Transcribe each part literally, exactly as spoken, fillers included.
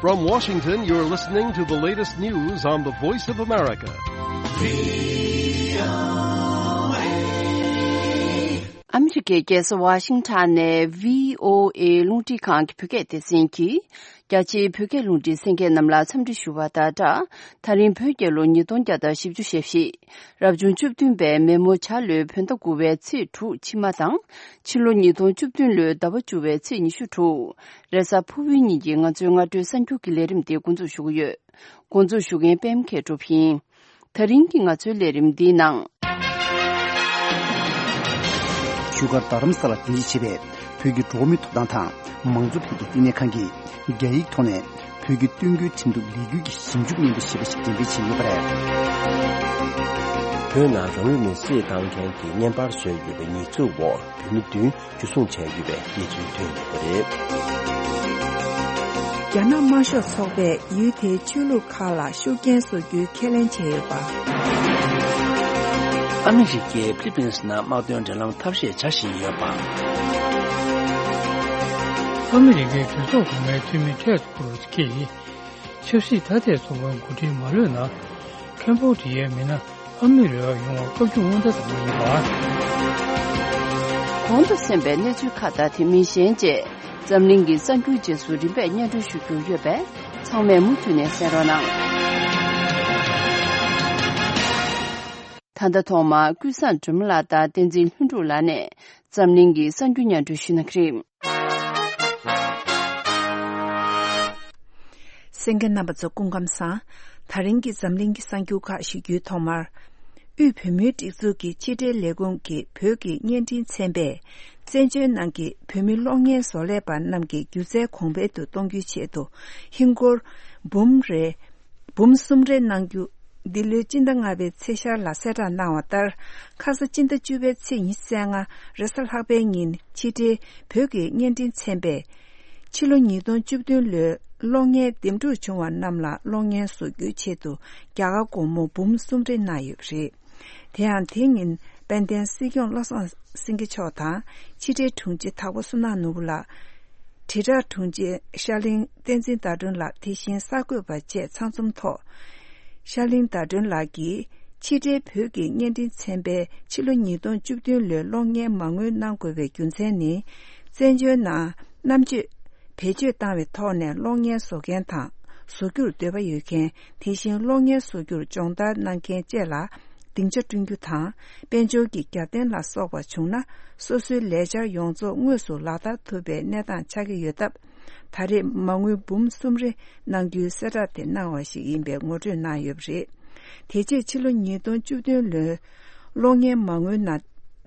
From Washington, you're listening to the latest news on the Voice of America. ཨ་མི་རི་ཀའི་རྒྱལ་ས་ཝ་ཤིང་ཊོན་ནས་བྷི་ཨོ་ཨེ་རླུང་འཕྲིན་ཁང་གི་བོད་སྐད་སྡེ་ཚན་གྱིས། རྒྱ་ཆེའི་བོད་སྐད་རླུང་འཕྲིན་གསན་མཁན་རྣམས་ལ་འཚམས་འདྲི་ཞུ་བ་དང་སྦྲགས། ད་རིང་བོད་རྒྱལ་ལོ་ཉིས་སྟོང་བརྒྱ་དང་བཞི་བཅུ་ཞེ་བཞི། རབ་བྱུང་བཅུ་བདུན་པའི་མེ་མོ་བྱ་ལོའི་བོད་ཟླ་དགུ་པའི་ཚེས་དྲུག་ཕྱི་མ་དང་། ཕྱི་ལོ་ཉིས་སྟོང་བཅུ་བདུན་ལོའི་ཟླ་བ་བཅུ་པའི་ཚེས་ཉི་ཤུ་དྲུག་རེས་གཟའ་ཕུར་བུའི་ཉིན་གྱི་ང་ཚོའི་སྔ་དྲོའི་གསར་འགྱུར་གྱི་ལས་རིམ་དེ་འགོ་འཛུགས་ཞུ་གི་ཡོད། འགོ་འཛུགས་ཞུ་མཁན་པད་མ་མཁས་གྲུབ་ཡིན། ད་རིང་གི་ང་ཚོའི་ལས་རིམ་འདིའི་ནང་། བཞུགས་སྒར་རྡ་རམ་ས་ལར་རྟེན་གཞི་བྱས་པའི་བོད་ཀྱི་འགྲོ་བ་མིའི་ཐོབ་ཐང་དང་མང་གཙོ་འཕེལ་རྒྱས་ལྟེ་གནས་ཁང་གིས་རྒྱ་ཡིག་ཐོག་ནས་བོད་ཀྱི་སྟོན་རྒྱུའི་ཁྲིམས་གཏུག་ལས་འགུལ་གྱི་ཞིབ་འཇུག་སྙན་ཐོ་ཞེས་པ་ཞིག་འགྲེམས་སྤེལ་བྱས་ཡོད་པ་རེད། བོད་ནང་རང་ལུས་མེར་སྲེག་བཏང་མཁན་གྱི་བརྙན་པར་བཟོས་ཡོད་པའི་ཉེས་འཛུགས་འོག་བོད་མི་བདུན། འཇུ་བཟུང་བྱས་ཡོད་པའི་གནས་ཚུལ་ཐོན་ཡོད་པ་རེད། རྒྱ་ནག་དམར་ཤོག་ཚོགས་པས་ཡུལ་དེའི་ཆོས་ལུགས་ཁག་ལ་ཤུགས་རྐྱེན་བཟོ་རྒྱུའི་ཁས་ལེན་བྱས་ཡོད་པ། ཨ་མི་རི་ཀས་ཕི་ལི་པིན་སི་ནང་དམག་དོན་འབྲེལ་ལམ་ཐབས་ཤེས་བྱ་བཞིན་ཡོད་པ། ཨ་མི་རི་ཀའི་གྲོས་ཚོགས་གོང་མའི་འཐུས་མི་ཊེཌ་ཀུ་རུ་ཛི་གིས། ཆབ་སྲིད་ཐ་དད་ཚོགས་པའི་འགོ་ཁྲིད་མ་ལྷོད་ན། ཁེམ་བྷོ་ཌི་ཡའི་མི་སྣ་ཨ་མི་རི་ཀར་ཡོང་བར་བཀའ་བཀྱོན་སྔོན་བརྡ་བཏང་བ་ཡིན་པ། གོང་དུ་གསན་པའི་གནས་ཚུལ་ཁག་དང་དེ་མིན་གཞན་བཅས་འཛམ་གླིང་གི་གསར་འགྱུར་རྗེས་སུ་རིམ་པས་སྙན་སྒྲོན་ཞུ་རྒྱུ་ཡོད་པས་ཚང་མས་མུ་མཐུད་ནས་གསན་རོགས་གནང་། ད་ལྟ་ཐོག་མར་ཀུན་བཟང་སྒྲོལ་མ་ལགས་དང་བསྟན་འཛིན་ལྷུན་གྲུབ་ལགས་ནས་འཛམ་གླིང་གི་གསར་འགྱུར་སྙན་སྒྲོན་ཞུ་གནང་གི་རེད། གསན་མཁན་རྣམ་པ་ཚོ་སྐུ་ཁམས་བཟང་། ད་རིང་གི་འཛམ་གླིང་གི་གསར་འགྱུར་ཁག་ཞུ་རྒྱུའི་ཐོག་མར། དབུས་བོད་མིའི་སྒྲིག་འཛུགས་ཀྱི་ཕྱི་དྲིལ་ལས་ཁུངས་ཀྱི་བོད་ཀྱི་བརྙན་འཕྲིན་ཚན་པས། བཙན་བྱོལ་ནང་གི་བོད་མི་གློག་བརྙན་བཟོ་ལས་པ་རྣམས་ཀྱི་སྒྱུ་རྩལ་གོང་འཕེལ་དུ་གཏོང་རྒྱུའི་ཆེད་དུ། ཧིན་སྒོར་འབུམ་རེ། འབུམ་གསུམ་རེ་གནང་རྒྱུ། འདི་ལོའི་སྤྱི་ཟླ་ལྔ་པའི་ཚེས་ཤར་ལ་གསལ་བསྒྲགས་གནང་བ་ལྟར། ཁ་ས་སྤྱི་ཟླ་བཅུ་པའི་ཚེས་ཉི་ཤུ་རྩ་ལྔ་རེས་གཟའ་ལྷག་པའི་ཉིན་ཕྱི་དྲིལ་བོད་ཀྱི་བརྙན་འཕྲིན་ཚན་པས། ཕྱི་ལོ་ཉིས་སྟོང་བཅུ་བདུན་ལོའི་གློག་བརྙན་འདེམས་སྒྲུག་བྱུང་བ་རྣམས་ལ་གློག་བརྙན་བཟོ་རྒྱུའི་ཆེད་དུ་རྒྱ་གར་སྒོར་མོ་འབུམ་གསུམ་རེ་གནང་ཡོད་པ་རེད། དེ་ཡང་དེ་ཉིན་དཔལ་ལྡན་སྲིད་སྐྱོང་བློ་བཟང་སེང་གེ་མཆོག་དང་ཕྱི་དྲིལ་དྲུང་ཆེ་དྭགས་པོ་བསོད་ནམས་ནོར་བུ་ལགས། དྲིལ་བསྒྲགས་དྲུང་ཆེ་ཤར་གླིང་བསྟན་འཛིན་ཟླ་སྒྲོན་ལགས། དེ་བཞིན་གསར་འགོད་པ་བཅས་ཚང་འཛོམས་ཐོག་ཤར་གླིང་ཟླ་སྒྲོན་ལགས་ཀྱིས་ཕྱི་དྲིལ་བོད་ཀྱི་བརྙན་འཕྲིན་ཚན་པས་ཕྱི་ལོ་ཉིས་སྟོང་བཅུ་བདུན་ལོའི་གློག་བརྙན་མ་དངུལ་གནང་དགོས་པའི་རྒྱུ་མཚན་ནི། བཙན་བྱོལ་ནང་རྣམ་དཔྱོད་བེད་སྤྱོད་བཏང་བའི་ཐོག་ནས་གློག་བརྙན་བཟོ་མཁན་དང་བཟོ་རྒྱུར་འདོད་པ་ཡོད་མཁན། དེ་བཞིན་གློག་བརྙན་བཟོ་རྒྱུར་སྦྱོང་བརྡར་གནང་མཁན་བཅས་ལ་སྡིངས་ཆ་བསྐྲུན་རྒྱུ་དང་། དཔལ་འབྱོར་གྱི་རྒྱབ་རྟེན་ལ་སོགས་པ་བྱུང་ན། སོ་སོའི་ལས་འཆར་ཡོངས་རྫོགས་དངོས་སུ་ལག་བསྟར་ཐུབ་པའི་གནས་སྟངས་ཆགས་ཀྱི་ཡོད་སྟབས། ད་རེས་མ་དངུལ་འབུམ་གསུམ་རེ་གནང་རྒྱུའི་གསལ་བསྒྲགས་དེ་གནང་བ་ཞིག་ཡིན་པའི་ངོ་སྤྲོད་གནང་ཡོད་པ་རེད། དེ་རྗེས་ཕྱི་ལོ་ཉིས་སྟོང་བཅུ་བདུན་ལོའི་གློག་བརྙན་མ་དངུལ་ནང་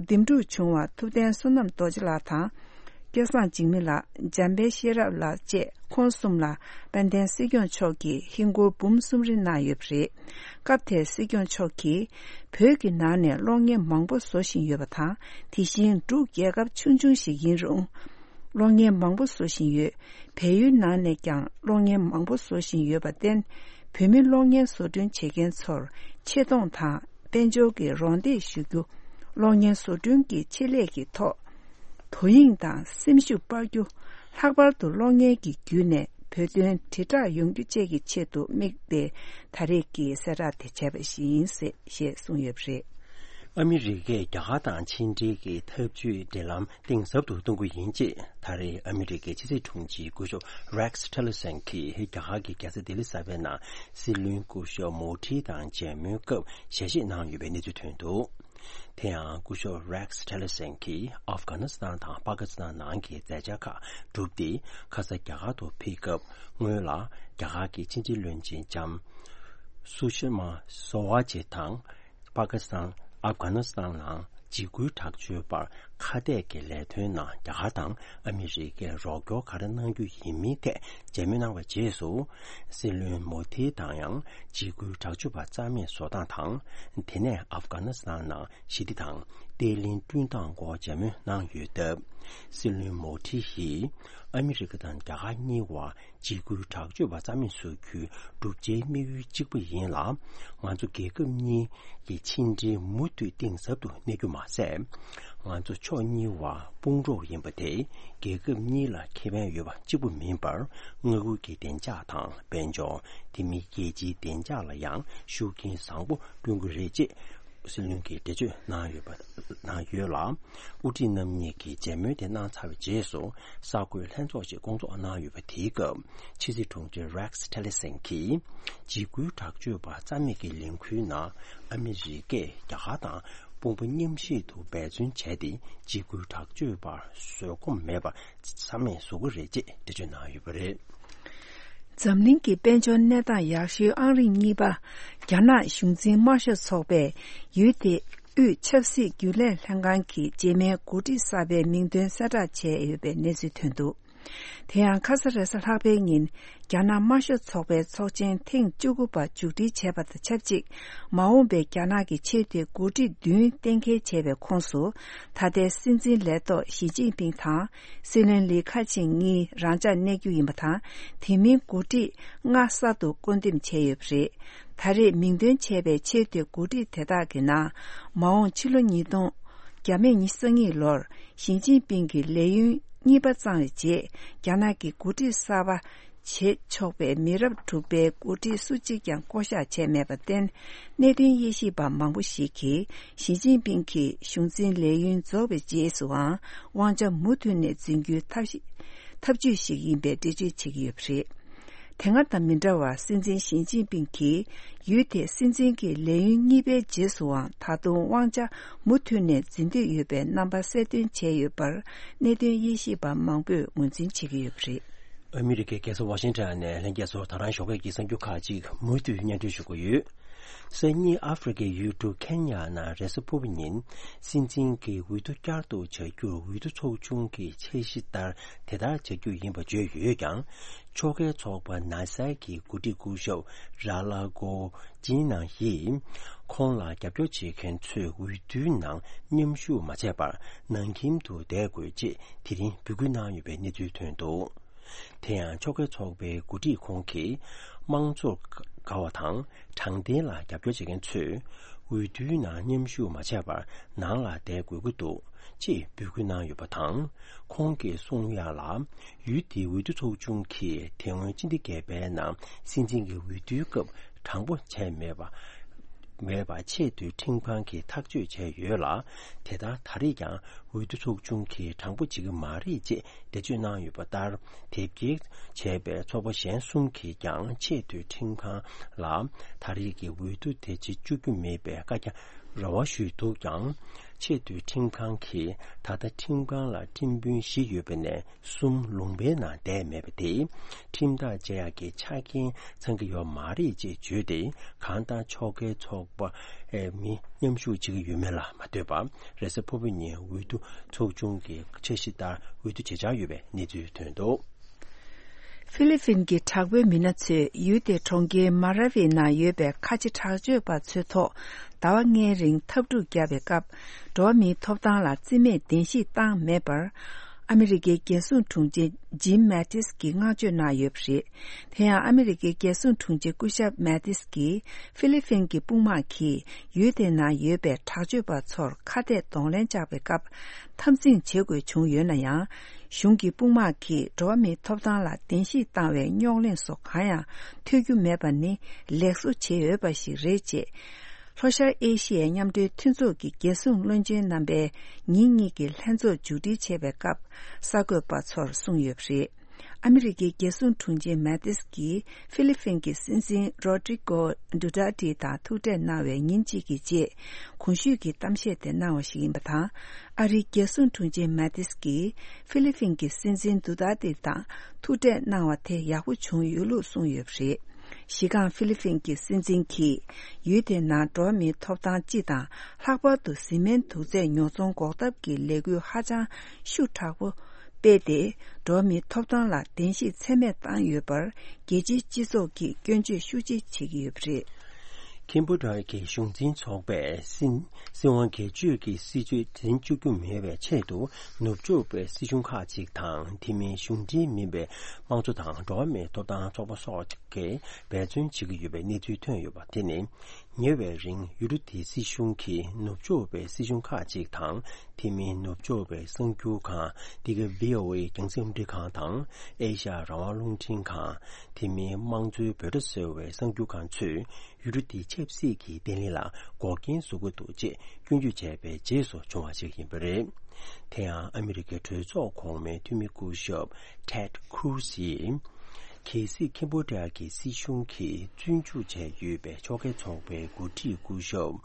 འདེམས་སྒྲུག་བྱུང་བ་ཐུབ་བསྟན་བསོད་ནམས་རྡོ་རྗེ་ལགས་དང་། སྐལ་བཟང་འཇིགས་མེད་ལགས། འཇམ་དཔལ་ཤེས་རབ་ལགས་བཅས་ཁོང་གསུམ་ལ་དཔལ་ལྡན་སྲིད་སྐྱོང་མཆོག་གིས་ཧིན་སྒོར་འབུམ་གསུམ་རེ་གནང་ཡོད་པ་རེད། སྐབས་དེར་སྲིད་སྐྱོང་མཆོག་གིས་བོད་ཀྱི་ནང་ནས་གློག་བརྙན་མང་པོ་བཟོ་བཞིན་ཡོད་པ་དང་། དེ་བཞིན་འབྲུག་རྒྱལ་ཁབ་ཆུང་ཆུང་ཞིག་ཡིན་རུང་། གློག་བརྙན་མང་པོ་བཟོ་བཞིན་ཡོད། བལ་ཡུལ་ནང་ནས་ཀྱང་གློག་བརྙན་མང་པོ་བཟོ་བཞིན་ཡོད་པར་བརྟེན། བོད་མི་གློག་བརྙན་བཟོ་སྐྲུན་བྱེད་མཁན་ཚོར་ཆེ་མཐོང་དང་དཔལ་འབྱོར་གྱི་རོགས་འདེགས་ཞུ་རྒྱུ། གློག་བརྙན་བཟོ་སྐྲུན་གྱི་ཆེད་ལས་ཀྱི་ཐོག་དོ་དབྱིངས་དང་སེམས་ཤུགས་སྤར་རྒྱུ། ལྷག་པར་དུ་གློག་བརྙན་གྱི་བརྒྱུད་ནས་བོད་དོན་དྲིལ་བསྒྲགས་ཡོང་རྒྱུ་བཅས་ཀྱི་ཆེད་དུ་དམིགས་ཏེ་ད་རེས་ཀྱི་གསལ་བསྒྲགས་དེ་བྱས་པ་ཞིག་ཡིན་ཞེས་གསུངས་ཡོད་པ་རེད། ཨ་མི་རི་ཀས་རྒྱ་གར་དང་ཕྱི་འབྲེལ་གྱི་འཐབ་ཇུས་འབྲེལ་ལམ་གཏིང་ཟབ་ཏུ་གཏོང་གི་ཡིན་ཅེས་ད་རེས་ཨ་མི་རི་ཀའི་ཕྱི་སྲིད་དྲུང་ཆེ་སྐུ་ཞབས་Rex Tillerson གྱིས་རྒྱ་གར་གྱི་རྒྱལ་ས་ལྡི་ལི་གསར་པའི་ནང་སྲིད་བློན་སྐུ་ཞབས་མོ་དྷི་དང་མཇལ་མོལ་སྐབས་ཞལ་བཞེས་གནང་ཡོད་པའི་གནས་ཚུལ་ཐོན་འདུག་དེ་ཡང་སྐུ་ཞབས་Rex Tillerson གྱིས་ཨབ་གྷ་ནི་སི་ཐན་དང་པ་ཀི་སི་ཐན་ནང་གི་མཛད་འཆར་ཁག་བསྒྲུབས་ཏེ་ཁ་ས་རྒྱ་གར་དུ་ཕེབས་སྐབས་སྔོན་ལ་རྒྱ་གར་གྱི་ཕྱི་འབྲེལ་བློན་ཆེན་ལྕམ་སུ་ཤི་མ་སོ་ཝ་ཇི་དང་། པ་ཀི་སི་ཐན། ཨབ་གྷ་ནི་སི་ཐན་ནང་འཇིགས་སྐུལ་དྲག་སྤྱོད་པར་ཁ་གཏད་ཀྱི་ལས་དོན་ནང་རྒྱ་གར་དང་ཨ་མི་རི་ཀས་རོགས་སྐྱོར་ག་རེ་གནང་རྒྱུ་ཡིན་མིན་ཐད་མཇལ་མོལ་གནང་བའི་རྗེས་སུ། སྲིད་བློན་མོ་དྷི་དང་ཡང་འཇིགས་སྐུལ་དྲག་སྤྱོད་པ་རྩ་མེད་བཟོ་སྟངས་དང་། དེ་ནས་ཨབ་གྷ་ནི་སི་ཐན་ནང་ཞི་བདེ་དང་བརྟན་ལྷིང་བསྐྲུན་སྟངས་སྐོར་མཇལ་མོལ་གནང་ཡོད་སྟབས། སྲིད་བློན་མོ་དྷི་ཡིས་ཨ་མི་རི་ཀ་དང་རྒྱ་གར་གཉིས་བར་འཇིགས་སྐུལ་དྲག་སྤྱོད་པ་རྩ་མེད་བཟོ་རྒྱུའི་བསྒྲུབ་བྱའི་དམིགས་ཡུལ་གཅིག་པ་ཡིན་ལ། ང་ཚོ་རྒྱལ་ཁབ་གཉིས་ཀྱི་ཕྱི་འབྲེལ་མུ་མཐུད་གཏིང་ཟབ་ཏུ་གནས་རྒྱུ་མ་ཟད། ང་ཚོ་ཕྱོགས་གཉིས་བར་དཔུང་གྲོགས་ཡིན་པ་དེ་རྒྱལ་ཁབ་གཉིས་ལ་ཁེ་ཕན་ཡོད་པ་གཅིག་པུ་མིན་པར། མངའ་ཁུལ་གྱི་བདེ་འཇགས་དང་དཔལ་འབྱོར། དེ་མིན་རྒྱལ་སྤྱིའི་བདེ་འཇགས་ལ་ཡང་ཤུགས་རྐྱེན་བཟང་པོ་བསྐྲུན་གྱི་རེད་ཅེས་སྲིད་བློན་གྱིས་འགྲེལ་བརྗོད་གནང་ཡོད་པ། གནང་ཡོད་ལ། དབུ་ཁྲིད་རྣམ་གཉིས་ཀྱིས་མཇལ་མོལ་དེ་གནང་ཚར་བའི་རྗེས་སུ། གསར་འགོད་ལྷན་ཚོགས་ཤིག་བསྐོང་ཚོགས་གནང་ཡོད་པ། དེའི་སྐབས་ཕྱི་སྲིད་དྲུང་ཆེ་Rex Tillerson གྱིས། འཇིགས་སྐུལ་དྲག་སྤྱོད་པ་རྩ་མེད་ཀྱི་ལས་འགུལ་ནང་ཨ་མི་རི་ཀས་རྒྱ་གར་དང་དཔུང་པ་མཉམ་གཤིབ་ཏུ་འབད་བརྩོན་བྱས་ཏེ། འཇིགས་སྐུལ་དྲག་སྤྱོད་པར་བཟོད་སྒོམ་མེད་པར་རྩ་མེད་བཟོ་གི་རེད་ཅེས་འགྲེལ་བརྗོད་གནང་ཡོད་པ་རེད། འཛམ་གླིང་གི་དཔལ་འབྱོར་གནས་སྟངས་ཡག་ཤོས་ཨང་རིམ་གཉིས་པ་རྒྱ་ནག་གཞུང་འཛིན་དམར་ཤོག་ཚོགས་པས། ཡུལ་དེའི་དབུས་ཆབ་སྲིད་རྒྱུན་ལས་ལྷན་ཁང་གི་རྗེས་མའི་འགོ་ཁྲིད་གསར་པའི་མིང་འདོན་གསལ་བསྒྲགས་བྱས་ཡོད་པའི་གནས་ཚུལ་ཐོན་འདུག། དེ་ཡང་ཁ་ས་རེས་གཟའ་ལྷག་པའི་ཉིན། རྒྱ་ནག་དམར་ཤོག་ཚོགས་པའི་ཚོགས་ཆེན་ཐེངས་བཅུ་དགུ་པ་མཇུག་སྒྲིལ་བྱས་པ་དང་ཆབས་ཅིག། མ་འོངས་པའི་རྒྱ་ནག་གི་ཆེས་མཐོའི་འགོ་ཁྲིད་བདུན་གཏན་འཁེལ་བྱས་པའི་ཁོངས་སུ། ད་ལྟའི་སྲིད་འཛིན་ལས་ཐོག་ཞི་ཅིན་ཕིང་དང་། སྲིད་བློན་ལི་ཁེ་ཆང་གཉིས་རང་འཇགས་གནས་རྒྱུ་ཡིན་པ་དང་། དེ་མིན་འགོ་ཁྲིད་ལྔ་གསར་དུ་བསྐོ་འདེམས་བྱས་ཡོད་པ་རེད། ད་རེས་མིང་འདོན་བྱས་པའི་ཆེས་མཐོའི་འགོ་ཁྲིད་དེ་དག་གི་ནང་། མ་འོངས་ཕྱི་ལོ་ཉིས་སྟོང་། རྒྱ་མེད་ཉི་ཤུ་རྩ་གཉིས་ལོར་ཞི་ཅིན་ཕིང་གི་ལས་ཡུན་གཉིས་པ་བརྩམས་པའི་རྗེས། རྒྱ་ནག་གི་འགོ་ཁྲིད་གསར་པ་བྱེད་ཆོག་པའི་མི་རབས་དྲུག་པའི་འགོ་ཁྲིད་སུ་གཅིག་ཀྱང་བསྐོ་གཞག་བྱས་མེད་པར་བརྟེན། གནད་དོན་དབྱེ་ཞིབ་པ་མང་པོ་ཞིག་གིས། ཞི་ཅིན་ཕིང་གི་གཞུང་འཛིན་ལས་ཡུན་རྫོགས་པའི་རྗེས་སུའང་། དབང་ཆ་མུ་མཐུད་ནས་འཛིན་རྒྱུའི་ཐབས་ཤེས། ཐབས་ཇུས་ཤིག་ཡིན་པའི་འགྲེལ་བརྗོད་བྱེད་ཀྱི་ཡོད་པ་རེད། དེ་སྔ་དང་མི་འདྲ་བར། སྲིད་འཛིན་ཞི་ཅིན་ཕིང་གིས། ཡུལ་དེའི་སྲིད་འཛིན་གྱི་ལས་ཡུན་གཉིས་པའི་རྗེས་སུའང་། ད་དུང་དབང་ཆ་མུ་མཐུད་ནས་འཛིན་འདོད་ཡོད་པའི་རྣམ་པ་གསལ་སྟོན་བྱས་ཡོད་པར། གནད་དོན་དབྱེ་ཞིབ་པ་མང་པོས་ངོས་འཛིན་བྱེད་ཀྱི་ཡོད་པ་རེད། ཨ་མི་རི་ཀའི་རྒྱལ་ས་ཝ་ཤིང་ཊོན་ནས་ལྷན་རྒྱས་ཚོར་ད་རང་ཞོགས་ཀས་ཀྱི་གསར་འགྱུར་ཁག་ཅིག་མུ་མཐུད་སྙན་སྒྲོན་ཞུ་གི་ཡོད། སང་ཉིན་ཨ་ཧྥེ་རི་ཁའི་ཡུལ་གྲུ་ཁེན་ཡ་ནང་རེས་གཟའ་ཕུར་བུ་ཉིན། སྲིད་འཛིན་གྱི་འོས་བསྡུ་བསྐྱར་དུ་བྱ་རྒྱུར། འོས་བསྡུ་ཚོགས་ཆུང་གི་འཆར་གཞི་ལྟར་དེ་ལྟར་བྱ་རྒྱུ་ཡིན་པ་བརྗོད་ཡོད་ཀྱང་། ཕྱོགས་འགལ་ཚོགས་པ་ནཱ་སའི་གི་འགོ་ཁྲིད་སྐུ་ཞབས་ར་ལ་གོ་ཅིན་ནང་ཡིས། ཁོང་ལ་རྒྱབ་སྐྱོར་བྱེད་མཁན་ཚོས་འོས་བསྡུའི་ནང་མཉམ་ཞུགས་མ་བྱས་པར། ནང་ཁྱིམ་དུ་བསྡད་དགོས་ཅེས་དེ་རིང་འབོད་སྐུལ་གནང་ཡོད་པའི་གནས་ཚུལ་ཐོན་འདུག། དེ་ཡང་ཕྱོགས་འགལ་ཚོགས་པའི་འགོ་ཁྲིད་ཁོང་གིས། དམངས་གཙོར་དགའ་བ་དང་དྲང་བདེན་ལ་རྒྱབ་སྐྱོར་བྱེད་མཁན་ཚོས། འོས་བསྡུའི་ནང་མཉམ་ཞུགས་མ་བྱས་པར། ནང་ལ་བསྡད་དགོས་ཀྱི་འདུག་ཅེས་འབོད་སྐུལ་གནང་ཡོད་པ་དང་། ཁོང་གིས་གསུངས་ཡག་ལ། ཡུལ་དེའི་འོས་བསྡུ་ཚོགས་ཆུང་གིས་དེ་སྔོན་སྤྱི་ཟླ་བརྒྱད་པའི་ནང་སྲིད་འཛིན་གྱི་འོས་བསྡུའི་སྐབས་དྲང་པོ་བྱས་མེད་པ། མེད་པ་ཆེས་མཐོའི་ཁྲིམས་ཁང་གིས་ཐག་གཅོད་བྱས་ཡོད་ལ། དེ་ལྟར་ད་རེས་ཀྱང་འོས་བསྡུ་ཚོགས་ཆུང་གིས་དྲང་པོ་བྱེད་ཀྱི་མ་རེད་ཅེས་འགྲེལ་བརྗོད་གནང་ཡོད་པ་ལྟར། དེབ་སྐྱེལ་བྱས་པའི་ཚོགས་པ་གཞན་གསུམ་གྱིས་ཀྱང་ཆེས་མཐོའི་ཁྲིམས་ཁང་ལ་ད་རེས་ཀྱི་འོས་བསྡུ་དེ་བྱེད་བཅུག་རྒྱུ་མེད་པའི་བཀའ་རྒྱ་རེ་བ་ཞུས་འདུག་ཀྱང་། ཆེས་མཐོའི་ཁྲིམས་ཁང་གིས་ད་ལྟ་ཁྲིམས་ཁང་ལ་ཁྲིམས་དཔོན་བཞི་ཡོད་པ་ནས། གསུམ་ལུང་པའི་ནང་བསྡད་མེད་པ་དེས། ཁྲིམས་ཐག་བཅད་ཡག་གི་ཆ་རྐྱེན་ཚང་གི་ཡོད་མ་རེད་ཅེས་བརྗོད་དེ། གང་ལྟར་ཕྱོགས་འགལ་ཚོགས་པ་མི་མཉམ་ཞུགས་བྱེད་ཀྱི་ཡོད་མེད་ལ་མ་ལྟོས་པར། རེས་གཟའ་ཕུར་བུ་ཉིན་འོས་བསྡུ་ཚོགས་ཆུང་གི་འཆར་གཞི་ལྟར་འོས་བསྡུ་བྱེད་འཆར་ཡོད་པའི་གནས་ཚུལ་ཐོན་འདུག། ཧྥི་ལི་ཕིན་གྱི་དྲག་པོའི་མི་སྣ་ཚོས་ཡུལ་དེའི་གྲོང་ཁྱེར་མ་ར་ཝི་ནང་ཡོད་པའི་ཁ་ཆེ་དྲག་སྤྱོད་པ་ཚོའི་ཐོག་ཟླ་བ་ལྔའི་རིང་འཐབ་འཁྲུག་བརྒྱབ་པའི་སྐབས། འགྲོ་བ་མིའི་ཐོབ་ཐང་ལ་བརྩི་མེད་བདེན་བཞིས་བཏང་མེད་པར། ཨ་མི་རི་ཀའི་རྒྱལ་སྲུང་དྲུང་ཆེ་ཇིམ་མེ་ཏིས་ཀྱིས་བསྔགས་བརྗོད་གནང་ཡོད་པ་རེད། དེ་ཡང་ཨ་མི་རི་ཀའི་རྒྱལ་སྲུང་དྲུང་ཆེ་སྐུ་ཞབས་མེ་ཏིས་ཀྱིས་ཧྥི་ལི་ཕིན་གྱི་དཔུང་དམག་གིས་ཡུལ་དེ་ནང་ཡོད་པའི་དྲག་སྤྱོད་པ་ཚོར་ཁ་གཏད་གདོང་ལེན་བཅག་པའི་སྐབས་འཐབ་འཛིང་བྱེད་དགོས་བྱུང་ཡོད་ན་ཡང་། གཞུང་གི་དཔུང་དམག་གིས་འགྲོ་བ་མིའི་ཐོབ་ཐང་ལ་བརྡལ་བཤིག་བཏང་བའི་རྙོག་གླེང་སོགས་གང་ཡང་ཐོས་རྒྱུ་མེད་པ་ནི་ལེགས་གསོ་བྱེད་འོས་པ་ཞིག་རེད་ཅེས། ལྷོ་ཤར་ཨེ་ཤི་ཡའི་མཉམ་འབྲེལ་མཐུན་ཚོགས་ཀྱི་རྒྱལ་སྲུང་བློན་ཆེན་རྣམ་པའི་ཉིན་གཉིས་ཀྱི་ལྷན་ཚོགས་མཇུག་སྒྲིལ་བྱས་པའི་སྐབས་གསར་འགོད་པ་ཚོར་གསུངས་ཡོད་པ་རེད། ཨ་མི་རི་ཀའི་རྒྱལ་སྲུང་དྲུང་ཆེ་མེ་ཏིས་ཀྱིས་ཧྥི་ལི་ཕིན་གྱི་སྲིད་འཛིན་རོ་ཏྲི་ཀོ་ཌུ་ཏར་ཏི་དང་ཐུག་འཕྲད་གནང་བའི་ཉིན་གཅིག་གི་རྗེས། གོང་ཞུས་ཀྱི་གཏམ་བཤད་དེ་གནང་བ་ཞིག་ཡིན་པ་དང་། ཨ་རིའི་རྒྱལ་སྲུང་དྲུང་ཆེ་མེ་ཏིས་ཀྱིས་ཧྥི་ལི་ཕིན་གྱི་སྲིད་འཛིན་དུ་ཏར་ཏི་དང་ཐུག་འཕྲད་གནང་བ་དེ་ཡག་པོ་བྱུང་ཡོད་ལུགས་གསུངས་ཡོད་པ་རེད། གཞི་རྐང་ཧྥི་ལི་ཕིན་གྱི་སྲིད་འཛིན་གྱིས་ཡུལ་དེའི་ནང་འགྲོ་བ་མིའི་ཐོབ་ཐང་སྤྱི་དང་། ལྷག་པར་དུ་བཟི་སྨན་དུག་རྫས་ཉོ་ཚོང་འགོག་ཐབས་ཀྱི་ལས་འགུལ་ཧ་ཅང་ཤུགས་དྲག་པོ་སྤེལ་ཏེ། འགྲོ་བ་མིའི་ཐོབ་ཐང་ལ་བརྡལ་བཤིག་ཚད་མེད་བཏང་ཡོད་པར་རྒྱལ་སྤྱིའི་སྤྱི་ཚོགས་ཀྱིས་སྐྱོན་བརྗོད་ཤུགས་ཆེ་བྱེད་ཀྱི་ཡོད་པ་རེད། ཁེམ་བྷོ་ཌི་ཡ་གི་གཞུང་འཛིན་ཚོགས་པས་སྲིད་སྲིད་དབང་སྒེར་གཅོད་ཀྱི་སྲིད་བྱུས་འཛིན་བཅུག་རྒྱུ་མེད་པའི་ཆེད་དུ། ནུབ་ཕྱོགས་པའི་སྲིད་གཞུང་ཁག་ཅིག་དང་། དེ་མིན་གཞུང་འབྲེལ་མིན་པའི་དམངས་གཙོ་དང་འགྲོ་བ་མིའི་ཐོབ་ཐང་ཚོགས་པ་སོགས་ཀྱིས་འབད་བརྩོན་བྱེད་ཀྱི་ཡོད་པའི་གནས་ཚུལ་ཐོན་ཡོད་པ་དེ་ནི། ཉེ་བའི་རིང་ཡུལ་གྲུ་དེའི་སྲིད་གཞུང་གིས་ནུབ་ཕྱོགས་པའི་སྲིད་གཞུང་ཁག་ཅིག་དང་། དེ་མིན་ནུབ་ཕྱོགས་པའི་གསར་འགྱུར་ཁང་འདི་ག་བྷི་ཨོ་ཨེ་རྒྱང་སྲིང་རླུང་འཕྲིན་ཁང་དང་། ཨེ་ཤ་ཡ་རང་དབང་རླུང་འཕྲིན་ཁང་། དེ་མིན་དམངས་གཙོའི་འབོད་སྒྲ་ཟེར་བའི་གསར་འགྱུར་ཁང་ཚོས་ཡུལ་གྲུ་དེའི་ཆབ་སྲིད་ཀྱི་བརྟན་ལྷིང་ལ་འགོག་རྐྱེན་བཟོ་གི་འདུག་ཅེས་སྐྱོན་བརྗོད་བྱས་པའི་རྗེས་སུ་བྱུང་བ་ཞིག་ཡིན་པ་རེད། དེ་ཡང་ཨ་མི་རི་ཀའི་གྲོས་ཚོགས་གོང་མའི་འཐུས་མི་སྐུ་ཞབས་Ted Cruz་ཡིས། གལ་སྲིད་ཁེམ་བྷོ་ཌི་ཡ་གི་སྲིད་གཞུང་གིས་བཙོན་འཇུག་བྱས་ཡོད་པའི་ཕྱོགས་འགལ་ཚོགས་པའི་འགོ་ཁྲིད་སྐུ་ཞབས་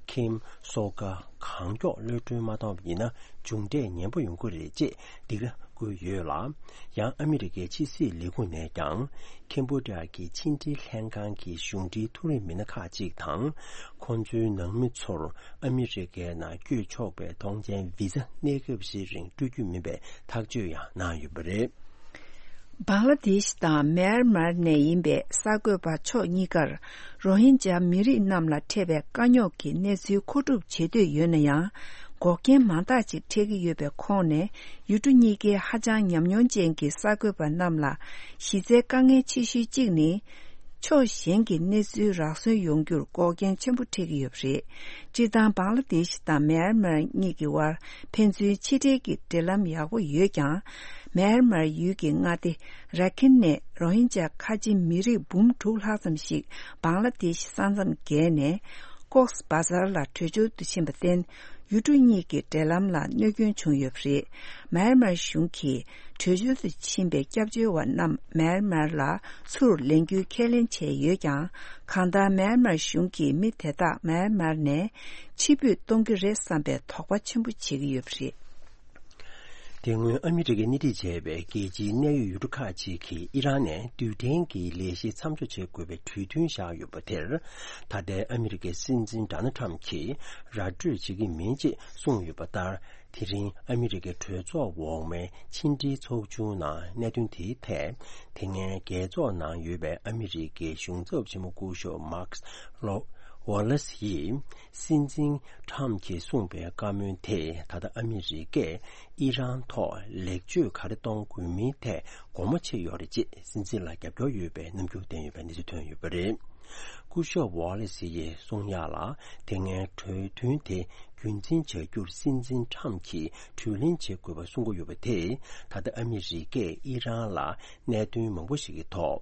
ཁེམ་སོ་ཀ་གང་མགྱོགས་གློད་གྲོལ་མ་བཏང་བ་ཡིན་ན། མཇུག་འབྲས་ངན་པ་ཡོང་གི་རེད་ཅེས་སྡིགས་ར་བསྐུལ་ཡོད་ལ། ཡང་ཨ་མི་རི་ཀའི་ཕྱི་སྲིད་ལས་ཁུངས་ནས་ཀྱང་། ཁེམ་བྷོ་ཌི་ཡ་གི་ཕྱི་འབྲེལ་ལྷན་ཁང་གི་གཞུང་འབྲེལ་ཐུགས་རེ་མི་སྣ་ཁག་ཅིག་དང་། ཁོང་ཚོའི་ནང་མི་ཚོར་ཨ་མི་རི་ཀའི་ནང་བསྐྱོད་ཆོག་པའི་ཐོངས་མཆན་བི་ཟ་གནས་སྐབས་ཤིག་རིང་སྤྲོད་རྒྱུ་མིན་པའི་ཐག་གཅོད་ཡང་གནང་ཡོད་པ་རེད། བང་ལ་དེཤ་དང་མེན་མར་ནས་ཡིན་པའི་གསར་འགོད་པ་ཕྱོགས་གཉིས་ཀར་རོ་ཧིན་ཇཱ་མི་རིགས་རྣམས་ལ་འཕྲད་པའི་དཀའ་རྙོག་གི་གནས་ཚུལ་མཁོ་སྒྲུབ་བྱེད་འདོད་ཡོད་ན་ཡང་། འགོག་རྐྱེན་མང་དག་ཅིག་འཕྲད་ཀྱི་ཡོད་པའི་ཁོངས་ནས། ཡུལ་གྲུ་གཉིས་ཀའི་ཧ་ཅང་ཉམས་མྱོང་ཅན་གྱི་གསར་འགོད་པ་རྣམས་ལ་གཞི་རྩའི་དཀའ་ངལ་ཆེ་ཤོས་གཅིག་ནི། ཕྱོགས་གཞན་གྱི་གནས་ཚུལ་རག་སོན་ཡོང་རྒྱུར་འགོག་རྐྱེན་ཆེན་པོ་འཕྲད་ཀྱི་ཡོད་པ་རེད། སྤྱིར་བཏང་བང་ལ་དེཤ་དང་མེན་མར་གཉིས་ཀྱི་དབར་ཕན་ཚུན་ཕྱི་འབྲེལ་གྱི་འབྲེལ་ལམ་ཡག་པོ་ཡོད་ཀྱང་། མེན་མར་ཡུལ་གྱི་མངའ་སྡེ་ར་ཁིན་ནས་རོ་ཧིན་ཇཱ་ཁ་ཆེ་མི་རིགས་འབུམ་དྲུག་ལྷག་ཙམ་ཞིག་བང་ལ་དེཤ་ས་མཚམས་བརྒལ་ནས་ཀོག་སི་བ་ཟར་ལ་བྲོས་བྱོལ་དུ་ཕྱིན་པར་བརྟེན། ཡུལ་གྲུ་གཉིས་ཀྱི་འབྲེལ་ལམ་ལ་གནོད་སྐྱོན་བྱུང་ཡོད་པ་རེད། མེན་མར་གཞུང་གིས་བྲོས་བྱོལ་དུ་ཕྱིན་པའི་སྐྱབས་བཅོལ་བ་རྣམས་མེན་མར་ལ་ཚུར་ལེན་རྒྱུའི་ཁས་ལེན་བྱས་ཡོད་ཀྱང་། གང་ལྟར་མེན་མར་གཞུང་གིས་མི་དེ་དག་མེན་མར་ནས་ཕྱིར་འབུད་གཏོང་གི་རེད་བསམ་པའི་དོགས་པ་ཆེན་པོ་བྱེད་ཀྱི་ཡོད་པ་རེད། དེ་སྔོན་ཨ་མི་རི་ཀས་སྣེ་ཁྲིད་བྱས་པའི་རྒྱལ་སྤྱིའི་གནད་ཡོད་ཡུལ་གྲུ་ཁག་ཅིག་གིས་ཨི་རན་ནས་རྡུལ་ཕྲན་གྱི་ལས་གཞི་མཚམས་འཇོག་བྱེད་དགོས་པའི་གྲོས་མཐུན་བཞག་ཡོད་པ་དེར། ད་ལྟའི་ཨ་མི་རི་ཀའི་སྲིད་འཛིན་ཌོ་ནལ་ཊམ་གྱིས་ར་སྤྲོད་བྱེད་ཀྱི་མིན་ཅེས་གསུངས་ཡོད་པ་ལྟར། དེ་རིང་ཨ་མི་རི་ཀའི་གྲོས་ཚོགས་འོག་མའི་ཕྱི་འབྲེལ་ཚོགས་ཆུང་ནང་གནད་དོན་དེའི་ཐད། དེ་སྔའི་རྒྱལ་ཚོགས་ནང་ཡོད་པའི་ཨ་མི་རི་ཀའི་གཞུང་ཚབ་ཆེན་མོ་སྐུ་ཞབས་མཱག་ལོ་ཝ་ལེ་སི་ཡིས། སྲིད་འཛིན་ཊམ་གྱིས་གསུངས་པའི་བཀའ་མོལ་དེས་ད་ལྟ་ཨ་མི་རི་ཀས་ཨི་རན་ཐོག་ལེགས་བཅོས་ག་རེ་གཏོང་དགོས་མིན་ཐད་དགོངས་པ་ཆེ་ཡོད་རེད་ཅེས་སྲིད་འཛིན་ལ་རྒྱབ་སྐྱོར་ཡོད་པའི་རྣམ་འགྱུར་བསྟན་ཡོད་པའི་གནས་ཚུལ་ཐོན་ཡོད་པ་རེད། སྐུ་ཞབས་ཝ་ལེ་སི་ཡིས་གསུང་ཡག་ལ། དེ་སྔའི་གྲོས་མཐུན་དེ་རྒྱུན་འཛིན་བྱ་རྒྱུར་སྲིད་འཛིན་ཊམ་གྱིས་གྲོས་གླེང་བྱེད་དགོས་པ་གསུང་གི་ཡོད་པ་དེས། ད་ལྟ་ཨ་མི་རི་ཀས་ཨི་རན་ལ་གནད་དོན་མང་པོ་ཞིག་གི་ཐོག་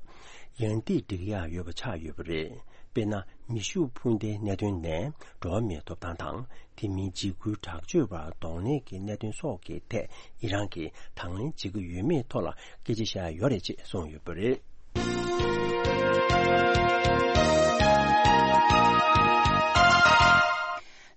ཡང་ཏིག་སྒྲིག་ཡག་ཡོད་པ་ཆགས་ཡོད་པ་རེད། དཔེར་ན། མེ་ཤུགས་འཕུར་མདེལ་གནད་དོན་ནས་འགྲོ་བ་མིའི་ཐོབ་ཐང་དང་། དེ་མིན་འཇིགས་སྐུལ་དྲག་སྤྱོད་པར་གདོང་ལེན་གྱི་གནད་དོན་སོགས་ཀྱི་ཐད་ཨི་རན་གྱིས་དང་ལེན་བྱེད་ཀྱི་ཡོད་མེད་ཐོག་ལ་སྐད་ཆ་བཤད་ཡོད་རེད་ཅེས་གསུངས་ཡོད་པ་རེད།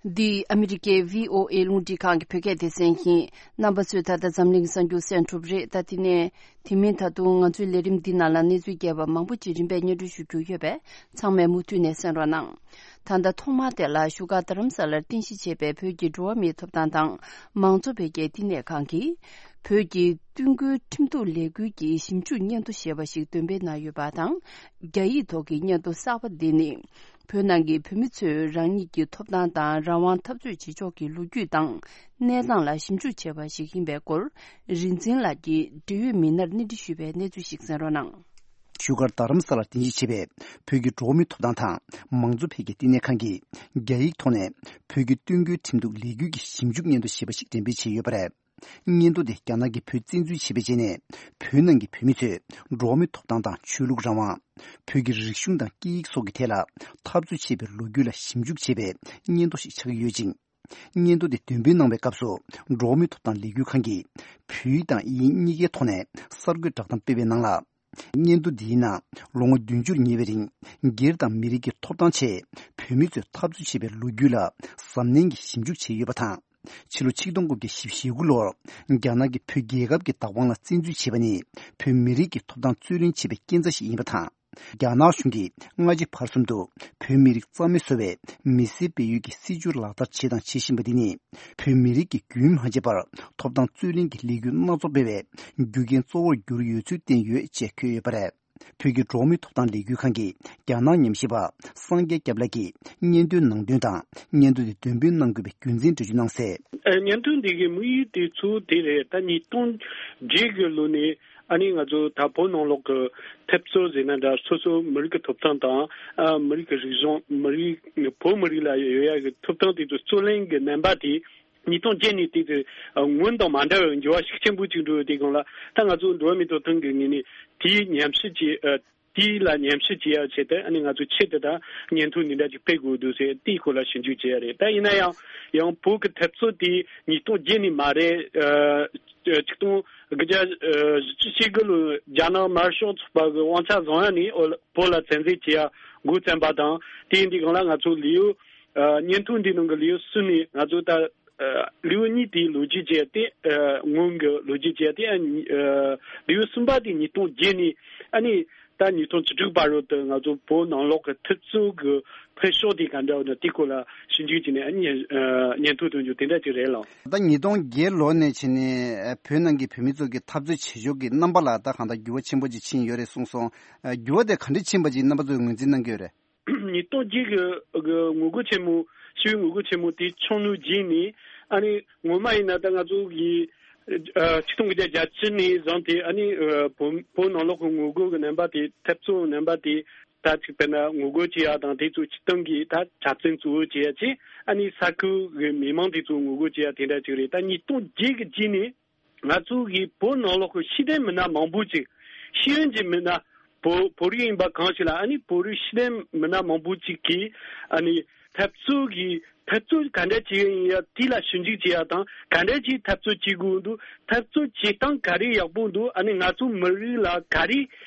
འདི་ཨ་མི་རི་ཀའི་བྷི་ཨོ་ཨེ་རླུང་འཕྲིན་ཁང་གི་བོད་སྐད་སྡེ་ཚན་ཡིན། རྣམ་པ་ཚོས་ད་ལྟ་འཛམ་གླིང་གི་གསར་འགྱུར་གསན་གྲུབ་རེད། ད་དེ་ནས། དེ་མིན་ད་དུང་ང་ཚོའི་ལས་རིམ་འདི་ནང་ལ་གནས་ཚུལ་རྒྱས་པ་མང་པོ་ཅིག་རིམ་པས་སྙན་སྒྲོན་ཞུ་རྒྱུ་ཡོད་པས། ཚང་མས་མུ་མཐུད་ནས་གསན་རོགས་གནང་། ད་ལྟ་ཐོག་མར་དེ་ལ་བཞུགས་སྒར་རྡ་རམ་ས་ལར་རྟེན་གཞི་བྱས་པའི་བོད་ཀྱི་འགྲོ་བ་མིའི་ཐོབ་ཐང་དང་མང་གཙོ་འཕེལ་རྒྱས་བསྟི་གནས་ཁང་གིས། བོད་ཀྱི་སྟོན་ཁུལ་ཁྲིམས་གཏུག་ལས་འགུལ་གྱི་ཞིབ་འཇུག་སྙན་ཐོ་ཞེས་པ་ཞིག་འདོན་སྤེལ་གནང་ཡོད་པ་དང་། རྒྱ་ཡིག་ཐོག་གི་སྙན་ཐོ་གསར་པ་འདི་ནི། བོད་ནང་གི་བོད་མི་ཚོས་རང་ཉིད་ཀྱི་ཐོབ་ཐང་དང་རང་དབང་འཐབ་རྩོད་བྱེད་ཕྱོགས་ཀྱི་ལོ་རྒྱུས་དང་གནས་སྟངས་ལ་ཞིབ་འཇུག་བྱས་པ་ཞིག་ཡིན་པའི་སྐོར། རིག་འཛིན་ལགས་ཀྱིས་འབྲེལ་ཡོད་མི་སྣར་གནས་འདྲི་ཞུས་པའི་གནས་ཚུལ་ཞིག་གསན་རོགས་གནང་། བཞུགས་སྒར་རྡ་རམ་ས་ལར་རྟེན་གཞི་བྱས་པའི་བོད་ཀྱི་འགྲོ་བ་མིའི་ཐོབ་ཐང་དང་མང་གཙོ་འཕེལ་རྒྱས་བསྟི་གནས་ཁང་གིས་རྒྱ་ཡིག་ཐོག་ནས་བོད་ཀྱི་སྟོན་ཁུལ་ཁྲིམས་གཏུག་ལས་འགུལ་གྱི་ཞིབ་འཇུག་སྙན་ཐོ་ཞེས་པ་ཞིག་འགྲེམས་སྤེལ་བྱས་ཡོད་པ་རེད། སྙན་ཐོ་དེ་རྒྱ་ནག་གིས་བོད་བཙན་འཛུལ་བྱས་པའི་རྗེས་ནས་བོད་ནང་གི་བོད་མི་ཚོས་འགྲོ་བ་མིའི་ཐོབ་ཐང་དང་ཆོས་ལུགས་རང་དབང་། བོད་ཀྱི་རིག་གཞུང་དང་སྐད་ཡིག་སོགས་ཀྱི་ཐད་ལ་འཐབ་རྩོད་བྱས་པའི་ལོ་རྒྱུས་ལ་ཞིབ་འཇུག་བྱས་པའི་སྙན་ཐོ་ཞིག་ཆགས་ཀྱི་ཡོད་ཅིང་། སྙན་ཐོ་དེ་འདོན་སྤེལ་གནང་བའི་སྐབས་སུ་འགྲོ་བ་མིའི་ཐོབ་ཐང་ལས་འགུལ་ཁང་གིས་བོད་ཡིག་དང་དབྱིན་ཡིག་གཉིས་ཀའི་ཐོག་ནས་གསར་འགོད་བསྒྲགས་གཏམ་སྤེལ་བའི་ནང་ལ། སྙན་ཐོ་འདིའི་ནང་ལོ་ངོ་བདུན་ཅུར་ཉེ་བའི་རིང་སྒེར་དང་མི་རིགས་ཀྱི་ཐོབ་ཐང་ཆེད་བོད་མི་ཚོས་འཐབ་རྩོད་བྱས་པའི་ལོ་རྒྱུས་ལ་གཟབ་ནན་གྱིས་ཞིབ་འཇུག་བྱས་ཡོད་པ་དང་། ཕྱི་ལོ་ཆིག་སྟོང་དགུ་བརྒྱ་བཞི་བཅུ་ཞེ་དགུ་ལོར་རྒྱ་ནག་གིས་བོད་རྒྱལ་ཁབ་ཀྱི་བདག་དབང་ལ་བཙན་འཛུལ་བྱས་པ་ནི་བོད་མི་རིགས་ཀྱི་ཐོབ་ཐང་རྩོད་ལེན་བྱས་པའི་རྐྱེན་རྩ་ཞིག་ཡིན་པ་དང་། རྒྱ་ནག་གཞུང་གིས་སྔ་ཕྱི་བར་གསུམ་དུ་བོད་མི་རིགས་རྩ་མེད་བཟོ་བའི་མི་སེར་སྤེལ་ཡུལ་གྱི་སྲིད་བྱུས་ལག་བསྟར་བྱས་དང་བྱེད་བཞིན་པ་འདི་ནི་བོད་མི་རིགས་ཀྱིས་རྒྱུན་མ་ཆད་པར་ཐོབ་ཐང་རྩོད་ལེན་གྱི་ལས་འགུལ་སྣ་ཚོགས་སྤེལ་བའི་རྒྱུ་རྐྱེན་གཙོ་བོར་གྱུར་ཡོད་ཚུལ་བསྟན་ཡོད་ཅེས་འཁོད་ཡོད་པ་རེད། བོད་ཀྱི་འགྲོ་བ་མིའི་ཐོབ་ཐང་ལས་འགུལ་ཁང་གི་རྒྱ་ནག་ཉམས་ཞིབ་པ་སངས་རྒྱས་སྐྱབས་ལགས་ཀྱིས་སྙན་ཐོའི་ནང་དོན་དང་སྙན་ཐོ་དེ་འདོན་སྤེལ་གནང་དགོས་པའི་རྒྱུ་མཚན་འགྲེལ་བརྗོད་གནང་གསལ། ཨ། སྙན་ཐོ་འདི་གི་དམིགས་ཡུལ་དེ་ཚུལ་དེ་རེད། ད་ཉིས་སྟོང་བརྒྱད་གི་ལོ་ནས་ ཨ་ནི་ང་ཚོ་ད་བོད་ནང་ལོགས་ཀྱི་འཐབ་རྩོད་ཟེར་ན་འདྲ། སོ་སོ་མི་རིགས་ཀྱི་ཐོབ་ཐང་དང་། ཨ། མི་རིགས་ཀྱི་རིག་གཞུང་། མི་རིགས། བོད་མི་རིགས་ལ་ཡོད་ཡ་གི་ཐོབ་ཐང་དེ་ཚོ་རྩོད་ལེན་གྱི་རྣམ་པ་དེ་ཉིས་སྟོང་བརྒྱད་ནས་དེ་ཚོ་སྔོན་དང་མ་འདྲ་བའི་འགྱུར་བ་ཤུགས་ཆེན་པོ་ཅིག་འགྲོ་ཡོད། དེ་སྒང་ལ་ད་ང་ཚོ་འགྲོ་བ་མིའི་ཐོབ་ཐང་གི་ངོས་ནས་དེའི་ཉམས་ཞིབ་བྱེད། ཨ། དེ་ལ་ཉམས་ཞིབ་བྱེད་ཡ་ཆེད་དུ། ཨ་ནི་ང་ཚོ་ཆེད་དུ་ད་བརྙན་ཐུང་འདི་འདྲ་ཅིག་སྤེལ་དགོས་འདུག་ཟེར། དེའི་སྐོར་ལ་ཞིབ་འཇུག་བྱེད་ཡ་རེད། ད་ཡིན་ན་ཡང་། ཡང་བོད་ཀྱི་འཐབ་རྩོད་དེ་ཉིས་སྟོང་བརྒྱད་ནས་མ་རེད། ཨ། ཆིག་སྟོང་དགུ་བརྒྱ་བཞི་བཅུ་ཞེ་དགུ་ལོའི་རྒྱ་ནག་དམར་ཤོག་ཚོགས་པ་གི་དབང་ཆ་བཟུང་ཡ་ནས་བོད་ལ་བཙན་འཛུལ་བྱེད་ཡ་འགོ་བརྩམས་པ་དང་། དེ་ཡིན་དུས་སྒང་ལ་ང་ཚོ་ལེའུ། ཨ། བརྙན་ཐུང་འདི་ནང་གི་ལེའུ་གསུམ་ནས་ང་ཚོ་ད། ཨ། ལེའུ་གཉིས་དེའི་ལོ་རྒྱུས་བྱས་ཏེ། ཨ། སྔོན་གྱི་ལོ་རྒྱུས་བྱས་ཏེ། ཨ། ལེའུ་གསུམ་པ་དེ་ཉིས་སྟོང་བརྒྱད་ནས། ཨ་ནི་ད་ཉིས་སྟོང་བཅུ་དྲུག་བར་དུ་ང་ཚོ་བོད་ནང་ལོགས་ཀྱི་འཐབ་རྩོད་ཀྱི་འཕེལ་ཕྱོགས་དེ་ག་འདྲ་ཡོད་ན་དེའི་སྐོར་ལ་ཞིབ་འཇུག་བྱས་ནས། ཨ། བརྙན། ཨ། བརྙན་ཐུང་ཐོན་རྒྱུ་དེ་འདྲ་ཅིག་རེད་ལགས། ད་ཉིས་སྟོང་བརྒྱད་ལོ་ནས་བྱས་ནས་བོད་ནང་གི་བོད་མི་ཚོ་གི་འཐབ་རྩོད་བྱེད་ཕྱོགས་ཀྱི་རྣམ་པ་ལ་ད་གང་ལྟར་འགྱུར་བ་ཆེན་པོ་ཅིག་ཕྱིན་ཡོད་རེད་གསུངས་སོང་། ཨ། འགྱུར་བ་དེ་ག་འདྲ་ཕྱིན་པ་ཅིག་རྣམ་པ་ཚོས་ངོས་འཛིན་གནང་གི་ཡོད་རེད། ཉིས་སྟོང་བརྒྱད་ཀྱི་ངོ་རྒོལ་ཆེན་མོ། ཞི་བའི་ངོ་རྒོལ་ཆེན་མོ་དེ་བྱུང་ནུས་རྗེས་ནས། ཨ་ནི་ངོ་མ་ཡིན་ན་ད་ང་ཚོ་གི། ཨ། ཆིག་སྟོང་དགུ་བརྒྱ་བརྒྱད་ཅུ་ནས་བཟུང་སྟེ། ཨ་ནི། ཨ། བོད། བོད་ནང་ལོགས་ཀྱི་ངོ་རྒོལ་གྱི་རྣམ་པ་དེ། འཐབ་རྩོད་རྣམ་པ་དེ། ད་ཅིག་དཔེར་ན་ངོ་རྒོལ་བྱེད་ཡ་དང་དེ་ཚོ་སྤྱིར་བཏང་གི་ད་གྲྭ་བཙུན་གཙོ་བོ་བྱེད་ཡ་ཅིག་ཨ་ནི་ས་ཁུལ་གྱི་མི་མང་དེ་ཚོ་ངོ་རྒོལ་བྱེད་ཡ་དེ་འདྲ་ཅིག་རེད། ད་ཉིས་སྟོང་བརྒྱད་ཀྱི་རྗེས་ནས། ང་ཚོ་གི་བོད་ནང་ལོགས་ཀྱི་ཤེས་ལྡན་མི་སྣ་མང་པོ་ཅིག་ཤེས་ཡོན་གྱི་མི་སྣ། བོད། བོད་རིགས་ཡིན་པ་གང་ཞིག་ལ། ཨ་ནི་བོད་རིགས་ཤེས་ལྡན་མི་སྣ་མང་པོ་ཅིག་གིས། ཨ་ནི་འཐབ་རྩོད་ཀྱི། འཐབ་རྩོད་ག་འདྲ་བྱེད་ཀྱི་ཡིན་ཡ་དེ་ལ་ཞིབ་འཇུག་བྱེད་ཡ་དང་། ག་འདྲ་ཅིག་འཐབ་རྩོད་བྱེད་དགོས་འདུག་འཐབ་རྩོད་བྱེད་སྟངས་ག་རེ་ཡག་པོ་འདུག་ཨ་ནི་ང་ཚོ་མི་རིགས་ལ་ག་རེ།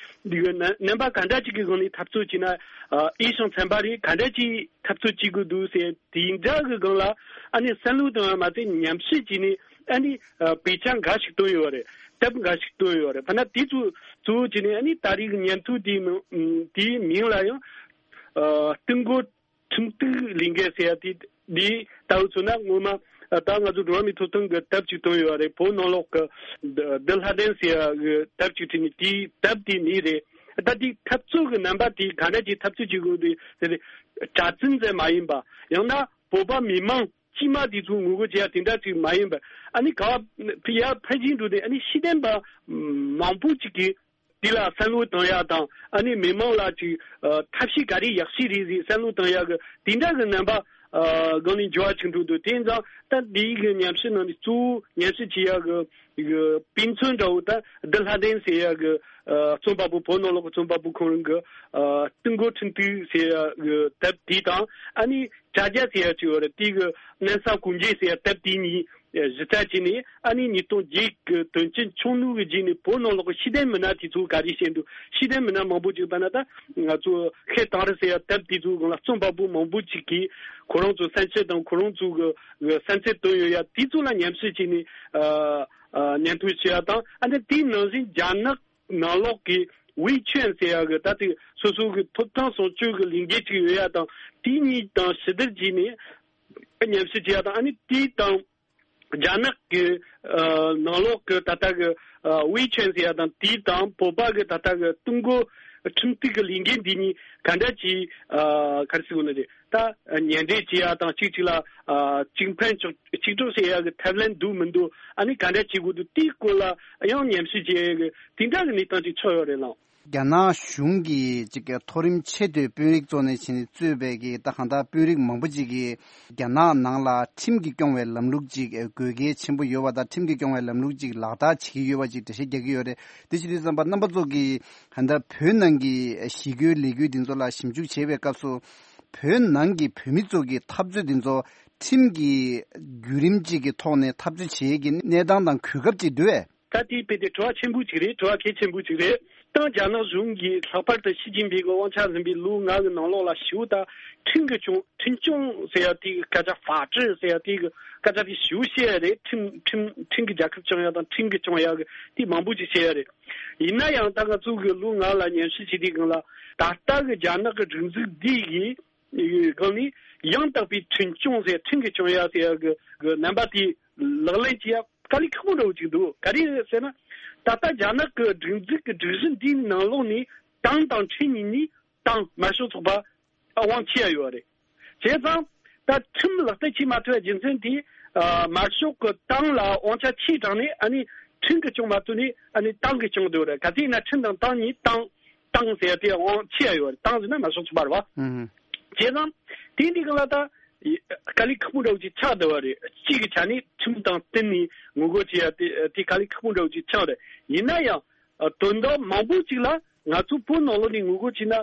འདི་གི་རྣམ་རྣམ་པ་ག་འདྲ་ཅིག་གི་སྒང་ནས་འཐབ་རྩོད་བྱས་ན། ཨ། འོས་ཤིང་འཚམ་པ་རེད། ག་འདྲ་ཅིག་འཐབ་རྩོད་བྱེད་དགོས་འདུག་ཟེར་དེ་འདྲ་གི་སྒང་ལ། ཨ་ནི་བསམ་བློ་གཏོང་བ་མ་ཟད་ཉམས་ཞིབ་བྱས་ནས། ཨ་ནི། ཨ། དཔེ་ཆ་འགའ་ཞིག་བཏོན་ཡོད་རེད། དེབ་འགའ་ཞིག་བཏོན་ཡོད་རེད། ཕ་ན་དེ་ཚོ་གཙོ་བོ་བྱས་ནས། ཨ་ནི་ད་རེས་ཀྱི་བརྙན་ཐུང་དེའི་མིང་། དེའི་མིང་ལ་ཡང་། ཨ། སྟེང་སྒོ་ཁྲིམས་གཏུག་ལས་འགུལ་ཟེར་ཡ་དེ། འདི་ལྟ་བུ་མཚོན་ན་སྔོན་མ། ཨ། ད་ང་ཚོ་འགྲོ་བ་མིའི་ཐོབ་ཐང་གི་དེབ་ཅིག་བཏོན་ཡོད་རེད། བོད་ནང་ལོགས་ཀྱི་བདུད་བདུད་ལྷ་ལྡན་ཟེར་ཡ་གི་དེབ་ཅིག་བྲིས་ནས། དེའི་དེབ་དེའི་མིང་རེད། ད་དེའི་འཐབ་རྩོད་ཀྱི་རྣམ་པ་དེ་ག་འདྲ་ཅིག་འཐབ་རྩོད་བྱེད་དགོས་འདུག་ཟེར་ཏེ། གྲྭ་བཙུན་ཟེར་མ་ཡིན་པ། ཡང་ན་བོད་པ་མི་མང་དཀྱུས་མ་དེ་ཚོ་ངོ་རྒོལ་བྱེད་ཡ་དེ་འདྲ་ཅིག་མ་ཡིན་པར། ཨ་ནི་ག་བ་ཡར་འཕེལ་རྒྱས་འགྲོ་དུས། ཨ་ནི་ཤེས་ལྡན་པ་མང་པོ་ཅིག་གིས་དེ་ལ་བསམ་བློ་གཏོང་ཡ་དང་། ཨ་ནི་མི་མང་ལ་ཅིག་ཨ། ཐབས་ཤེས་ག་རེ་ཡག་ཤོས་རེད་ཟེར་བསམ་བློ་གཏོང་ཡ་གི་དེ་འདྲ་གི་རྣམ་པ། ཨ། སྒང་ནས་འགྱུར་བ་ཅིག་འགྲོ་འདུག་དེ་ཡིན་ཙང་ད་འདིའི་གི་ཉམས་ཞིབ་ནང་ནས་གཙོ་བོ་ཉམས་ཞིབ་བྱེད་ཡ་གི་གི་དཔེ་མཚོན་འདྲ་བོ། ད་བདུད་ལྷ་ལྡན་ཟེར་ཡ་གི། ཨ། རྩོམ་པ་པོ། བོད་ནང་ལོགས་ཀྱི་རྩོམ་པ་པོ་ཁོང་རང་གི། ཨ། སྟེང་སྒོ་ཁྲིམས་གཏུག་ཟེར་ཡ་གི་དེབ་དེ་དང་། ཨ་ནི་དྲ་རྒྱ་ཟེར་ཡ་ཅིག་ཡོད་རེད། དེ་གི་གནམ་ས་གོང་འཇལ་ཟེར་ཡ་དེབ་དེ་གཉིས་གཞི་རྩ་བྱས་ནས། ཨ་ནི་ཉིས་སྟོང་བརྒྱད་གི་དོན་རྐྱེན་བྱུང་ནུས་ཀྱི་རྗེས་ནས་བོད་ནང་ལོགས་ཀྱི་ཤེས་ལྡན་མི་སྣ་དེ་ཚོ་ག་རེ་བཤད་འདུག་ཤེས་ལྡན་མི་སྣ་མང་པོ་ཅིག་ལྟར་ན། ད་ང་ཚོ་ཤེལ་དང་རི་ཟེར་ཡ་དེབ་དེ་ཚོའི་སྒང་ལ་རྩོམ་པ་པོ་མང་པོ་ཅིག་གིས་ཁོ་རང་ཚོའི་བསམ་འཆར་དང་ཁོ་རང་ཚོའི་གི་བསམ་ཚུལ་བཏོན་ཡོད་ཡ་དེ་ཚོ་ལ་ཉམས་ཞིབ་བྱས་ནས། ཨ། ཨ། བརྙན་ཐུང་བྱེད་ཡ་དང་། ཨ་ནི་དེའི་ནང་བཞིན་རྒྱ་ནག་ནང་ལོགས་ཀྱི་ཝེ་ཆོན་ཟེར་ཡ་གི། ད་དེ་སོ་སོ་གི་ཐོབ་ཐང་སྲུང་སྐྱོབ་ཀྱི་ལས་འགུལ་ཅིག་ཡོད་ཡ་དང་། དེ་གཉིས་དང་ཕྱི་བསྡུར་བྱས་ནས་ཉམས་ཞིབ་བྱེད་ཡ་དང་། ཨ་ནི་དེ་དང་རྒྱ་ནག་གི། ཨ། ནང་ལོགས་ཀྱི་ད་ལྟ་གི། ཨ། ཝེ་ཆོན་ཟེར་ཡ་དང་། དེ་དང་བོད་པ་གི་ད་ལྟ་གི་སྟེང་སྒོ་ཁྲིམས་གཏུག་གི་ལས་འགུལ་འདི་གཉིས་ག་འདྲ་ཅིག་ཨ། ག་རེ་ཟེར་དགོས་ན་རེད། ད་ཉེ་འབྲེལ་བྱེད་ཡ་དང་། གཅིག་གཅིག་ལ། ཨ། གཅིག་ཕན་གཅིག་གཅིག་གྲོགས་བྱེད་ཡ་གི་ཐབས་ལམ་འདུག་མི་འདུག་ཨ་ནི་ག་འདྲ་བྱེད་དགོས་འདུག་དེའི་སྐོར་ལ་ཡང་ཉམས་ཞིབ་བྱེད་ཡ་གི་དེ་འདྲ་གི་གནས་སྟངས་ཅིག་ཆགས་ཡོད་རེད་ལགས། རྒྱ་ནག་གཞུང་གིས་ཅིག་མཐོ་རིམ་ཆེས་མཐོའི་དཔོན་རིགས་བཙུགས་ནས་ཕྱིན་གཙོས་པའི་གི། ད་གང་ལྟར་དཔོན་རིགས་མང་པོ་ཅིག་གིས་རྒྱ་ནག་ནང་ལ་ཁྲིམས་ཀྱིས་སྐྱོང་བའི་ལམ་ལུགས་ཅིག་དགོས་གལ་ཆེན་པོ་ཡོད་པ་དང་། ཁྲིམས་ཀྱིས་སྐྱོང་བའི་ལམ་ལུགས་ཅིག་ལག་བསྟར་བྱེད་ཀྱི་ཡོད་པ་ཅིག་འགྲེལ་བཤད་རྒྱག་གི་ཡོད་རེད། དེ་བྱེད་དུས་ཙམ་པ་རྣམ་པ་ཚོ་གིས་ད་ལྟ་བོད་ནང་གི་ཞི་རྒོལ་ལས་འགུལ་འདི་ཚོ་ལ་ཞིབ་འཇུག་བྱེད་པའི་སྐབས་སུ། བོད་ནང་གི་བོད་མི་ཚོ་གི་འཐབ་རྩོད་འདི་ཚོ་ཁྲིམས་ཀྱི་བརྒྱུད་རིམ་ཅིག་གི་ཐོག་ནས་འཐབ་རྩོད་བྱེད་ཀྱི་གནས་སྟངས་དང་གོ་སྐབས་ཅིག་འདུག་གས། ད་དེ་དཔེ་དེ་དྲི་བ་ཆེན་པོ་ཅིག་རེད། དྲི་བ་གལ་ཆེན་པོ་ཅིག་རེད། ད་རྒྱ་ནག་གཞུང་གིས་ལྷག་པར་དུ་ཞི་ཅིན་ཕིང་གི་དབང་ཆ་ཟིན་པའི་ལོ་ལྔ་གི་ནང་ལོགས་ལ་ཞེ་པོ་ད་ཁྲིམས་ཀྱིས་སྐྱོང་། ཁྲིམས་སྐྱོང་ཟེར་ཡ་དེ་གི་སྐད་ཆ། 法治 ཟེར་ཡ་དེ་གི་སྐད་ཆ་དེ་ཞེ་པོ་བཤད་ཡ་རེད། ཁྲིམས། ཁྲིམས། ཁྲིམས་ཀྱིས་རྒྱལ་ཁབ་སྐྱོང་ཡ་དང་ཁྲིམས་ཀྱིས་སྐྱོང་ཡ་གི་དེ་མང་པོ་ཅིག་བཤད་ཡ་རེད། ཡིན་ན་ཡང་ད་ང་ཚོ་གི་ལོ་ལྔ་ལ་ཉམས་ཞིབ་བྱེད་དུས་སྒང་ལ། ད་ལྟ་གི་རྒྱ་ནག་གི་སྒྲིག་འཛུགས་འདི་གི་སྒང་ནས་ཡང་དག་པའི་ཁྲིམས་སྐྱོང་ཟེར། ཁྲིམས་ཀྱིས་སྐྱོང་ཡ་ཟེར་ཡ་གི་གི་རྣམ་པ་དེ་ལག་ལེན་བྱེད་ཡ་དཀའ་ལས་ཁག་པོ་འདྲ་བོ་ཅིག་འདུག་ག་རེ་རེད་ཟེར་ན། ད་ལྟ་རྒྱ་ནག་གི་སྒྲིག་འཛུགས་ཀྱི་སྒྲིག་གཞི་འདིའི་ནང་ལོགས་ནས་ཏང་དང་ཁྲིམས་གཉིས་ནི། ཏང་དམར་ཤོག་ཚོགས་པ་དབང་ཆེ་ཡ་ཡོད་རེད། བྱས་ཙང་ད་ཁྲིམས་ལག་བསྟར་བྱེད་མ་ཐུབ་པའི་རྒྱུ་མཚན་དེ། ཨ། དམར་ཤོག་གི་ཏང་ལ་དབང་ཆ་ཆེ་དྲགས་ནས། ཨ་ནི་ ཁྲིམས་ཀྱིས་སྐྱོང་མ་ཐུབ་ནས་ཨ་ནི་ཏང་གིས་སྐྱོང་འདུག་རེད། ག་ཚོད་ཡིན་ན་ཁྲིམས་དང་ཏང་གཉིས་ཏང་ཏང་ཟེར་ཡ་དེ་དབང་ཆེ་ཡ་ཡོད་རེད། ཏང་ཟེར་ན་མ་སོང་ཚུགས་པ་རེད་བ། ཨུ་ཧུ། བྱས་ཙང་དེ་འདི་གང་ལ་ད་དཀའ་ལས་ཁག་པོ་འདྲ་བོ་ཅིག་ཆགས་བསྡད་པ་རེད། གཅིག་གི་ཆ་ནས་ཁྲིམས་དང་བསྟུན་ནས་ངོ་རྒོལ་བྱེད་ཡ་དེ་དེ་དཀའ་ལས་ཁག་པོ་འདྲ་བོ་ཅིག་ཆགས་རེད། ཡིན་ན་ཡང་དོན་དག་མང་པོ་ཅིག་ལ་ང་ཚོ་བོད་ནང་ལོགས་ནས་ངོ་རྒོལ་བྱས་ན་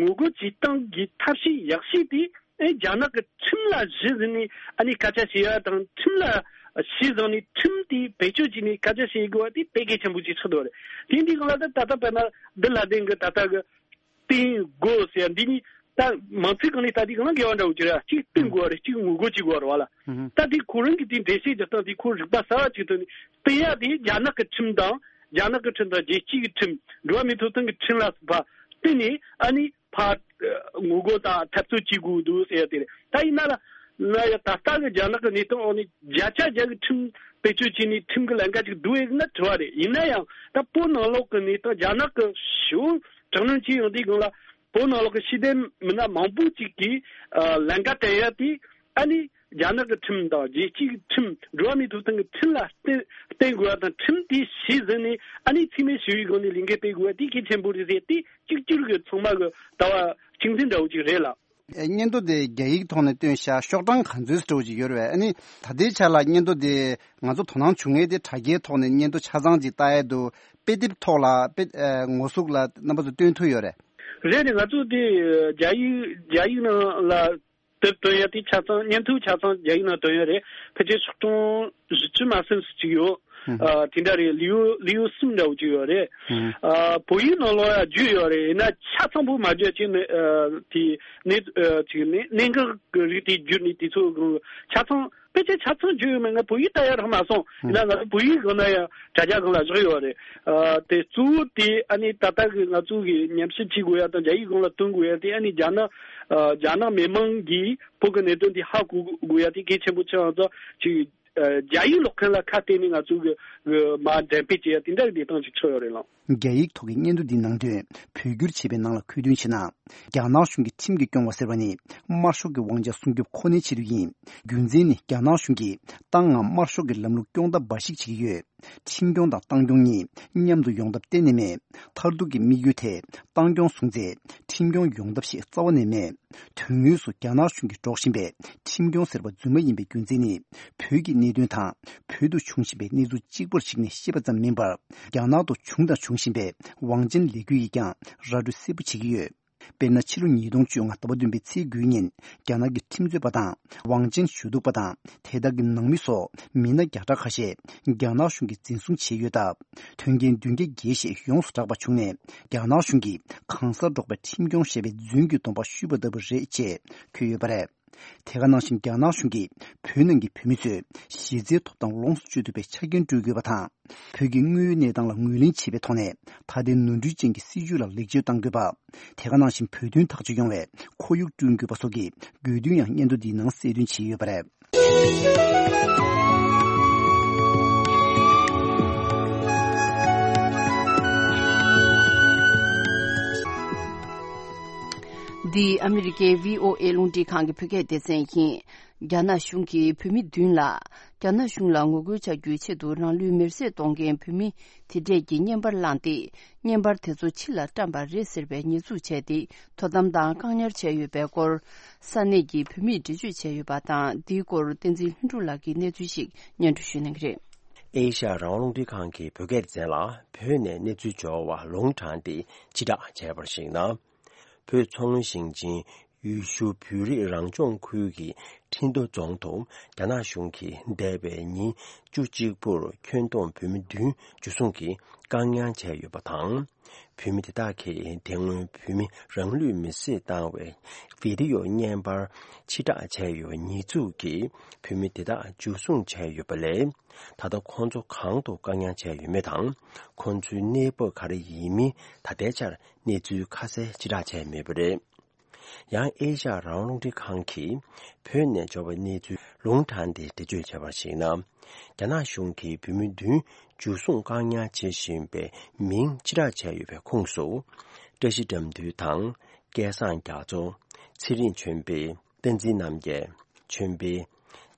ངོ་རྒོལ་བྱེད་སྟངས་ཀྱི་ཐབས་ཤེས་ཡག་ཤོས་དེ། ཨེ། རྒྱ་ནག་གི་ཁྲིམས་ལ་གཞི་བཟུང་ནས་ཨ་ནི་སྐད་ཆ་བཤད་ཡ་དང་། ཁྲིམས་ལ་གཞི་བཟུང་ནས་ཁྲིམས་དེ་བེད་སྤྱོད་བྱས་ནས་སྐད་ཆ་བཤད་དགོས་པ་དེ་དཔེ་གལ་ཆེན་པོ་ཅིག་ཆགས་འདུག་རེད། དེ་འདི་གང་ལ་ད་ད་ལྟ་དཔེར་ན་འདི་ལ་དེང་གི་ད་ལྟ་གི་བསྟུན་དགོས་ཟེར་ཡ་འདི་ནི་ད་མང་ཚིག་གང་ནས་ད་འདི་གང་ལ་འགལ་བ་འདྲ་བོ་ཅིག་རེད། གཅིག་བསྟུན་དགོས་པ་རེད། གཅིག་ངོ་རྒོལ་བྱེད་དགོས་པ་རེད་བ་ལ། ཨུ་ཧུ། ད་དེ་ཁོ་རང་གི་དེ་འགྲེལ་བཤད་རྒྱག་སྟངས་དེ་ཁོ་རིག་པ་གསར་བ་ཅིག་ཐོན་ནས་བསྟུན་ཡ་དེ་རྒྱ་ནག་གི་ཁྲིམས་དང་། རྒྱ་ནག་གི་ཁྲིམས་དང་རྒྱལ་སྤྱི་གི་ཁྲིམས། འགྲོ་བ་མིའི་ཐོབ་ཐང་གི་ཁྲིམས་ལ་སོགས་པ་བསྟུན་ནས་ཨ་ནི་ཕར་ངོ་རྒོལ་དང་འཐབ་རྩོད་བྱེད་དགོས་འདུག་ཟེར་ཡ་དེ་རེད། ད་ཡིན་ན་ལ་ན་ཡ་ད་ལྟ་གི་རྒྱ་ནག་གི་གནས་སྟངས་འོག་ནས་བརྒྱ་ཆ་བརྒྱ་གི་ཁྲིམས་བེད་སྤྱོད་བྱས་ནས་ཁྲིམས་ཀྱི་ལམ་ཁ་ཅིག་བསྡུར་ཡ་ན་དྲི་བ་རེད། ཡིན་ན་ཡང་ད་བོད་ནང་ལོགས་ཀྱི་གནས་སྟངས། རྒྱ་ནག་གི་ཞེ་པོ་དྲག་གནོན་བྱེད་ཡོང་དུས་སྒང་ལ་བོད་ནང་ལོགས་ཀྱི་ཤེས་ལྡན་མི་སྣ་མང་པོ་ཅིག་གིས་ཨ་ལམ་ཁ་སྟོན་ཡ་དེ་ཨ་ནི་རྒྱ་ནག་གི་ཁྲིམས་དང་རྒྱལ་སྤྱིའི་ཁྲིམས། འགྲོ་བ་མིའི་ཐོབ་ཐང་གི་ཁྲིམས་ལ་བརྟེན་བརྟེན་དགོས་པ་དང་། ཁྲིམས་དེ་གཞི་བཟུང་ནས་ཨ་ནི་འཚེ་མེད་ཞི་བའི་སྒོ་ནས་ལས་འགུལ་སྤེལ་དགོས་པ་དེ་གལ་ཆེན་པོ་རེད་ཟེར། དེ་གཅིག་གྱུར་གྱི་ཚང་མ་གི་ལྟ་བ་གཅིག་མཐུན་འདྲ་བོ་ཅིག་རེད་ལ། ཨེ། སྙན་ཐོ་དེ་རྒྱ་ཡིག་ཐོག་ནས་བཏོན་ཤག་ཤོག་གྲངས་ག་ཚོད་འདྲ་བོ་ཅིག་ཡོད་རེད་པས། ཨ་ནི་ད་ལྟའི་ཆ་ལ་སྙན་ཐོ་དེ་ང་ཚོ་དོ་སྣང་བྱུང་མཁན་དེ་དྲ་རྒྱའི་ཐོག་ནས་སྙན་ཐོ་ཆ་ཚང་ཅིག་ལྟ་ཡས་འདུག་དཔེ་དེབ་ཐོག་ལ་དཔེ་ཨེ་ངོ་ཟུག་ལ་རྣམ་པ་ཚོ་སྟོན་ཐུབ་ཡོད་རེད། རེད་རེད། ང་ཚོ་དེ་རྒྱ་ཡིག་རྒྱ་ཡིག་ནང་ལ་དེབ་བཏོན་ཡ་དེ་ཆ་ཚང་། སྙན་ཐོ་ཆ་ཚང་རྒྱ་ཡིག་ནང་བཏོན་ཡ་རེད། ཕལ་ཆེར་ཤོག་གྲངས་བཞི་བཅུ་མ་ཟིན་ཙམ་ཅིག་ཡོད། ཨ། དེ་འདྲ་རེད། ལེའུ་ལེའུ་གསུམ་འདྲ་བོ་ཅིག་ཡོད་རེད། ཨ། བོད་ཡིག་ནང་ལོགས་ཡ་བསྒྱུར་ཡོད་རེད། ཡིན་ན་ཆ་ཚང་པོ་མ་བསྒྱུར་ཅིག་ནི། ཨ། དེ་ནི། ཨ། ཅིག་ནི་གནད་འགག་གི་རིགས་དེ་བསྒྱུར་ནས་དེ་ཚོ་ཆ་ཚང་། ཕལ་ཆེར་ཆ་ཚང་བསྒྱུར་ཡོད་མེད་ང་བོད་ཡིག་ལྟ་ཡ་རག་མ་སོང་། ཡིན་ན་ང་ཚོ་བོད་ཡིག་སྒང་ན་ཡང་དྲ་རྒྱ་སྒང་ལ་བཞག་ཡོད་རེད། ཨ། དེ་གཙོ་བོ་དེ་ཨ་ནི་ད་ལྟ་གི་ང་ཚོ་གི་ཉམས་ཞིབ་བྱེད་དགོས་ཡ་དང་རྒྱ་ཡིག་སྒང་ལ་བཏོན་དགོས་ཡ་དེ་ཨ་ནི་རྒྱ་ནག་ཨ། རྒྱ་ནག་མི་མང་གིས་བོད་ཀྱི་གནད་དོན་དེ་ཧ་གོ་དགོས་ཡ་དེ་གལ་ཆེན་པོ་ཆགས་ཡོད་ཙང་། ཅིག་ཨ། རྒྱ་ཡིག་ཀློག་མཁན་ལ་ཁ་གཏད་ནས་ང་ཚོ་གི་གི་མར་འགྲེམས་སྤེལ་བྱེད་ཡ་དེ་འདྲ་གི་གནས་སྟངས་ཅིག་ཆགས་ཡོད་རེད་ལགས། རྒྱ་ཡིག་ཐོག་གི་སྙན་ཐོ་འདིའི་ནང་དོན་བོད་བསྒྱུར་བྱས་པའི་ནང་ལ་ཁུངས་སྐྱེལ་བྱས་ན། རྒྱ་ནག་གཞུང་གིས་ཁྲིམས་ཀྱིས་སྐྱོང་བ་ཟེར་བ་ནི་དམར་ཤོག་གི་དབང་ཆ་སྲུང་སྐྱོབ་ཁོ་ནའི་ཆེད་དུ་ཡིན། རྒྱུ་མཚན་ནི་རྒྱ་ནག་གཞུང་གིས་ཏང་ངམ་དམར་ཤོག་གི་ལམ་ལུགས་སྐྱོང་ཐབས་འབའ་ཞིག་བྱེད་ཀྱི་ཡོད། ཁྲིམས་སྐྱོང་དང་ཏང་སྐྱོང་གཉིས་མཉམ་དུ་ཡོང་ཐབས་གཏན་ནས་མེད། མཐར་ཐུག་གི་དམིགས་ཡུལ་དེ་ཏང་སྐྱོང་བཟུང་ཚེ་ཁྲིམས་སྐྱོང་ཡོང་ཐབས་ཤིག་རྩ་བ་ནས་མེད། དོན་དངོས་སུ་རྒྱ་ནག་གཞུང་གིས་སྒྲོག་བཞིན་པའི་ཁྲིམས་སྐྱོང་ཟེར་བ་རྫུན་མ་ཡིན་པའི་རྒྱུ་མཚན་ནི། བོད་ཀྱི་གནད་དོན་དང་བོད་དུ་བྱུང་བཞིན་པའི་གནས་ཚུལ་གཅིག་པར་གཞིགས་ནས་བཤད་པ་ཙམ་མིན་པར། རྒྱ་ནག་ཏུ་བྱུང་དང་འབྱུང་བཞིན་པའི་དབང་ཆེན་ལས་འགུལ་ཡིས་ཀྱང་ར་སྤྲོད་གསལ་པོ་བྱེད་ཀྱི་ཡོད། དཔེར་ན། ཕྱི་ལོ་ཉིས་སྟོང་བཅོ་ལྔ་ཟླ་བ་བདུན་པའི་ཚེས་དགུའི་ཉིན། རྒྱ་ནག་གི་ཁྲིམས་རྩོད་པ་དང་། དབང་ཆེན་ཞུ་གཏུག་པ་དང་། དེ་དག་གི་ནང་མི་སོགས་མི་སྣ་བརྒྱ་ཕྲག་ཁ་ཤས་རྒྱ་ནག་གཞུང་གིས་འཛིན་བཟུང་བྱས་ཡོད་སྟབས། དོན་རྐྱེན་བདུན་བརྒྱ་བརྒལ་ཞིག་ཡོངས་སུ་གྲགས་པ་བྱུང་ནས། རྒྱ་ནག་གཞུང་གིས་གང་སར་འབྲོག་པའི་ཁྲིམས་སྐྱོང་ཞེས་པའི་རྫུན་གྱི་སྡོམ་པ་ཞུས་པ་ལྟ་བུ་རེད་ཅེས་འཁོད་ཡོད་པ་རེད། དེ་ག་ནང་བཞིན། རྒྱ་ནག་གཞུང་གིས་བོད་ནང་གི་བོད་མི་ཚོས་གཞི་རྩའི་ཐོབ་ཐང་ལོངས་སུ་སྤྱོད་ཐུབ་པའི་ཆ་རྐྱེན་སྤྲོད་དགོས་པ་དང་། བོད་ཀྱི་དངོས་ཡོད་གནས་སྟངས་ལ་ངོས་ལེན་བྱེད་པའི་ཐོག་ནས། ད་ལྟའི་ནོར་འཁྲུལ་ཅན་གྱི་སྲིད་བྱུས་ལ་ལེགས་བཅོས་གཏང་དགོས་པ། དེ་ག་ནང་བཞིན། བོད་དོན་ཐག་གཅོད་ཡོང་བའི་ཁོར་ཡུག་བསྐྲུན་དགོས་པ་སོགས་ཀྱི་དགོས་འདུན་ཡང་སྙན་ཐོ་འདིའི་ནང་གསལ་སྟོན་བྱས་ཡོད་པ་རེད། འདི་ཨ་མི་རི་ཀའི་བྷི་ཨོ་ཨེ་རླུང་འཕྲིན་ཁང་གི་བོད་སྐད་སྡེ་ཚན་ཡིན། རྒྱ་ནག་གཞུང་གིས་བོད་མི་བདུན་ལ། རྒྱ་ནག་གཞུང་ལ་ངོ་རྒོལ་བྱ་རྒྱུའི་ཆེད་དུ་རང་ལུས་མེར་སྲེག་གཏོང་མཁན་བོད་མི་དེ་འདྲས་ཀྱི་བརྙན་པར་བླངས་ཏེ། བརྙན་པར་དེ་ཚོ་ཕྱི་ལ་བཀྲམ་པ་རེད་ཟེར་བའི་ཉེས་འཛུགས་བྱས་ཏེ། དོ་དམ་དང་བཀག་ཉར་བྱས་ཡོད་པའི་སྐོར། ས་གནས་ཀྱི་བོད་མིས་འགྲེལ་བརྗོད་བྱས་ཡོད་པ་དང་། འདིའི་སྐོར་བསྟན་འཛིན་ལྷུན་གྲུབ་ལགས་ཀྱིས་གནས་ཚུལ་ཞིག་སྙན་སྒྲོན་ཞུ་གནང་གི་རེད། ཨེ་ཤ་ཡ་རང་དབང་རླུང་འཕྲིན་ཁང་གི་བོད་སྐད་སྡེ་ཚན་ལ་བོད་ནས་གནས་ཚུལ་འབྱོར་བ་ལུང་དྲངས་ཏེ་སྤྱི་བསྒྲགས་བྱས་པར་གཞིགས་ན། བོད་མཚོ་སྔོན་ཞིང་ཆེན་ཡུལ་ཤུལ་བོད་རིགས་རང་སྐྱོང་ཁུལ་གྱི་ཁྲིན་ཏུ་རྫོང་དུ་རྒྱ་ནག་གཞུང་གིས་འདས་པའི་ཉིན་བཅུ་གཅིག་པུར་ཁྱོན་བསྡོམས་བོད་མི་བདུན་འཇུ་བཟུང་གིས་བཀག་ཉར་བྱས་ཡོད་པ་དང་། བོད་མི་དེ་དག་གིས་དེ་སྔོན་བོད་མི་རང་ལུས་མེར་སྲེག་བཏང་བའི་བི་ཌི་ཡོ་བརྙན་པར་ཕྱིར་བསྒྲགས་བྱས་ཡོད་པ་ཉེས་འཛུགས་ཀྱིས་བོད་མི་དེ་དག་འཇུ་བཟུང་བྱས་ཡོད་པ་ལས། ད་ལྟ་ཁོང་ཚོ་གང་དུ་བཀག་ཉར་བྱས་ཡོད་མེད་དང་། ཁོང་ཚོའི་གནས་བབ་ག་རེ་ཡིན་མིན་ད་ལྟའི་ཆར་གནས་ཚུལ་ཁ་གསལ་ཕྱིར་བསྒྲགས་བྱས་མེད་པ་རེད། ཡང་ཨེ་ཤ་ཡ་རང་དབང་རླུང་འཕྲིན་ཁང་གིས་བོད་ནས་འབྱོར་བའི་གནས་ཚུལ་ལུང་དྲངས་ཏེ་འགྲེལ་བརྗོད་བྱས་པར་གཞིགས་ན། རྒྱ་ནག་གཞུང་གིས་བོད་མི་བདུན་འཇུ་བཟུང་བཀག་ཉར་བྱེད་བཞིན་པའི་མིང་ཕྱིར་བསྒྲགས་བྱས་ཡོད་པའི་ཁོངས་སུ། བཀྲ་ཤིས་དགྲ་འདུལ་དང་། སྐལ་བཟང་རྒྱ་མཚོ། ཚེ་རིང་ཆོས་འཕེལ། བསྟན་འཛིན་རྣམ་རྒྱལ། ཆོས་འཕེལ།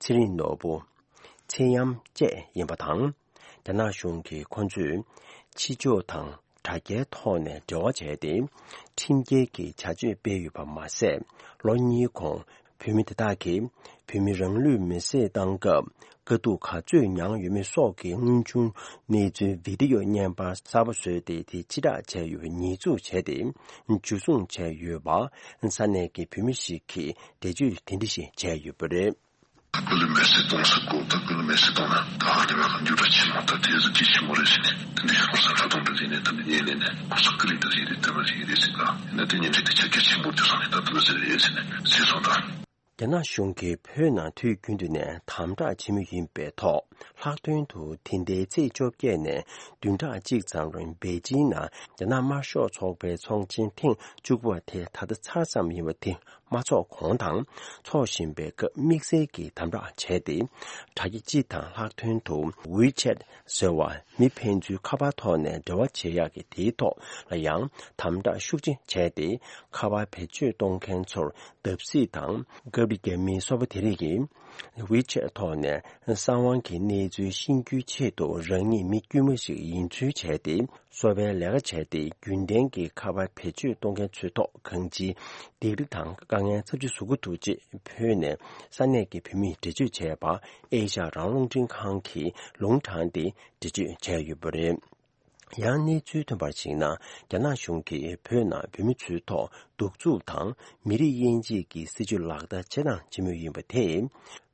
ཚེ་རིང་ནོར་བུ། ཚེ་གཡམ་བཅས་ཡིན་པ་དང་། རྒྱ་ནག་གཞུང་གིས་ཁོ་ཚོས་ཕྱི་ཕྱོགས་དང་དྲ་རྒྱའི་ཐོག་ནས་འབྲེལ་བ་བྱས་ཏེ། ཁྲིམས་འགལ་གྱི་བྱ་སྤྱོད་སྤེལ་ཡོད་པ་མ་ཟད། ལོ་གཉིས་གོང་བོད་མི་དེ་དག་གིས་བོད་མི་རང་ལུས་མེར་སྲེག་བཏང་སྐབས་དཀའ་སྡུག་ག་ཚོད་མྱངས་ཡོད་མེད་སོགས་ཀྱི་དངོས་བྱུང་གནས་ཚུལ་བི་ཌི་ཡོ་བརྙན་པར་གསར་པ་བཟོས་ཏེ། དེ་ཕྱིར་བསྒྲགས་བྱས་ཡོད་པའི་ཉེས་འཛུགས་བྱས་ཏེ་འཇུ་བཟུང་བྱས་ཡོད་པ། ས་གནས་ཀྱི་བོད་མི་ཞིག་གིས་འགྲེལ་བརྗོད་དེ་འདྲ་ཞིག་བྱས་ཡོད་པ་རེད། ད་ཀུན་ལ་མེར་སྲེག་གཏོང་ས་གོ། ད་ཀུན་ལ་མེར་སྲེག་གཏོང་ན་ད་ཨ་རི་བ་གི་འགྱུར་བ་ཆེན་མོ་ད་དེ་ཟུ་གི་ཆེན་མོ་རེད་ཟེར་ནས། དེ་འདྲའི་ཧོར་ས་ཁྲ་གཏོང་འདྲ་ཟེར་ནས། དེ་འདྲ་ཉན་ནས་ནས་ཧོར་ས་ཀི་རིང་འདྲ་ཟེར་རེད། དེ་མ་ཟེར་རེད་ཟེར་ད། ཡིན་ན་དེ་ཉན་ཆེ་དེ་ཆ་རྒྱ་ཆེན་པོ་དེ་སོང་ནས་ད་དེ་མ་ཟེར་རེད་ཟེར་ནས་ཟེར་སོང་ད། རྒྱ་ནག་གཞུང་གིས་བོད་ནང་དུས་རྒྱུན་དུ་ནས་དམ་དྲག་བྱེད་མུས་ཡིན་པའི་ཐོག་ལྷག་དོན་དུ་དེ་ཟླའི་ཚེས་བཅོ་བརྒྱད་ནས་བདུན་ཕྲག་གཅིག་ཙམ་རིང་པེ་ཅིང་ནང་རྒྱ་ནག་དམར་ཤོག་ཚོགས་པའི་ཚོགས་ཆེན་ཐེངས་བཅུ་དགུ་པ་དེ་ད་ལྟ་ཚར་ཙམ་ཡིན་པ་དེ། མ་འཚོགས་གོང་དང་འཚོགས་བཞིན་པའི་སྐབས་དམིགས་བསལ་གྱིས་དམ་དྲག་བྱས་ཏེ། དྲ་རྒྱ་སྤྱི་དང་ལྷག་དོན་དུ་ཝི་ཆེད་ཟེར་བ་མི་ཕན་ཚུན་ཁ་པར་ཐོག་ནས་འབྲེལ་བ་བྱེད་ཡག་གི་དེའི་ཐོག་ལ་ཡང་དམ་དྲག་ཤུགས་ཆེ་བྱས་ཏེ། ཁ་པར་བེད་སྤྱོད་གཏོང་མཁན་ཚོར་བརྡབ་གསིག་དང་། སྐབས་རེ་རྒྱ་མིའི་སོ་པ་དེ་རིགས་ཀྱིས་ཝི་ཆེད་ཐོག་ནས་གསང་བའི་གནས་ཚུལ་ཤེས་རྒྱུའི་ཆེད་དུ་རང་ཉིད་མི་དཀྱུས་མ་ཞིག་ཡིན་ཚུལ་བྱས་ཏེ། གསོ་བའི་ལས་ཀ་བྱས་ཏེ། རྒྱུན་ལྡན་གྱི་ཁ་པར་བེད་སྤྱོད་གཏོང་མཁན་ཚོའི་ཐོག་གང་ཅིའི་སྡིགས་ར་དང་དཀའ་ངལ་ཚབས་ཆེ་བཟོ་གི་འདུག་ཅེས་བོད་ནས་ས་གནས་ཀྱི་བོད་མིས་འགྲེལ་བརྗོད་བྱས་པ། ཨེ་ཤ་ཡ་རང་དབང་རླུང་འཕྲིན་ཁང་གིས་ལུང་དྲངས་ཏེ་འགྲེལ་བརྗོད་བྱས་ཡོད་པ་རེད། ཡང་གནས་ཚུལ་ཐོན་པར་གཞིགས་ན། རྒྱ་ནག་གཞུང་གིས་བོད་ནང་བོད་མི་ཚོའི་ཐོག་གདུག་རྩུབ་དང་མི་རིགས་དབྱེ་འབྱེད་ཀྱི་སྲིད་བྱུས་ལག་བསྟར་བྱེད་དང་བྱེད་མུས་ཡིན་པ་དེས།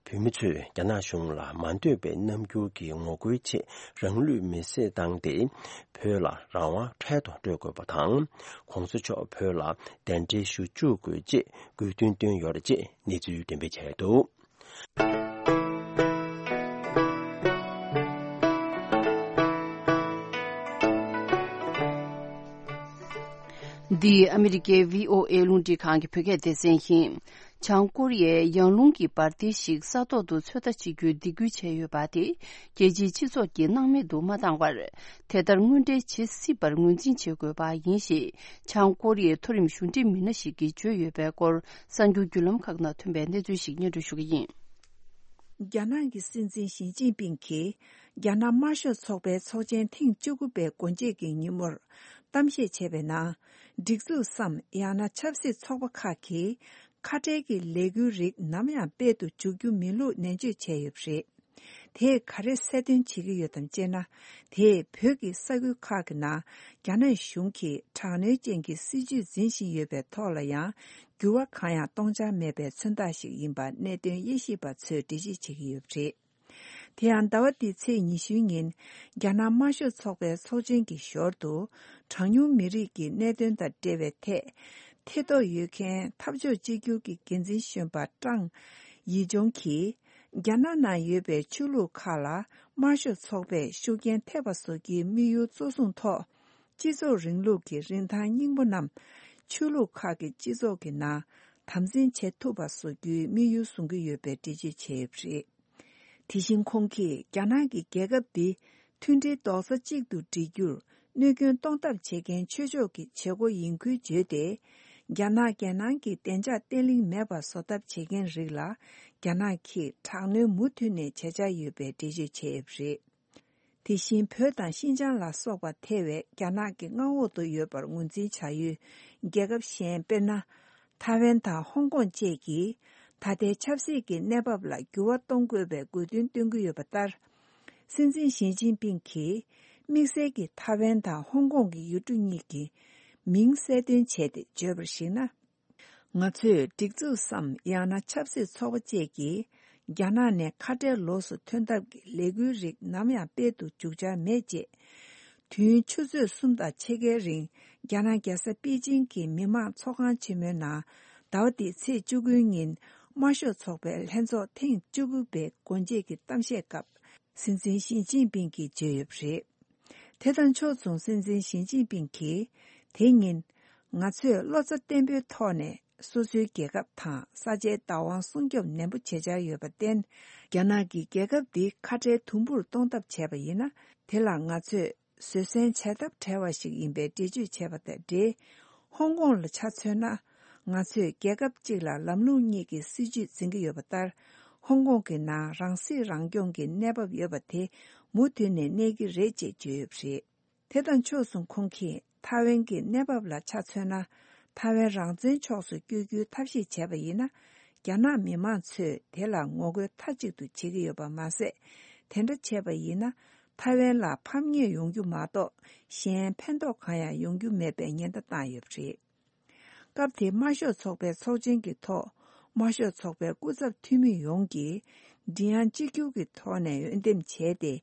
བོད་མི་ཚོས་རྒྱ་ནག་གཞུང་ལ་མ་འདོད་པའི་རྣམ་འགྱུར་གྱི་ངོ་རྒོལ་ཆེད་རང་ལུས་མེར་སྲེག་བཏང་སྟེ། བོད་ལ་རང་དབང་འཕྲལ་དུ་སྤྲོད་དགོས་པ་དང་། གོང་ས་མཆོག་བོད་ལ་གདན་འདྲེན་ཞུ་བཅུག་དགོས་ཅེས་དགོས་འདུན་བཏོན་ཡོད་རེད་ཅེས་གནས་ཚུལ་འགྲེམས་སྤེལ་བྱས་འདུག། འདི་ཨ་མི་རི་ཀའི་བྷི་ཨོ་ཨེ་རླུང་འཕྲིན་ཁང་གི་བོད་སྐད་སྡེ་ཚན་ཡིན། བྱང་ཀོ་རི་ཡས་ཡང་རླུང་གི་འབར་མདེལ་ཞིག་ས་ཐོག་ཏུ་ཚོད་ལྟ་བྱེད་རྒྱུའི་སྡིགས་སྐུལ་བྱས་ཡོད་པ་དེ་རྒྱལ་སྤྱིའི་སྤྱི་ཚོགས་ཀྱིས་སྣང་མེད་དུ་མ་བཏང་བར། དེ་ལྟར་དངོས་འབྲེལ་བྱེད་སྲིད་པར་ངོས་འཛིན་བྱེད་དགོས་པ་ཡིན་ཞེས་བྱང་ཀོ་རི་ཡའི་མཐོ་རིམ་གཞུང་འབྲེལ་མི་སྣ་ཞིག་གིས་བརྗོད་ཡོད་པའི་སྐོར་གསར་འགྱུར་བརྒྱུད་ལམ་ཁག་ནང་ཐོན་པའི་གནས་ཚུལ་ཞིག་སྙན་སྒྲོན་ཞུ་གི་ཡིན། རྒྱ་ནག་གི་སྲིད་འཛིན་ཞི་ཅིན་ཕིང་གིས་རྒྱ་ནག་དམར་ཤོག་ཚོགས་པའི་ཚོགས་ཆེན་ཐེངས་བཅུ་དགུ་པའི་སྒོ་འབྱེད་ཀྱི་ཉིན་མོར་གཏམ་བཤད་བྱས་པའི་ནང་། སྒྲིག་འཛུགས་སམ་ཡང་ན་ཆབ་སྲིད་ཚོགས་པ་ཁག་གིས་ཁ་བྲལ་གྱི་ལས་འགུལ་རིགས་ནམ་ཡང་སྤེལ་དུ་འཇུག་རྒྱུ་མིན་ལུགས་ནན་བརྗོད་བྱས་ཡོད་པ་རེད། དེས་ག་རེ་གསལ་སྟོན་བྱེད་ཀྱི་ཡོད་དམ་ཅེ་ན། དེས་བོད་ཀྱི་ས་ཁུལ་ཁག་གི་ནང་རྒྱ་ནག་གཞུང་གིས་དྲག་གནོན་ཅན་གྱི་སྲིད་བྱུས་འཛིན་བཞིན་ཡོད་པའི་ཐོག་ལ་ཡང་འགྱུར་བ་གང་ཡང་གཏོང་འཆར་མེད་པའི་མཚོན་རྟགས་ཤིག་ཡིན་པ་གནད་དོན་དབྱེ་ཞིབ་པ་ཚོས་འགྲེལ་བཤད་བྱེད་ཀྱི་ཡོད་པ་རེད། དེ་ཡང་ཟླ་བ་འདིའི་ཚེས་ཉི་ཤུའི་ཉིན་རྒྱ་ནག་དམར་ཤོག་ཚོགས་པའི་ཚོགས་ཆེན་གྱི་ཞོར་དུ། གྲངས་ཉུང་མི་རིགས་ཀྱི་གནད་དོན་དང་འབྲེལ་བའི་ཐད་ཐེ་གཏོགས་ཡོད་མཁན་འཐབ་ཕྱོགས་གཅིག་གྱུར་གྱི་འགན་འཛིན་གཞོན་པ་ཀྲང་ཡི་ཅུང་གིས། རྒྱ་ནག་ནང་ཡོད་པའི་ཆོས་ལུགས་ཁག་ལ་དམར་ཤོག་ཚོགས་པས་ཤུགས་རྐྱེན་ཐེབས་པ་བཟོ་རྒྱུའི་དམིགས་ཡུལ་གཙོ་བཟུང་ཐོག་སྤྱི་ཚོགས་རིང་ལུགས་ཀྱི་རིན་ཐང་སྙིང་པོ་རྣམས་ཆོས་ལུགས་ཁག་གི་སྤྱི་ཚོགས་ཀྱི་ནང་དམ་འཛིན་བྱེད་ཐུབ་པ་བཟོ་རྒྱུའི་དམིགས་ཡུལ་བཟུང་གི་ཡོད་པའི་འགྲེལ་བརྗོད་བྱས་ཡོད་པ་རེད། དེ་བཞིན་ཁོང་གིས་རྒྱ་ནག་གི་རྒྱལ་ཁབ་འདི་མཐུན་སྒྲིལ་རྡོག་རྩ་གཅིག་ཏུ་སྒྲིལ་རྒྱུར་གནོད་སྐྱོན་གཏོང་ཐབས་བྱེད་མཁན་ཆོས་ཕྱོགས་ཀྱི་བྱེད་སྒོ་ཡིན་ཁུལ་བརྗོད་དེ། རྒྱ་ནག་རྒྱལ་ནང་གི་བདེ་འཇགས་བརྟན་ལྷིང་མེད་པར་བཟོ་ཐབས་བྱེད་མཁན་རིགས་ལ་རྒྱ་ནག་གིས་དྲག་གནོན་མུ་མཐུད་ནས་བྱེད་འཆར་ཡོད་པའི་འགྲེལ་བརྗོད་བྱས་ཡོད་པ་རེད། དེ་བཞིན་བོད་དང་ཤིན་ཅང་ལ་སོགས་པ་ཐེ་བའི་རྒྱ་ནག་གི་མངའ་འོག་ཏུ་ཡོད་པར་ངོས་འཛིན་བྱ་ཡུལ་རྒྱལ་ཁབ་གཞན་དཔེར་ན། ཐའེ་ཝན་དང་ཧོང་ཀོང་བཅས་ཀྱིས་ད་ལྟའི་ཆབ་སྲིད་ཀྱི་གནས་བབ་ལ་འགྱུར་བ་གཏོང་དགོས་པའི་དགོས་འདུན་བཏོན་གྱི་ཡོད་པ་ལྟར། སྲིད་འཛིན་ཞི་ཅིན་ཕིང་གིས་དམིགས་བསལ་གྱིས་ཐའེ་ཝན་དང་ཧོང་ཀོང་གི་ཡུལ་གྲུ་གཉིས་ཀྱི་མིང་གསལ་སྟོན་བྱས་ཏེ་བརྗོད་པར་གཞིགས་ན། ང་ཚོས་སྒྲིག་འཛུགས་སམ་ཡང་ན་ཆབ་སྲིད་ཚོགས་པ་བཅས་ཀྱིས་རྒྱ་ནག་ནས་ཁ་བྲལ་ལོགས་སུ་ཐོན་ཐབས་ཀྱི་ལས་འགུལ་རིགས་ནམ་ཡང་སྤེལ་དུ་འཇུག་འཆར་མེད་ཅེས། དུས་ཡུན་ཆུ་ཚོད་གསུམ་དང་ཕྱེད་ཀའི་རིང་རྒྱ་ནག་རྒྱལ་ས་པེ་ཅིང་གི་མི་དམངས་ཚོགས་ཁང་ཆེན་མོའི་ནང་ཟླ་བ་འདིའི་ཚེས་བཅུ་དགུའི་ཉིན་དམར་ཤོག་ཚོགས་པའི་ལྷན་ཚོགས་ཐེངས་བཅུ་དགུ་པའི་སྒོ་འབྱེད་ཀྱི་གཏམ་བཤད་སྐབས་སྲིད་འཛིན་ཞི་ཅིན་ཕིང་གིས་བརྗོད་ཡོད་པ་རེད། དེ་དང་ཕྱོགས་མཚུངས་སྲིད་འཛིན་ཞི་ཅིན་ཕིང་གིས་དེ་ཉིན། ང་ཚོས་བློ་རྩ་བརྟན་པོའི་ཐོག་ནས་སོ་སོའི་རྒྱལ་ཁབ་དང་ས་ཆའི་བདག་དབང་སྲུང་སྐྱོབ་ནན་པོ་བྱེད་འཆར་ཡོད་པར་བརྟེན། རྒྱ་ནག་གིས་རྒྱལ་ཁབ་འདི་ཁ་བྲལ་དུམ་བུར་གཏོང་ཐབས་བྱས་པ་ཡིན་ན། དེ་ལ་ང་ཚོས་བཟོད་བསྲན་བྱ་ཐབས་བྲལ་བ་ཞིག་ཡིན་པའི་འགྲེལ་བརྗོད་བྱས་པ་དང་འབྲེལ། ཧོང་ཀོང་ལ་ཆ་མཚོན་ན། ང་ཚོས་རྒྱལ་ཁབ་གཅིག་ལ་ལམ་ལུགས་གཉིས་ཀྱི་སྲིད་བྱུས་འཛིན་གྱི་ཡོད་པ་ལྟར། ཧོང་ཀོང་གི་ནང་རང་སྲིད་རང་སྐྱོང་གི་གནས་བབ་ཡོད་པ་དེ་ མུ་མཐུད་ནས་གནས་ཀྱི་རེད་ཅེས་བརྗོད་ཡོད་པ་རེད། དེ་དང་ཕྱོགས་མཚུངས་ཁོང་གིས་ཐའེ་ཝན་གྱི་གནས་བབ་ལ་ཆ་མཚོན་ན། ཐའེ་ཝན་རང་བཙན་ཕྱོགས་སུ་བསྐྱོད་རྒྱུའི་ཐབས་ཤེས་བྱས་པ་ཡིན་ན། རྒྱ་ནག་མི་མང་ཚོས་དེ་ལ་ངོ་རྒོལ་མཐའ་གཅིག་ཏུ་བྱེད་ཀྱི་ཡོད་པ་མ་ཟད། དེ་འདྲ་བྱས་པ་ཡིན་ན། ཐའེ་ཝན་ལ་ཕམ་ཉེས་ཡོང་རྒྱུ་མ་གཏོགས་གཞན་ཕན་ཐོགས་གང་ཡང་ཡོང་རྒྱུ་མེད་པའི་ཉེན་བརྡ་བཏང་ཡོད་པ་རེད། སྐབས་དེའི་དམར་ཤོག་ཚོགས་པའི་ཚོགས་ཆེན་གྱི་ཐོག་དམར་ཤོག་ཚོགས་པའི་སྐུ་ཚབ་འཐུས་མི་ཡོངས་ཀྱིས་མགྲིན་དབྱངས་གཅིག་གྱུར་གྱི་ཐོག་ནས་འོས་འདེམས་བྱས་ཏེ།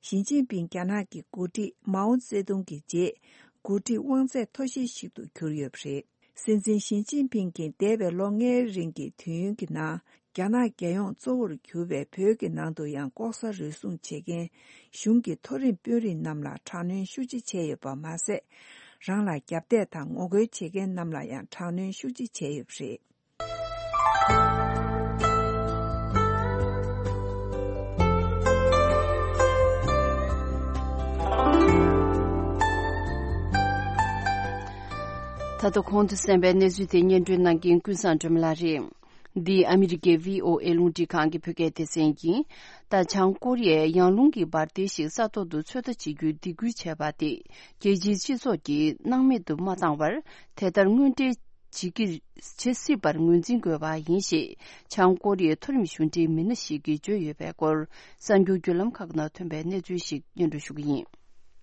ཞི་ཅིན་ཕིང་རྒྱ་ནག་གི་འགོ་ཁྲིད་མའོ་ཙེ་ཏུང་གི་རྗེས་འགོ་ཁྲིད་དབང་ཚད་མཐོ་ཤོས་ཤིག་ཏུ་གྱུར་ཡོད་པ་རེད། སྲིད་འཛིན་ཞི་ཅིན་ཕིང་གིས་འདས་པའི་ལོ་ལྔའི་རིང་གི་དུས་ཡུན་གྱི་ནང་། རྒྱ་ནག་རྒྱལ་ཡོངས་གཙོ་བོར་གྱུར་པའི་བོད་ཀྱི་ནང་དུ་ཡང་ལྐོག་ཟ་རུལ་སུངས་བྱེད་མཁན་གཞུང་གི་མཐོ་རིམ་དཔོན་རིགས་རྣམས་ལ་དྲག་གནོན་ཤུགས་ཆེ་བྱས་ཡོད་པ་མ་ཟད། རང་ལ་རྒྱབ་གཏད་དང་ངོ་རྒོལ་བྱེད་མཁན་རྣམས་ལ་ཡང་དྲག་གནོན་ཤུགས་ཆེ་བྱས་ཡོད་པ་རེད། ད་ལྟ་གོང་དུ་གསན་པའི་གནས་ཚུལ་དེ་སྙན་སྒྲོན་གནང་མཁན་ཀུན་བཟང་སྒྲོལ་མ་ལགས་རེད། འདི་ཨ་མི་རི་ཀའི་བྷི་ཨོ་ཨེ་རླུང་འཕྲིན་ཁང་གི་བོད་སྐད་སྡེ་ཚན་ཡིན། ད་བྱང་ཀོ་རི་ཡས་ཡང་རླུང་གི་འབར་མདེལ་ཞིག་ས་ཐོག་ཏུ་ཚོད་ལྟ་བྱེད་རྒྱུའི་སྡིགས་སྐུལ་བྱས་པ་དེ་རྒྱལ་སྤྱིའི་སྤྱི་ཚོགས་ཀྱིས་སྣང་མེད་དུ་མ་བཏང་བར། དེ་ལྟར་དངོས་འབྲེལ་བྱེད་ཀྱི་བྱེད་སྲིད་པར་ངོས་འཛིན་དགོས་པ་ཡིན་ཞེས་བྱང་ཀོ་རི་ཡའི་མཐོ་རིམ་གཞུང་འབྲེལ་མི་སྣ་ཞིག་གིས་བརྗོད་ཡོད་པའི་སྐོར། གསར་འགྱུར་བརྒྱུད་ལམ་ཁག་ནང་ཐོན་པའི་གནས་ཚུལ་ཞིག་སྙན་སྒྲོན་ཞུ་གི་ཡིན།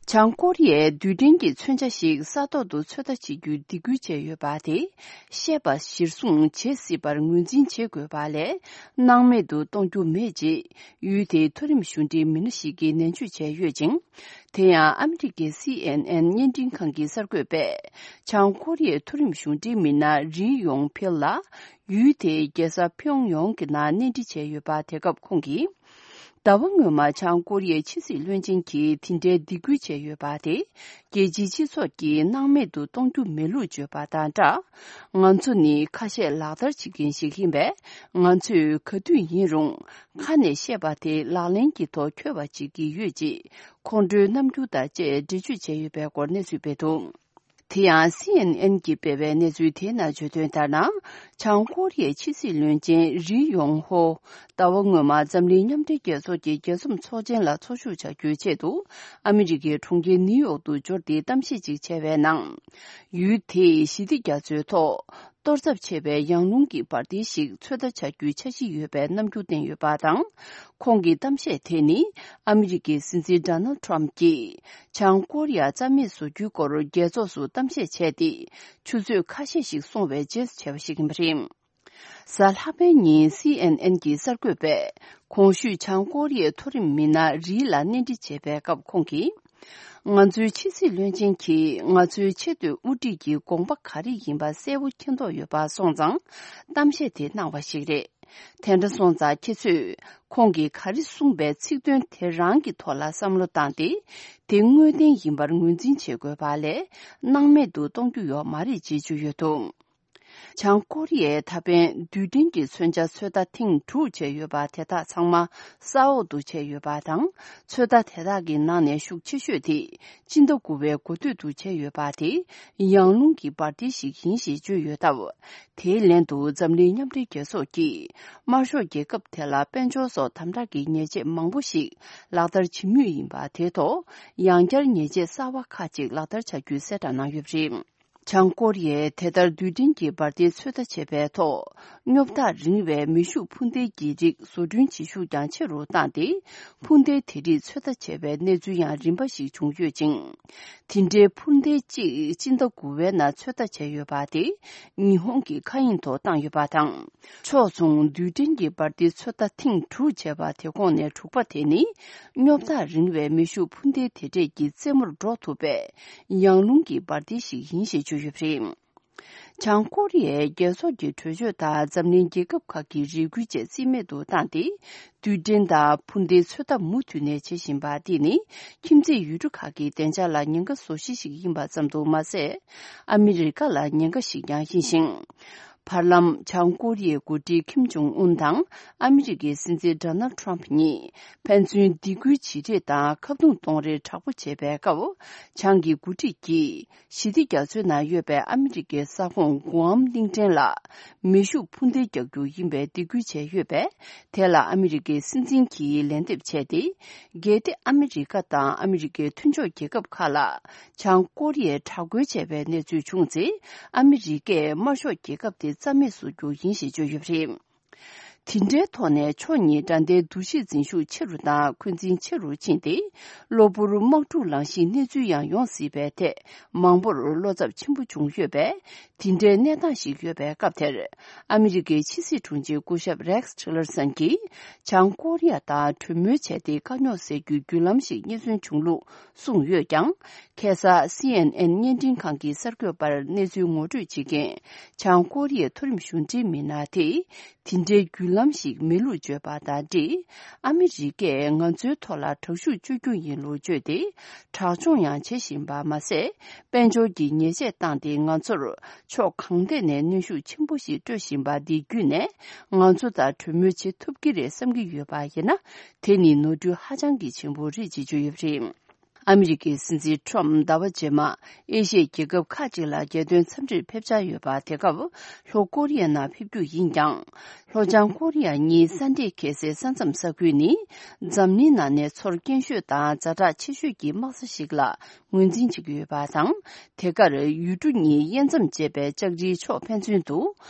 བྱང་ཀོ་རི་ཡས་རྡུལ་ཕྲན་གྱི་མཚོན་ཆ་ཞིག་ས་ཐོག་ཏུ་ཚོད་ལྟ་བྱེད་རྒྱུའི་སྡིགས་སྐུལ་བྱས་ཡོད་པ་དེ། བཤད་པ་གཞིར་བཟུང་བྱེད་སྲིད་པར་ངོས་འཛིན་བྱེད་དགོས་པ་ལས། སྣང་མེད་དུ་གཏོང་རྒྱུ་མེད་ཅེས་ཡུལ་དེའི་མཐོ་རིམ་གཞུང་འབྲེལ་མི་སྣ་ཞིག་གིས་ནན་བརྗོད་བྱས་ཡོད་ཅིང་། དེ་ཡང་ཨ་མི་རི་ཀའི་སི་ཨེན་ཨེན་བརྙན་འཕྲིན་ཁང་གི་གསར་འགོད་པས། བྱང་ཀོ་རི་ཡའི་མཐོ་རིམ་གཞུང་འབྲེལ་མི་སྣ་རི་ཡོང་ཕིལ་ལ། ཡུལ་དེའི་རྒྱལ་ས་ཕིའུ་ཡོང་གི་ནང་གནས་འདྲི་བྱས་ཡོད་པ། དེ་སྐབས་ཁོང་གིས། ཟླ་བ་སྔོན་མ་བྱང་ཀོ་རི་ཡའི་ཕྱི་སྲིད་བློན་ཆེན་གྱིས་དེ་འདྲའི་སྡིགས་སྐུལ་བྱས་ཡོད་པ་དེ། རྒྱལ་སྤྱིའི་སྤྱི་ཚོགས་ཀྱིས་སྣང་མེད་དུ་གཏོང་རྒྱུ་མེད་ལུགས་བརྗོད་པ་དང་སྦྲགས། ང་ཚོ་ནི་ཁ་ཤས་ལག་བསྟར་བྱེད་མཁན་ཞིག་ཡིན་པས། ང་ཚོས་ག་དུས་ཡིན་རུང་ཁ་ནས་བཤད་པ་དེ་ལག་ལེན་གྱི་ཐོག་འཁྱོལ་བ་བྱེད་ཀྱི་ཡོད་ཅེས། ཁོང་ཁྲོའི་རྣམ་འགྱུར་དང་བཅས་འགྲེལ་བརྗོད་བྱས་ཡོད་པའི་སྐོར་གནས་ཚུལ་སྤེལ་འདུག། དེ་ཡང་སི་ཨེན་ཨེན་གྱིས་སྤེལ་བའི་གནས་ཚུལ་དེའི་ནང་བརྗོད་དོན་ལྟར་ན། བྱང་ཀོ་རི་ཡའི་ཕྱི་སྲིད་བློན་ཆེན་རི་ཡོང་ཧོ། ཟླ་བ་སྔོན་མ་འཛམ་གླིང་མཉམ་འབྲེལ་རྒྱལ་ཚོགས་ཀྱི་རྒྱལ་འཛོམས་ཚོགས་ཆེན་ལ་འཚོགས་ཞུགས་བྱ་རྒྱུའི་ཆེད་དུ། ཨ་མི་རི་ཀའི་གྲོང་ཁྱེར་ནིའུ་ཡོག་ཏུ་འབྱོར་ཏེ་གཏམ་བཤད་ཅིག་བྱས་པའི་ནང་། ཡུལ་དེས་ཞི་བདེ་རྒྱ་མཚོའི་ཐོག་གཏོར་ཚབས་ཆེ་བའི་ཡང་རླུང་གི་འབར་མདེལ་ཞིག་ཚོད་ལྟ་བྱ་རྒྱུའི་འཆར་གཞི་ཡོད་པའི་རྣམ་འགྱུར་བསྟན་ཡོད་པ་དང་། ཁོང་གི་གཏམ་བཤད་དེ་ནི། ཨ་མི་རི་ཀའི་སྲིད་འཛིན་ཌོ་ནལ་ཌི་ཊརམ་གྱིས། བྱང་ཀོ་རི་ཡ་རྩ་མེད་བཟོ་རྒྱུའི་སྐོར་རྒྱལ་ཚོགས་སུ་གཏམ་བཤད་བྱས་ཏེ། ཆུ་ཚོད་ཁ་ཤས་ཤིག་སོང་བའི་རྗེས་བྱས་པ་ཞིག་ཡིན་པ་རེད། གཟའ་ལྷག་པའི་ཉིན་སི་ཨེན་ཨེན་གྱི་གསར་འགོད་པས། གོང་ཞུས་བྱང་ཀོ་རི་ཡའི་མཐོ་རིམ་མི་སྣ་རི་ལ་གནས་འདྲི་བྱས་པའི་སྐབས་ཁོང་གིས། ང་ཚོའི་ཕྱི་སྲིད་བློན་ཆེན་གྱིས་ང་ཚོའི་ཆེས་མཐོའི་དབུ་ཁྲིད་ཀྱི་དགོངས་པ་ག་རེ་ཡིན་པ་གསལ་པོ་མཁྱེན་རྟོགས་ཡོད་པ་སོང་ཙང་གཏམ་བཤད་དེ་གནང་བ་ཞིག་རེད། དེ་འདྲ་སོང་ཙང་ཁྱེད་ཚོས་ཁོང་གིས་ག་རེ་གསུངས་པའི་ཚིག་དོན་དེ་རང་གི་ཐོག་ལ་བསམ་བློ་བཏང་སྟེ། དེ་དངོས་བདེན་ཡིན་པར་ངོས་འཛིན་བྱེད་དགོས་པ་ལས། སྣང་མེད་དུ་གཏོང་རྒྱུ་ཡོད་མ་རེད་ཅེས་བརྗོད་ཡོད་འདུག། བྱང་ཀོ་རི་ཡས་ད་ཕན་རྡུལ་ཕྲན་གྱི་མཚོན་ཆ་ཚོད་ལྟ་ཐེངས་དྲུག་བྱས་ཡོད་པ་དེ་དག་ཚང་མ་ས་འོག་ཏུ་བྱས་ཡོད་པ་དང་། ཚོད་ལྟ་དེ་དག་གི་ནང་ནས་ཤུགས་ཆེ་ཤོས་དེ། སྤྱི་ཟླ་དགུ་པའི་འགོ་སྟོད་དུ་བྱས་ཡོད་པ་དེ། ཡང་རླུང་གི་འབར་མདེལ་ཞིག་ཡིན་ཞེས་བརྗོད་ཡོད་སྟབས། དེའི་ལན་དུ་འཛམ་གླིང་མཉམ་འབྲེལ་རྒྱལ་ཚོགས་ཀྱིས། དམར་ཤོག་རྒྱལ་ཁབ་དེ་ལ་དཔལ་འབྱོར་སོགས་དམ་དྲག་གི་ཉེས་ཆད་མང་པོ་ཞིག་ལག་བསྟར་བྱེད་མུས་ཡིན་པ་དེའི་ཐོག་ཡང་བསྐྱར་ཉེས་ཆད་གསར་པ་ཁག་ཅིག་ལག་བསྟར་བྱ་རྒྱུའི་གསལ་བསྒྲགས་གནང་ཡོད་པ་རེད། བྱང་ཀོ་རི་ཡས་དེ་ལྟར་རྡུལ་ཕྲན་གྱི་འབར་མདེལ་ཚོད་ལྟ་བྱས་པའི་ཐོག་སྙོབ་ཐག་རིང་བའི་མེ་ཤུགས་འཕུར་མདེལ་གྱི་རིགས་བཟོ་སྐྲུན་བྱེད་ཤུགས་ཀྱང་ཆེ་རུ་བཏང་སྟེ། འཕུར་མདེལ་དེ་རིགས་ཚོད་ལྟ་བྱས་པའི་གནས་ཚུལ་ཡང་རིམ་པ་ཞིག་བྱུང་ཡོད་ཅིང་། དེ་འདྲའི་འཕུར་མདེལ་གཅིག་སྤྱི་ཟླ་དགུ་པའི་ནང་ཚོད་ལྟ་བྱས་ཡོད་པ་དེ་ཉི་ཧོང་གི་མཁའ་དབྱིངས་ཐོག་བཏང་ཡོད་པ་དང་། ཕྱོགས་མཚུངས་རྡུལ་ཕྲན་གྱི་འབར་མདེལ་ཚོད་ལྟ་ཐེངས་དྲུག་བྱས་པ་དེ་ཁོངས་ནས་དྲུག་པ་དེ་ནི། སྙོབ་ཐག་རིང་བའི་མེ་ཤུགས་འཕུར་མདེལ་དེ་འདྲས་ཀྱི་རྩེ་མོར་འགྲོ་ཐུབ་པའི་ཡང་རླུང་གི་འབར་མདེལ་ཞིག་ཡིན་ཞེས་བརྗོད་ཡོད་པ་རེད། བྱང་ཀོ་རི་ཡའི་རྒྱལ་ཚོགས་ཀྱི་གྲོས་ཆོད་དང་འཛམ་གླིང་རྒྱལ་ཁབ་ཁག་གི་རེ་སྐུལ་བཅས་རྩིས་མེད་དུ་བཏང་སྟེ། རྡུལ་ཕྲན་དང་འཕུར་མདེལ་ཚོད་ལྟ་མུ་མཐུད་ནས་བྱེད་བཞིན་པ་འདི་ནི། ཁྱིམ་མཚེས་ཡུལ་གྲུ་ཁག་གི་བདེ་འཇགས་ལ་ཉེན་ཁ་བཟོ་གཞི་ཞིག་ཡིན་པ་ཙམ་དུ་མ་ཟད། ཨ་མི་རི་ཀ་ལ་ཉེན་ཁ་ཞིག་ཀྱང་ཡིན་ཞིང་། བར་ལམ། བྱང་ཀོ་རི་ཡའི་འགོ་ཁྲིད་ཁིམ་ཇོང་ཨུན་དང་ཨ་མི་རི་ཀའི་སྲིད་འཛིན་ཌོ་ནལ་ཁྲོམ་གཉིས་ཕན་ཚུན་སྡིགས་སྐུལ་བྱེད་རེས་དང་ཁ་རྡུང་གཏོང་རེས་དྲག་པོ་བྱས་པའི་སྐབས། བྱང་གི་འགོ་ཁྲིད་ཀྱིས་ཞི་བདེ་རྒྱ་མཚོའི་ནང་ཡོད་པའི་ཨ་མི་རི་ཀའི་ས་ཁོངས་གུའམ་གླིང་ཕྲན་ལ་མེ་ཤུགས་འཕུར་མདེལ་རྒྱག་རྒྱུ་ཡིན་པའི་སྡིགས་སྐུལ་བྱས་ཡོད་པས། དེ་ལ་ཨ་མི་རི་ཀའི་སྲིད་འཛིན་གྱིས་ལན་འདེབས་བྱས་ཏེ། གལ་ཏེ་ཨ་མི་རི་ཀ་དང་ཨ་མི་རི་ཀའི་མཐུན་ཕྱོགས་རྒྱལ་ཁབ་ཁག་ལ་བྱང་ཀོ་རི་ཡས་དྲག་རྒོལ་བྱས་པའི་གནས་ཚུལ་བྱུང་ཚེ། ཨ་མི་རི་ཀས་དམར་ཤོག་རྒྱལ་ཁབ་དེ་རྩ་མེད་བཟོ་རྒྱུ་ཡིན་ཞེས་བརྗོད་ཡོད་པ་རེད། དེ་འདྲའི་ཐོག་ནས་ཕྱོགས་གཉིས་དགྲ་ཟླའི་འདུ་ཤེས་འཛིན་ཤུགས་ཆེ་རུ་དང་འཁོན་འཛིན་ཆེ་རུ་ཕྱིན་ཏེ། གློ་བུར་དམག་འཁྲུག་ལངས་གཞིའི་གནས་ཚུལ་ཡང་ཡོང་སྲིད་པའི་ཐད་མང་པོར་བློ་འཚབ་ཆེན་པོ་བྱུང་ཡོད་པས། དེ་འདྲའི་གནས་སྟངས་ཤིག་ཡོད་པའི་སྐབས་དེར། ཨ་མི་རི་ཀའི་ཕྱི་སྲིད་དྲུང་ཆེ་སྐུ་ཞབས་རེགས་ཊི་ལར་སན་གྱིས་བྱང་ཀོ་རི་ཡ་དང་གྲོས་མོལ་བྱས་ཏེ་དཀའ་རྙོག་སེལ་རྒྱུའི་བརྒྱུད་ལམ་ཞིག་རྙེད་སོན་བྱུང་ལུགས་གསུངས་ཡོད་ཀྱང་། ཁ་སང་སི་ཨེན་ཨེན་བརྙན་འཕྲིན་ཁང་གི་གསར་འགོད་པར་གནས་ཚུལ་ངོ་སྤྲོད་བྱེད་མཁན་བྱང་ཀོ་རི་ཡའི་མཐོ་རིམ་གཞུང་འབྲེལ་མི་སྣ་དེས། དེ་འདྲའི་བརྒྱུད་ལམ་ཞིག་མེད་ལུགས་བརྗོད་པ་དང་འབྲེལ། ཨ་མི་རི་ཀས་ང་ཚོའི་ཐོག་ལ་དྲག་ཤུགས་སྤྱོད་རྒྱུ་ཡིན་ལུགས་བརྗོད་དེ། དྲག་སྦྱོང་ཡང་བྱེད་བཞིན་པ་མ་ཟད། དཔལ་འབྱོར་གྱི་ཉེས་ཆད་བཏང་སྟེ་ང་ཚོར་ཕྱོགས་གང་ཐད་ནས་གནོན་ཤུགས་ཆེན་པོ་ཞིག་སྤྲོད་བཞིན་པ་འདི་བརྒྱུད་ནས། ང་ཚོ་དང་གྲོས་མོལ་བྱེད་ཐུབ་ཀྱི་རེད་བསམ་གྱི་ཡོད་པ་ཡིན་ན། དེ་ནི་ནོར་འཁྲུལ་ཧ་ཅང་གི་ཆེན་པོ་རེད་ཅེས་བརྗོད་ཡོད་པ་རེད། ཨ་མི་རི་ཀའི་སྲིད་འཛིན་ཁྲོམ་ཟླ་བ་རྗེས་མ་ཨེ་ཤི་ཡའི་རྒྱལ་ཁབ་ཁག་ཅིག་ལ་རྒྱལ་དོན་འཚམས་འདྲིར་ཕེབས་འཆར་ཡོད་པ། དེ་སྐབས་ལྷོ་ཀོ་རི་ཡའི་ནང་ཕེབས་རྒྱུ་ཡིན་ཀྱང་། ལྷོ་བྱང་ཀོ་རི་ཡ་གཉིས་ས་འདྲེས་འཁེལ་སའི་ས་མཚམས་ས་ཁུལ་ནི། འཛམ་གླིང་ནང་ནས་ཚོར་སྐྱེན་ཤོས་དང་ཛ་དྲག་ཆེ་ཤོས་ཀྱི་དམག་ས་ཞིག་ལ་ངོས་འཛིན་བྱེད་ཀྱི་ཡོད་པ་དང་། དེ་གར་ཡུལ་གྲུ་གཉིས་དབྱེ་མཚམས་བཅད་པའི་ལྕགས་རིའི་ཕྱོགས་ཕན་ཚུན་དུ།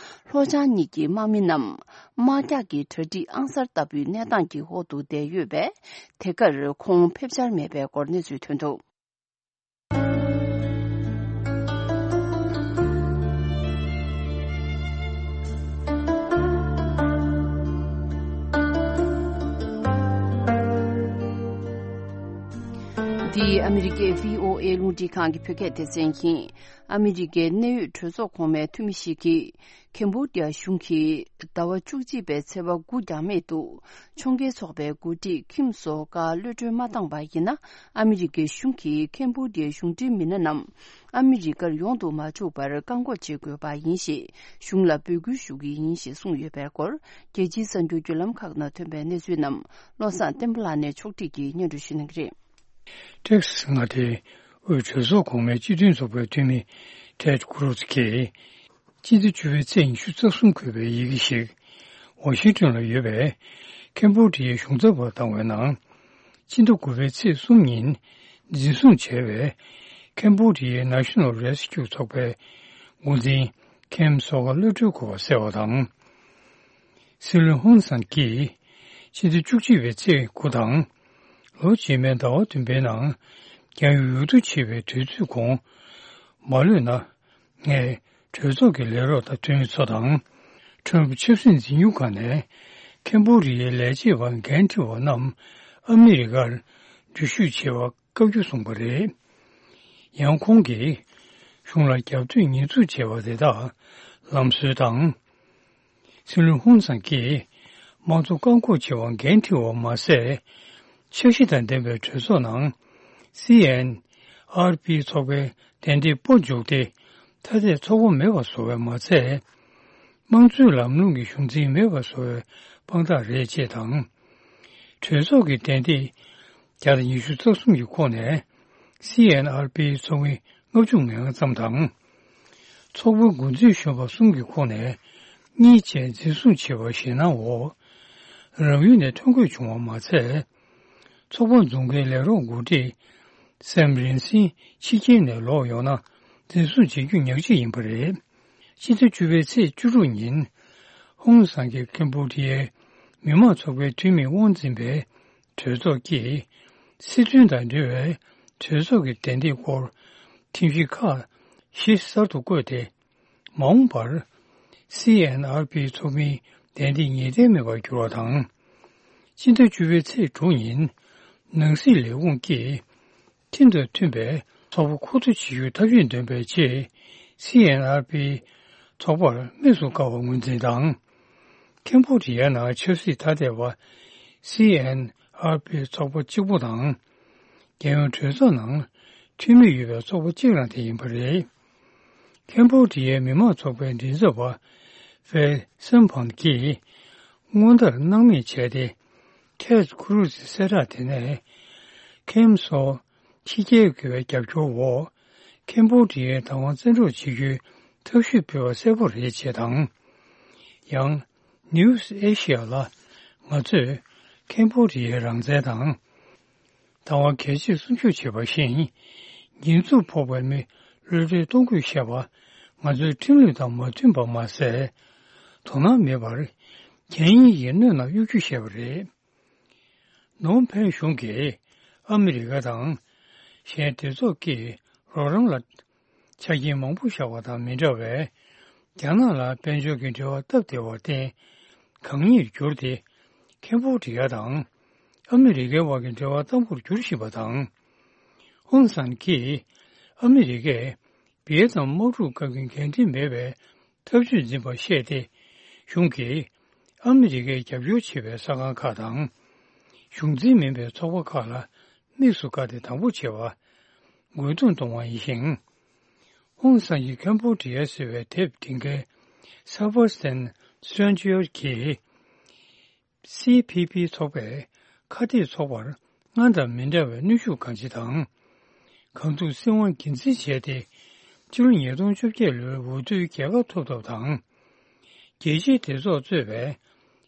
ལྷོ་བྱང་གཉིས་ཀྱི་དམག་མི་རྣམས། དམག་རྒྱགས་ཀྱི་གྲ་སྒྲིག་ཨང་གསར་ལྟ་བུའི་གནས་སྟངས་ཀྱི་འོག་ཏུ་བསྡད་ཡོད་པས། དེ་གར་ཁོང་ཕེབས་འཆར་མེད་པའི་སྐོར་གནས་ཚུལ་ཐོན་འདུག། འདི་ཨ་མི་རི་ཀའི་བྷི་ཨོ་ཨེ་རླུང་འཕྲིན་ཁང་གི་བོད་སྐད་སྡེ་ཚན་ཡིན། ཨ་མི་རི་ཀའི་གནད་ཡོད་གྲོས་ཚོགས་གོང་མའི་འཐུས་མི་ཞིག་གིས། ཁེམ་བྷོ་ཌི་ཡ་གཞུང་གིས་ཟླ་བ་བཅུ་གཅིག་པའི་ཚེས་པ་དགུ་འགྱངས་མེད་དུ་ཕྱོགས་འགལ་ཚོགས་པའི་འགོ་ཁྲིད་ཁིམ་སོ་ཀ་གློད་གྲོལ་མ་བཏང་བ་ཡིན་ན། ཨ་མི་རི་ཀའི་གཞུང་གིས་ཁེམ་བྷོ་ཌི་ཡའི་གཞུང་འབྲེལ་མི་སྣ་རྣམས་ཨ་མི་རི་ཀར་ཡོང་དུ་མ་བཅུག་པར་བཀག་འགོག་བྱེད་དགོས་པ་ཡིན་ཞེས་གཞུང་ལ་འབོད་སྐུལ་ཞུ་གི་ཡིན་ཞེས་གསུངས་ཡོད་པའི་སྐོར། རྒྱལ་སྤྱིའི་གསར་འགྱུར་བརྒྱུད་ལམ་ཁག་ནང་ཐོན་པའི་གནས་ཚུལ་རྣམས་བློ་བཟང་བསྟན་པ་ལགས་ནས་ཕྱོགས་སྒྲིག་གིས་སྙན་སྒྲོན་ཞུ་གནང་གི་རེད། ཏེག་སི་མངའ་སྡེའི་དབུས་གྲོས་ཚོགས་གོང་མའི་སྤྱི་མཐུན་ཚོགས་པའི་འཐུས་མི་ཊེཌ་ཀུ་རུ་ཛི་གིས། སྤྱི་ཟླ་བཅུ་པའི་ཚེས་ཉི་ཤུ་རྩ་གསུམ་འཁོད་པའི་ཡི་གེ་ཞིག་ཝ་ཤིང་ཏོན་ལ་ཡོད་པའི་ཁེམ་བྷོ་ཌི་ཡའི་གཞུང་ཚབ་པར་བཏང་བའི་ནང་། སྤྱི་ཟླ་དགུ་པའི་ཚེས་གསུམ་ཉིན་འཛིན་བཟུང་བྱས་པའི་ཁེམ་བྷོ་ཌི་ཡའི་ནེ་ཤ་ནལ་རེ་སི་ཀིའུ་ཚོགས་པའི་འགོ་འཛིན་ཁེམ་སོ་ཀ་གློད་གྲོལ་དགོས་པ་གསལ་བ་དང་། སྲིད་བློན་ཧུན་སན་གྱིས་ཕྱི་ཟླ་བཅུ་གཅིག་པའི་ཚེས་དགུ་དང་། ལོ་རྗེས་མའི་ཟླ་བ་བདུན་པའི་ནང་རྒྱང་ཡོལ་ཡུལ་དུ་ཕྱིན་པའི་དུས་ཚོད་གོང་མ་ལོན་ན། ངས་གྲོས་ཚོགས་ཀྱི་ལས་རོགས་དང་འཐུས་མི་ཚོ་དང་། ཁྲོམ་ཆབ་སྲིད་འཛིན་སྐྱོང་ཁང་ནས་ཁེམ་བྷོ་ཌི་ཡའི་ལས་བྱེད་པ་འགན་འཁྲི་བ་རྣམས་ཨ་མི་རི་ཀར་འགྲུལ་བཞུད་བྱེད་པར་བཀའ་བཀྱོན་གསུངས་པ་རེད། ཡང་ཁོང་གིས་གཞུང་ལ་རྒྱབ་གཏོད་ཉེས་འཛུགས་བྱས་པ་དེ་དག་ལམ་སྲོལ་དང་། སྲིད་བློན་ཧུན་སན་གྱིས་དམངས་གཙོ་བཀག་འགོག་བྱེད་པར་འགན་འཁྲི་བ་མ་ཟད། འཆར་གཞི་དང་ལྡན་པའི་གྲོས་ཚོགས་ནང་། སི་ཨེན་ཨར་པི་ཚོགས་པའི་གདན་སྟེགས་སྤོ་འཇུག་སྟེ། ཐ་དད་ཚོགས་པ་མེད་པ་བཟོ་བས་མ་ཚད། དམངས་གཙོའི་ལམ་ལུགས་ཀྱི་གཞུང་འཛིན་མེད་པ་བཟོ་བའི་དཔང་རྟགས་རེད་ཅེས་དང་། གྲོས་ཚོགས་ཀྱི་གདན་སྟེགས་བརྒྱ་དང་ཉི་ཤུ་རྩ་གསུམ་གྱི་ཁོངས་ནས། སི་ཨེན་ཨར་པི་ཚོགས་མི་ལྔ་བཅུ་ང་ལྔ་ཙམ་དང་། ཚོགས་པའི་འགོ་འཛིན་གཞོན་པ་གསུམ་གྱི་ཁོངས་ནས་གཉིས་བཅས་འཛིན་བཟུང་བྱས་པ་ཞེད་སྣང་འོག་རང་ཡུལ་ནས་ཐོན་དགོས་བྱུང་བ་མ་ཚད། ཚོགས་པ་འཛུགས་མཁན་ལས་རོགས་འགོ་ཁྲིད་སེམ་རིན་སིན་ཕྱི་རྒྱལ་ནས་ལོག་ཡོང་ན་འཛིན་བཟུང་བྱེད་རྒྱུ་ཉག་གཅིག་ཡིན་པ་རེད། སྤྱི་ཟླ་བཅུ་པའི་ཚེས་བཅུ་དྲུག་ཉིན། ཧུང་སང་གིས་ཀེམ་བྷོ་ཌི་ཡའི་མི་དམངས་ཚོགས་པའི་འཐུས་མི་དབང་འཛིན་པའི་གྲོས་ཚོགས་ཀྱིས། སྲིད་དོན་དང་འབྲེལ་བའི་གྲོས་ཚོགས་ཀྱི་གདན་སྟེགས་སྐོར་ཁྲིམས་གཞི་ཁག་བཞི་གསར་དུ་བཀོད་དེ། མ་འོངས་པར། སི་ཨེན་ཨར་པི་ཚོགས་མིའི་གདན་སྟེགས་ངེས་གཏན་མེད་པར་གྱུར་བ་དང་། སྤྱི་ཟླ་བཅུ་པའི་ཚེས་དྲུག་ཉིན། ནང་སྲིད་ལས་ཁུངས་ཀྱིས། ཁྲིམས་དང་མཐུན་པའི་ཚོགས་པ་ཁོ་ཐག་བྱེད་རྒྱུའི་ཐབས་ཇུས་འདོན་པའི་ཆེད། སི་ཨེན་ཨར་པི་ཚོགས་པར་དམིགས་སུ་བཀར་བ་ངོས་འཛིན་དང་། ཁེམ་བྷོ་ཌི་ཡ་ནང་ཆབ་སྲིད་ཐ་དད་པ། སི་ཨེན་ཨར་པི་ཚོགས་པ་གཅིག་པུ་དང་། རྒྱལ་ཡོངས་གྲོས་ཚོགས་ནང་འཐུས་མི་ཡོད་པའི་ཚོགས་པ་གཅིག་རང་དེ་ཡིན་པ་རེད། ཁེམ་བྷོ་ཌི་ཡའི་མི་དམངས་ཚོགས་པའི་མགྲིན་ཚབ་པ། ཝེ་སན་ཕང་གིས་སྔོན་ལྟར་སྣང་མེད་བྱས་ཏེ། ཐེད་ཀུ་རུ་ཛི་གསལ་བསྒྲགས་དེ་ནས། ཁེམ་སོགས་ཕྱི་རྒྱལ་གྱི་རྒྱབ་སྐྱོར་འོག་ཁེམ་བྷོ་ཌི་ཡའི་བདག་དབང་བཙན་འཕྲོག་བྱེད་རྒྱུའི་ཐབས་ཤེས་སྤེལ་བ་གསལ་པོ་རེད་ཅེས་དང་། ཡང་། News Asia ལ། ང་ཚོས་ཁེམ་བྷོ་ཌི་ཡའི་རང་བཙན་དང་། བདག་དབང་གལ་ཆེ་སྲུང་སྐྱོབ་བྱེད་པ་བཞིན། འགྱེད་འཛུགས་ཕོག་པའི་མི་གློད་གྲོལ་གཏོང་དགོས་བཤད་པ། ང་ཚོའི་ཁྲིམས་ལུགས་དང་མ་མཐུན་པ་མ་ཟད། དོ་སྣང་མེད་པར། གན་ཡིག་གི་སྣོད་ནང་གཡུག་རྒྱུ་བཤད་པ་རེད། ནོམ་ཕེན་གཞུང་གིས་ཨ་མི་རི་ཀ་དང་། གཞན་སྡེ་ཚོགས་ཀྱིས་རོགས་རམ་ལ་ཆ་རྐྱེན་མང་པོ་བཞག་པ་དང་མི་འདྲ་བའི། རྒྱ་ནག་ལ་དཔལ་འབྱོར་གྱི་འབྲེལ་བ་སྟབས་བདེ་བར་བརྟེན། གང་ཉིད་བསྒྱུར་ཏེ། ཁེམ་བྷོ་ཌི་ཡ་དང་། ཨ་མི་རི་ཀའི་དབར་གྱི་འབྲེལ་བ་དམ་པོར་འགྱུར་བཞིན་པ་དང་། ཨུན་སན་གྱིས། ཨ་མི་རི་ཀས། བི་ཡེ་ནམ་དམག་འཁྲུག་སྐབས་ཀྱི་འགན་འཁྲི་མེད་པའི། ཐབས་ཇུས་འཛིན་པར་བཤད་དེ། གཞུང་གིས་ཨ་མི་རི་ཀས་རྒྱབ་སྐྱོར་བྱེད་པའི་གསར་ཁང་ཁག་དང་། གཞུང་འཛིན་མིན་པའི་ཚོགས་པ་ཁག་ལ་དམིགས་སུ་བཀར་ཏེ་དང་པོ་བྱེད་པ། རྒོལ་རྡུང་གཏོང་བ་ཡིན་ཞིང་། ཨུང་སན་གྱི་ཁེམ་བྷོ་ཌི་ཡ་ཟེར་བའི་དེབ་འབྲི་མཁན་སེ་བྷ་སྟན་སི་ཊྲན་ཇི་ཡར་གྱིས། སི་ཕི་པི་ཚོགས་པས་ཁ་གཏད་ཚོགས་པར་སྔར་དང་མི་འདྲ་བའི་གནོན་ཤུགས་གང་ཆེ་དང་། གང་ཐུབ་སྲིད་དབང་སྒེར་འཛིན་བྱས་ཏེ། ཕྱི་ལོ་ཉིས་སྟོང་བཅོ་བརྒྱད་ལོའི་འོས་བསྡུའི་རྒྱལ་ཁ་ཐོབ་ཐབས་དང་། རྒྱལ་སྤྱིའི་སྡེ་ཚོགས་གཙོས་པའི་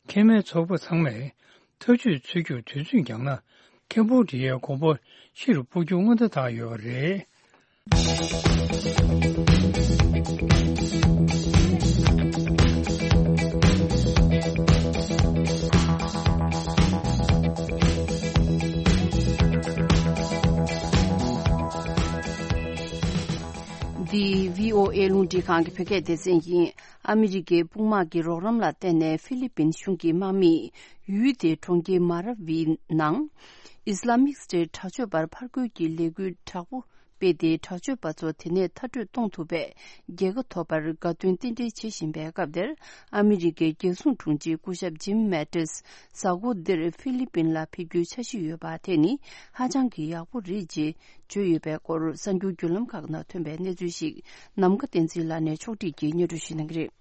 ཁེ་མའི་ཚོགས་པ་ཚང་མས་ཐབས་ཇུས་འཚོལ་རྒྱུར་དུས་ཚོད་འགྱངས་ན། ཁེམ་བྷོ་ཌི་ཡའི་གོམ་པ་ཕྱིར་སྤོ་རྒྱུ་སྔོན་བརྡ་བཏང་ཡོད་པ་རེད། འདི་བྷི་ཨོ་ཨེ་རླུང་འཕྲིན་ཁང་གི་བོད་སྐད་སྡེ་ཚན་ཡིན། ཨ་མི་རི་ཀའི་དཔུང་དམག་གི་རོགས་རམ་ལ་བརྟེན་ནས་ཧྥི་ལི་པིན་གཞུང་གི་དམག་མིས་ཡུལ་དེའི་གྲོང་ཁྱེར་མ་ར་ཝི་ནང་ཨི་སི་ལ་མིག་སི་ཊེཊ་དྲག་སྤྱོད་པར་ཕར་རྒོལ་གྱི་ལས་འགུལ་དྲག་པོ་སྤེལ་ཏེ། དྲག་སྤྱོད་པ་ཚོ་དེ་ནས་མཐར་སྐྲོད་གཏོང་ཐུབ་པའི་རྒྱལ་ཁ་ཐོབ་པར་དགའ་སྟོན་རྟེན་འབྲེལ་བྱེད་བཞིན་པའི་སྐབས་དེར། ཨ་མི་རི་ཀའི་རྒྱལ་སྲུང་དྲུང་ཆེ་སྐུ་ཞབས་ཇིམ་མེ་ཏིས་གཟའ་འཁོར་འདིར་ཧྥི་ལི་པིན་ལ་ཕེབས་རྒྱུའི་འཆར་གཞི་ཡོད་པ་དེ་ནི་ཧ་ཅང་གི་ཡག་པོ་རེད་ཅེས་བརྗོད་ཡོད་པའི་སྐོར། གསར་འགྱུར་བརྒྱུད་ལམ་ཁག་ནང་ཐོན་པའི་གནས་ཚུལ་ཞིག་ནམ་མཁའ་བསྟན་འཛིན་ལགས་ནས་ཕྱོགས་སྒྲིག་གིས་སྙན་སྒྲོན་ཞུ་གནང་གི་རེད།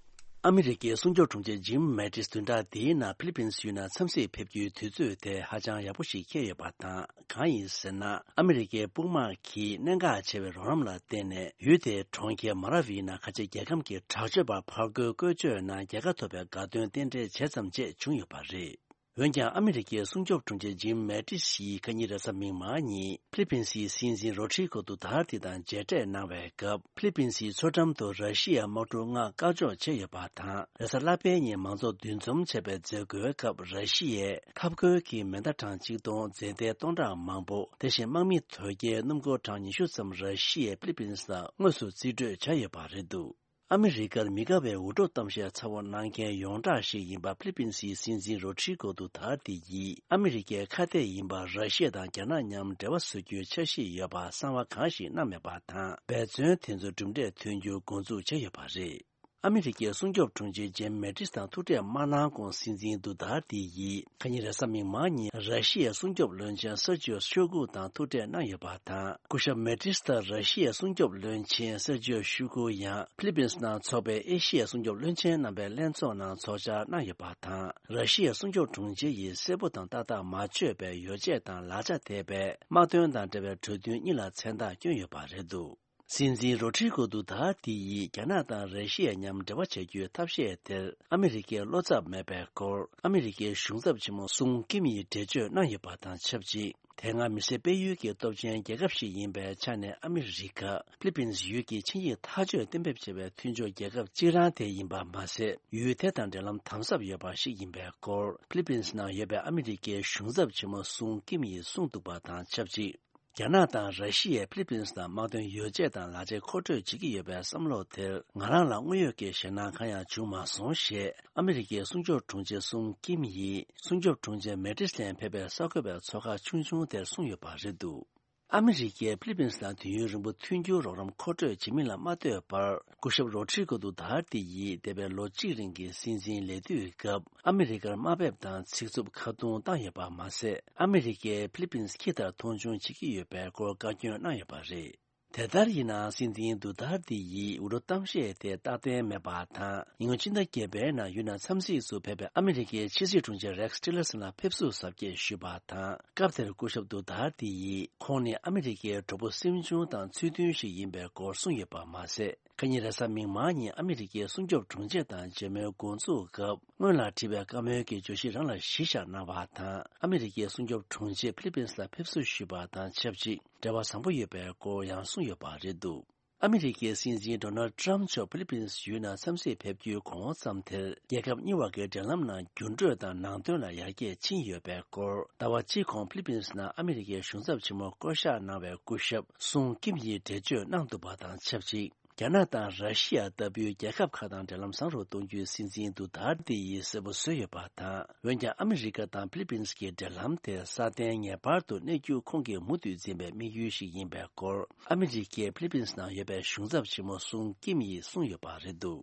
ཨ་མི་རི་ཀའི་སྲུང་སྐྱོབ་དྲུང་ཆེ་ཇིམ་མེ་ཏིས་བདུན་ཕྲག་འདིའི་ནང་ཧྥི་ལི་པིན་ཡུལ་ནང་འཚམས་གཟིགས་ཕེབས་རྒྱུའི་དུས་ཚོད་དེ་ཧ་ཅང་ཡག་པོ་ཞིག་འཁེལ་ཡོད་པ་དང་། གང་ཡིན་ཟེར་ན། ཨ་མི་རི་ཀའི་དཔུང་དམག་གིས་གནད་འགག་ཆེ་བའི་རོགས་རམ་ལ་བརྟེན་ནས། ཡུལ་དེའི་གྲོང་ཁྱེར་མ་ར་ཝི་ནང་ཁ་ཆེ་རྒྱལ་ཁམས་ཀྱི་དྲག་སྤྱོད་པ་ཕར་རྒོལ་བཀོལ་སྤྱོད་ནང་རྒྱལ་ཁ་ཐོབ་པའི་དགའ་སྟོན་རྟེན་འབྲེལ་བྱས་ཙམ་བཅས་བྱུང་ཡོད་པ་རེད། འོན་ཀྱང་། ཨ་མི་རི་ཀའི་སྲུང་སྐྱོབ་དྲུང་ཆེ་ཇིམ་མེ་ཏིས་ཡིས་ཁ་ཉིན་རེས་གཟའ་མིག་དམར་ཉིན་ཧྥི་ལི་པིན་སིའི་སྲིད་འཛིན་རོ་ཌི་རི་གོ་ཏུ་ཏཱ་ཏི་དང་མཇལ་འཕྲད་གནང་བའི་སྐབས། ཧྥི་ལི་པིན་སིའི་མཚོ་འགྲམ་དུ་ར་ཤི་ཡའི་དམག་གྲུ་ལྔ་བཀག་འཇོག་བྱས་ཡོད་པ་དང་། རེས་གཟའ་ལྷག་པའི་ཉིན་མང་ཚོགས་འདུ་འཛོམས་བྱས་པའི་མཛད་སྒོའི་སྐབས། ར་ཤི་ཡས་འཐབ་རྒོལ་གྱི་མེ་མདའ་གྲངས་གཅིག་སྟོང་། རྫས་མདའ་སྟོང་ཕྲག་མང་པོ། དེ་བཞིན་དམག་མི་དོས་སྐྱེལ་སྣུམ་འཁོར་གྲངས་ཉི་ཤུ་ཙམ་ར་ཤི་ཡས་ཧྥི་ལི་པིན་ལ་དངོས་སུ་རྩིས་སྤྲོད་བྱས་ཡོད་པ་རེད་འདུག་ཨ་མི་རི་ཀར་མི་དགའ་བའི་འུར་སྒྲོག་གཏམ་བཤད་ཚ་བོ་གནང་མཁན་ཡོངས་གྲགས་ཤིག་ཡིན་པ་ཧྥི་ལི་པིན་སིའི་སྲིད་འཛིན་རོ་ཌི་རི་གོ་ཏུ་ཏཱ་ཏི་ཡིས། ཨ་མི་རི་ཀའི་ཁ་གཏད་ཡིན་པར་ར་ཤི་ཡ་དང་རྒྱ་ནག་མཉམ་འབྲེལ་བ་བཟོ་རྒྱུའི་འཆར་གཞི་ཡོད་པར་གསང་བ་གང་ཞིག་གནང་མེད་པ་དང་། འབད་བརྩོན་དེ་ཚོ་གྲུབ་འབྲས་ཐོན་རྒྱུར་འགོ་འཛུགས་བྱས་ཡོད་པ་རེད། ཨ་མི་རི་ཀའི་སྲུང་སྐྱོབ་དྲུང་ཆེ་ཇིམ་མེ་ཏིས་དང་ཐུག་འཕྲད་མ་གནང་གོང་། སྲིད་འཛིན་ཏུ་ཏཱ་ཏི་ཡིས་ཁ་ཉིན་རེས་གཟའ་མིག་དམར་ཉིན་ར་ཤི་ཡའི་སྲུང་སྐྱོབ་བློན་ཆེན་སར་ཇིའོ་ཤོ་གུ་དང་ཐུག་འཕྲད་གནང་ཡོད་པ་དང་། སྐུ་ཞབས་མེ་ཏིས་དང་ར་ཤི་ཡའི་སྲུང་སྐྱོབ་བློན་ཆེན་སར་ཇིའོ་ཤོ་གུ་ཡང་ཧྥི་ལི་པིན་ནང་འཚོགས་པའི་ཨེ་ཤི་ཡའི་སྲུང་སྐྱོབ་བློན་ཆེན་རྣམ་པའི་ལྷན་ཚོགས་ནང་ཚོགས་བཅར་གནང་ཡོད་པ་དང་། ར་ཤི་ཡའི་སྲུང་སྐྱོབ་དྲུང་ཆེ་ཡིས་གསལ་པོ་དང་ཏག་ཏག་མ་བརྗོད་པའི་ཡོ་བྱད་དང་ལག་ཆ་དེ་བས་དམག་དོན་དང་འབྲེལ་བའི་གྲོས་མཐུན་གཉིས་ལ་མཚན་རྟགས་བསྐྱོན་ཡོད་པ་རེད་འདུག་སྲིད་འཛིན་རོ་ཌི་རི་གོ་ཏུ་ཏཱ་ཏི་ཡིས་རྒྱ་ནག་དང་ར་ཤི་ཡ་མཉམ་འབྲེལ་བ་བྱ་རྒྱུའི་ཐབས་ཤེས་དེར་ཨ་མི་རི་ཀའི་བློ་འཚབ་མེད་པའི་སྐོར། ཨ་མི་རི་ཀའི་གཞུང་ཚབ་ཆེན་མོ་སུང་ཀིམ་ཡིས་འགྲེལ་བརྗོད་གནང་ཡོད་པ་དང་ཆབས་ཅིག་དེ་སྔ་མི་སེར་སྤེལ་ཡུལ་གྱི་སྟོབས་ཆེན་རྒྱལ་ཁབ་ཞིག་ཡིན་པའི་ཆ་ནས། ཨ་མི་རི་ཀ་ཧྥི་ལི་པིན་ཡུལ་གྱི་ཆིངས་ཡིག་ཐག་གཅོད་གཏན་འབེབས་བྱས་པའི་མཐུན་ཕྱོགས་རྒྱལ་ཁབ་གཅིག་རང་དེ་ཡིན་པ་མ་ཟད། ཡུལ་དེ་དང་འབྲེལ་ལམ་དམ་ཟབ་ཡོད་པ་ཞིག་ཡིན་པའི་སྐོར། ཧྥི་ལི་པིན་ནང་ཡོད་པའི་ཨ་མི་རི་ཀའི་གཞུང་ཚབ་ཆེན་མོ་སུང་ཀིམ་ཡིས་གསུངས་འདུག་པ་དང་ཆབས་ཅིག་རྒྱ་ནག་དང་ར་ཤི་ཡས་ཧྥི་ལི་པིན་ནང་དམག་དོན་ཡོ་བྱད་དང་ལག་ཆ་མཁོ་སྤྲོད་བྱེད་ཀྱི་ཡོད་པའི་བསམ་བློ་དེར། ང་རང་ལ་དངོས་ཡོད་ཀྱི་ཞེད་སྣང་གང་ཡང་བྱུང་མ་སོང་ཞེས། ཨ་མི་རི་ཀའི་སྲུང་སྐྱོབ་དྲུང་ཆེ་སུང་ཀིམ་ཡིས་སྲུང་སྐྱོབ་དྲུང་ཆེ་མེ་ཏིས་ལ་ཕེབས་པའི་གསར་འགོད་པའི་ཚོགས་ཁག་ཆུང་ཆུང་དེར་གསུངས་ཡོད་པ་རེད་འདུག་ཨ་མི་རི་ཀས་ཧྥི་ལི་པིན་ནང་དུས་ཡུན་རིང་པོ་མཐུན་འགྱུར་རོགས་རམ་མཁོ་སྤྲོད་བྱེད་མིན་ལ་མ་ལྟོས་པར། སྐུ་ཞབས་རོ་ཌི་རི་གོ་ཏུ་ཏཱ་ཏི་ཡིས་འདས་པའི་ལོ་གཅིག་རིང་གི་སྲིད་འཛིན་ལས་དུས་སྐབས། ཨ་མི་རི་ཀར་དམའ་འབེབས་དང་ཚིག་རྩུབ་ཁ་རྡུང་བཏང་ཡོད་པ་མ་ཟད། ཨ་མི་རི་ཀས་ཧྥི་ལི་པིན་ཁྱི་ལྟར་མཐོང་ཆུང་བྱེད་ཀྱི་ཡོད་པའི་སྐོར་བཀའ་བཀྱོན་གནང་ཡོད་པ་རེད། དེ་ལྟར་ཡིན་ནའང་སྲིད་འཛིན་དུ་ཐར་ཏི་ཡིས་འུར་རྡོ་གཏམ་བཤད་དེ་རྟག་བརྟན་མེད་པ་དང་། ཉིན་གུང་ཕྱི་ཟླ་བརྒྱད་པའི་ནང་ཡུལ་ནང་འཚམས་གཟིགས་སུ་ཕེབས་པའི་ཨ་མི་རི་ཀའི་ཕྱི་སྲིད་དྲུང་ཆེ་རེག་སི་ཊི་ལར་སན་ལ་ཕེབས་བསུ་གཟབ་རྒྱས་ཞུས་པ་དང་། སྐབས་དེར་སྐུ་ཞབས་དུ་ཐར་ཏི་ཡིས་ཁོང་ནི་ཨ་མི་རི་ཀའི་གྲོགས་པོ་སེམས་ཆུང་དང་ཚུལ་མཐུན་ཞིག་ཡིན་པའི་སྐོར་གསུངས་ཡོད་པ་མ་ཟད། ཁ་ཉིན་རེས་གཟའ་མིག་དམར་ཉིན་ཨ་མི་རི་ཀའི་སྲུང་སྐྱོབ་དྲུང་ཆེ་དང་མཇལ་མོལ་འགོ་འཛུགས་སྐབས། སྔོན་ལ་བྲིས་པའི་བཀའ་མོལ་གྱི་བརྗོད་གཞི་རང་ལ་གཞི་བཞག་གནང་བ་དང་། ཨ་མི་རི་ཀའི་སྲུང་སྐྱོབ་དྲུང་ཆེ་ཕི་ལི་པིན་སི་ལ་ཕེབས་བསུ་ཞུས་པ་དང་ཆབས་ཅིག་འབྲེལ་བ་བཟང་པོ་ཡོད་པའི་སྐོར་ཡང་གསུངས་ཡོད་པ་རེད་འདུག་ཨ་མི་རི་ཀའི་སྲིད་འཛིན་ཌོ་ནལ་ཌི་ཊརམ་མཆོག་ཕི་ལི་པིན་སི་ཡུལ་ནང་འཚམས་གཟིགས་ཕེབས་རྒྱུའི་གོང་འོག་མཚམས་དེར། རྒྱལ་ཁབ་གཉིས་བར་གྱི་འབྲེལ་ལམ་ནང་འགྱུར་འགྲོས་དང་ནང་དོན་ལ་ཡར་རྒྱས་ཕྱིན་ཡོད་པའི་སྐོར། ཟླ་བ་གཅིག་གོང་ཕི་ལི་པིན་སི་ནང་ཨ་མི་རི་ཀའི་གཞུང་ཚབ་ཆེན་མོ་བསྐོ་གཞག་གནང་བའི་སྐུ་ཞབས་སུང་ཀིམ་ཡིས་འགྲེལ་བརྗོད་གནང་འདུག་པ་དང་ཆབས་ཅིག་རྒྱ་ནག་དང་ར་ཤི་ཡ་ལྟ་བུའི་རྒྱལ་ཁབ་ཁག་དང་འབྲེལ་ལམ་བཟང་རུ་གཏོང་རྒྱུའི་སྲིད་འཛིན་དུ་ཐར་ཏི་ཡིས་གསལ་པོ་བཟོས་ཡོད་པ་དང་། འོན་ཀྱང་ཨ་མི་རི་ཀ་དང་ཕི་ལི་པིན་སི་གི་འབྲེལ་ལམ་དེ་སྲ་བརྟན་ངེས་པར་དུ་གནས་རྒྱུ་ཁོང་གིས་མུ་མཐུད་འཛིན་པའི་དམིགས་ཡུལ་ཞིག་ཡིན་པའི་སྐོར། ཨ་མི་རི་ཀའི་ཕི་ལི་པིན་སི་ནང་ཡོད་པའི་གཞུང་ཚབ་ཆེན་མོ་སུང་ཀིམ་ཡིས་གསུངས་ཡོད་པ་རེད་འདུག་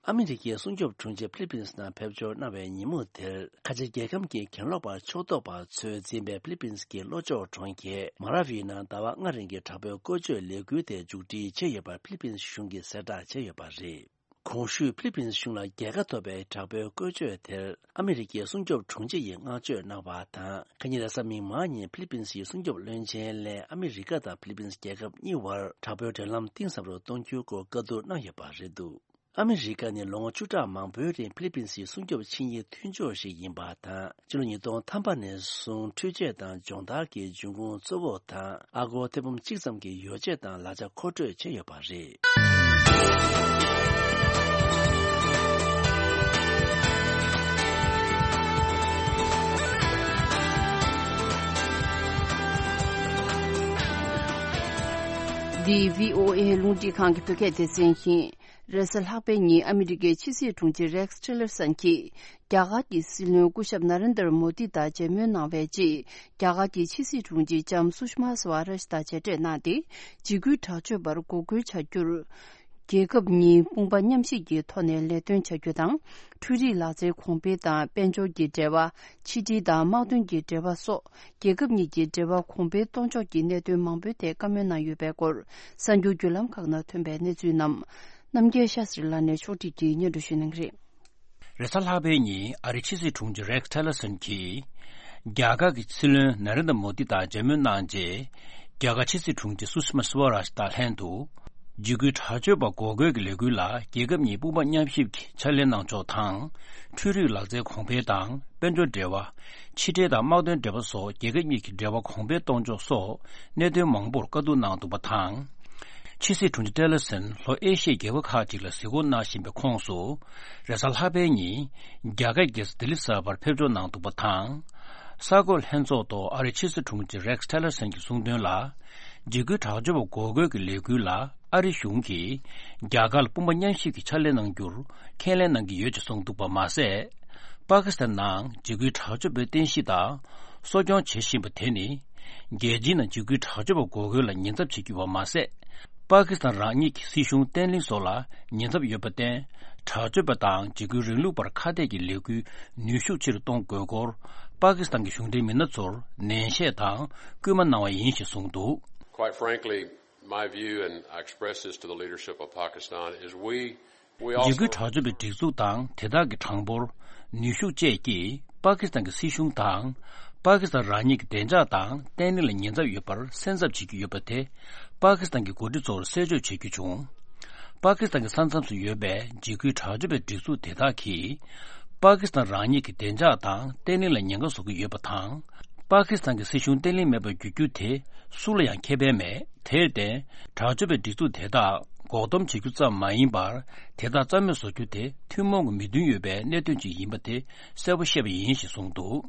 ཨ་མི་རི་ཀའི་སྲུང་སྐྱོབ་དྲུང་ཆེ་ཕི་ལི་པིན་སི་ནང་ཕེབས་འབྱོར་གནང་བའི་ཉིན་མོ་དེར། ཁ་ཆེ་རྒྱལ་ཁམས་ཀྱི་གྱེན་ལོག་པ་ཕྱོགས་གཏོགས་པ་ཚོས་འཛིན་པའི་ཕི་ལི་པིན་སི་གི་ལྷོ་ཕྱོགས་གྲོང་ཁྱེར་མ་ར་ཝི་ནང་ཟླ་བ་ལྔ་རིང་གི་དྲག་པོའི་བཀོལ་སྤྱོད་ལས་འགུལ་དེ་མཇུག་སྒྲིལ་བྱས་ཡོད་པར་ཕི་ལི་པིན་སི་གཞུང་གིས་གསལ་བསྒྲགས་བྱས་ཡོད་པ་རེད། གོང་ཞུས་ཕི་ལི་པིན་སི་གཞུང་ལ་རྒྱལ་ཁ་ཐོབ་པའི་དྲག་པོའི་བཀོལ་སྤྱོད་དེར་ཨ་མི་རི་ཀའི་སྲུང་སྐྱོབ་དྲུང་ཆེ་ཡིས་བསྔགས་བརྗོད་གནང་བ་དང་། ཁ་ཉིན་རེས་གཟའ་མིག་དམར་ཉིན་ཕི་ལི་པིན་སིའི་སྲུང་སྐྱོབ་བློན་ཆེན་ལས་ཨ་མི་རི་ཀ་དང་ཕི་ལི་པིན་སི་རྒྱལ་ཁབ་གཉིས་བར་དྲག་པོའི་འབྲེལ་ལམ་གཏིང་ཟབ་རུ་གཏོང་རྒྱུའི་སྐོར་བཀའ་བསྡུར་གནང་ཡོད་པ་རེད་འདུག་ཨ་མི་རི་ཀ་ནི་ལོ་ངོ་བཅུ་ཕྲག་མང་པོའི་རིང་ཕི་ལི་པིན་སིའི་སྲུང་སྐྱོབ་ཆིངས་ཡིག་མཐུན་ཕྱོགས་ཤིག་ཡིན་པ་དང་། ཕྱི་ལོ་ཉིས་སྟོང་ཐམ་པ་ནས་བཟུང་འཕྲུལ་ཆས་དང་སྦྱོང་བརྡར་གྱི་འབྱུང་ཁུངས་གཙོ་བོ་དང་། ཨ་སྒོར་ཐེར་འབུམ་གཅིག་ཙམ་གྱི་ཡོ་བྱད་དང་ལག་ཆ་མཁོ་སྤྲོད་བྱས་ཡོད་པ་རེད། འདི་བྷི་ཨོ་ཨེ་རླུང་འཕྲིན་ཁང་གི་བོད་སྐད་སྡེ་ཚན་ཡིན། རེས་གཟའ་ལྷག་པའི་ཉིན་ཨ་མི་རི་ཀའི་ཕྱི་སྲིད་དྲུང་ཆེ་རེག་སི་ཊི་ལར་སན་གྱིས། རྒྱ་གར་གྱི་སྲིད་བློན་སྐུ་ཞབས་ན་རེན་དར་མོ་དི་དང་མཇལ་མོལ་གནང་བའི་རྗེས། རྒྱ་གར་གྱི་ཕྱི་སྲིད་དྲུང་ཆེ་ལྕམ་སུ་ཤ་མ་སུ་ཝ་རཱཇ་དང་མཇལ་འཕྲད་གནང་སྟེ། འཇིགས་སྐུལ་དྲག་སྤྱོད་པར་འགོག་རྒོལ་བྱ་རྒྱུར། རྒྱལ་ཁབ་གཉིས་དཔུང་པ་མཉམ་གཤིབ་ཀྱི་ཐོག་ནས་ལས་དོན་བྱ་རྒྱུ་དང་། འཕྲུལ་རིག་ལག་རྩལ་གོང་འཕེལ་དང་དཔལ་འབྱོར་གྱི་འབྲེལ་བ། ཕྱི་འབྲེལ་དང་དམག་དོན་གྱི་འབྲེལ་བ་སོགས། རྒྱལ་ཁབ་གཉིས་ཀྱི་འབྲེལ་བ་གོང་འཕེལ་གཏོང་ཕྱོགས་ཀྱི་གནད་དོན་མང་པོའི་ཐད་བཀའ་མོལ་གནང་ཡོད་པའི་སྐོར། གསར་འགྱུར་བརྒྱུད་ལམ་ཁག་ནང་ཐོན་པའི་གནས་ཚུལ་རྣམས། རྣམ་རྒྱལ་ཤཱ་སྲི་ལགས་ནས་ཕྱོགས་སྒྲིག་གིས་སྙན་སྒྲོན་ཞུ་གནང་གི་རེད། རེས་གཟའ་ལྷག་པའི་ཉིན་ཨ་རིའི་ཕྱི་སྲིད་དྲུང་ཆེ་རེག་ཊེ་ལར་སན་གྱིས། རྒྱ་གར་གྱི་སྲིད་བློན་ན་རེན་དྲ་མོ་དི་དང་མཇལ་མོལ་གནང་རྗེས། རྒྱ་གར་ཕྱི་སྲིད་དྲུང་ཆེ་སུ་ཤི་མ་སི་ཝ་རཱཇ་དང་ལྷན་དུ། འཇིགས་སྐུལ་དྲག་སྤྱོད་པ་འགོག་རྒོལ་གྱི་ལས་འགུལ་ལ་རྒྱལ་ཁབ་གཉིས་དཔུང་པ་མཉམ་གཤིབ་ཀྱིས་ཕྱག་ལས་གནང་ཕྱོགས་དང་། འཕྲུལ་རིག་ལག་རྩལ་གོང་འཕེལ་དང་དཔལ་འབྱོར་འབྲེལ་བ། ཕྱི་འབྲེལ་དང་དམག་དོན་འབྲེལ་བ་སོགས་རྒྱལ་ཁབ་གཉིས་ཀྱི་འབྲེལ་བ་གོང་འཕེལ་གཏོང་ཕྱོགས་སོགས་གནད་དོན་མང་པོར་བཀའ་བསྡུར་གནང་འདུག་པ་དང་། ཕྱི་སྲིད་དྲུང་ཆེ་ཊེ་ལར་སན་ལྷོ་ཨེ་ཤི་ཡའི་རྒྱལ་ཁབ་ཁག་ཅིག་ལ་གཟིགས་སྐོར་གནང་བཞིན་པའི་ཁོངས་སུ། རེས་གཟའ་ལྷག་པའི་ཉིན་རྒྱ་གར་རྒྱལ་ས་ལྡི་ལི་གསར་པར་ཕེབས་འབྱོར་གནང་འདུག་པ་དང་། གསར་འགོད་ལྷན་ཚོགས་ཐོག་ཨ་རིའི་ཕྱི་སྲིད་དྲུང་ཆེ་རེག་སི་ཊེ་ལར་སན་གྱིས་གསུངས་དོན་ལ། འཇིགས་སྐུལ་དྲག་སྤྱོད་པ་འགོག་རྒོལ་གྱི་ལས་འགུལ་ལ་ཨ་རི་གཞུང་གིས་རྒྱ་གར་ལ་དཔུང་པ་མཉམ་གཤིབ་ཀྱིས་ཕྱག་ལས་གནང་རྒྱུར་ཁས་ལེན་གནང་གི་ཡོད་ཅེས་གསུངས་འདུག་པ་མ་ཟད། པ་ཀི་སི་ཐན་ནང་འཇིགས་སྐུལ་དྲག་སྤྱོད་པའི་རྟེན་གཞི་དང་གསོ་སྐྱོང་བྱེད་བཞིན་པ་དེ་ནི། རྒྱལ་སྤྱིའི་ནང་འཇིགས་སྐུལ་དྲག་སྤྱོད་པ་འགོག་རྒོལ་ལ་ཉེན་ཚབས་བྱེད་ཀྱི་ཡོད་པ་མ་ཟད། པ་ཀི་སི་ཐན་རང་ཉིད་ཀྱི་སྲིད་གཞུང་བརྟན་ལྷིང་སོགས་ལ་ཉེན་ཚབས་ཡོད་པར་བརྟེན། དྲག་སྤྱོད་པ་དང་འཇིགས་སྐུལ་རིང་ལུགས་བར་ཁ་གཏད་ཀྱི་ལས་འགུལ་ནུས་ཤུགས་ཆེ་རུ་གཏོང་དགོས་སྐོར། པ་ཀི་སི་ཐན་གྱི་གཞུང་འབྲེལ་མི་སྣ་ཚོར་ནན་བཤད་དང་སྐུལ་མ་གནང་བ་ཡིན་ཞེས་གསུངས་འདུག། Quite frankly, my view, and I express this to the leadership of Pakistan, is we, we also འཇིགས་སྐུལ་དྲག་སྤྱོད་པའི་སྒྲིག་འཛུགས་དང་དེ་དག་གི་གྲངས་འབོར། ནུས་ཤུགས་བཅས་ཀྱིས་པ་ཀི་སི་ཐན་གྱི་སྲིད་གཞུང་དང་། པ་ཀི་སི་ཐན་རང་ཉིད་ཀྱི་བདེ་འཇགས་དང་བརྟན་ལྷིང་ལ་ཉེན་ཚབས་ཡོད་པར་སེམས་འཚབ་བྱེད་ཀྱི་ཡོད་པ་དེ། པ་ཀི་སི་ཐན་གྱི་འགོ་ཁྲིད་ཚོར་གསལ་བརྗོད་བྱེད་རྒྱུ་བྱུང་། པ་ཀི་སི་ཐན་གྱི་ས་མཚམས་སུ་ཡོད་པའི་འཇིགས་སྐུལ་དྲག་སྤྱོད་པའི་སྒྲིག་འཛུགས་དེ་དག་གིས། པ་ཀི་སི་ཐན་རང་ཉིད་ཀྱི་བདེ་འཇགས་དང་བརྟན་ལྷིང་ལ་ཉེན་ཁ་བཟོ་གི་ཡོད་པ་དང་། པ་ཀི་སི་ཐན་གྱི་སྲིད་གཞུང་བརྟན་ལྷིང་མེད་པར་འགྱུར་རྒྱུ་དེ་སུ་ལ་ཡང་ཁེ་ཕན་མེད། དེར་བརྟེན། དྲག་སྤྱོད་པའི་སྒྲིག་འཛུགས་དེ་དག་འགོག་སྡོམ་བྱེད་རྒྱུ་ཙམ་མ་ཡིན་པར། དེ་དག་རྩ་མེད་བཟོ་རྒྱུ་དེ་ཐུན་མོང་གི་མོས་མཐུན་ཡོད་པའི་གནད་དོན་ཅིག་ཡིན་པ་དེ་གསལ་པོ་བཤད་པ་ཡིན་ཞེས་གསུངས་འདུག།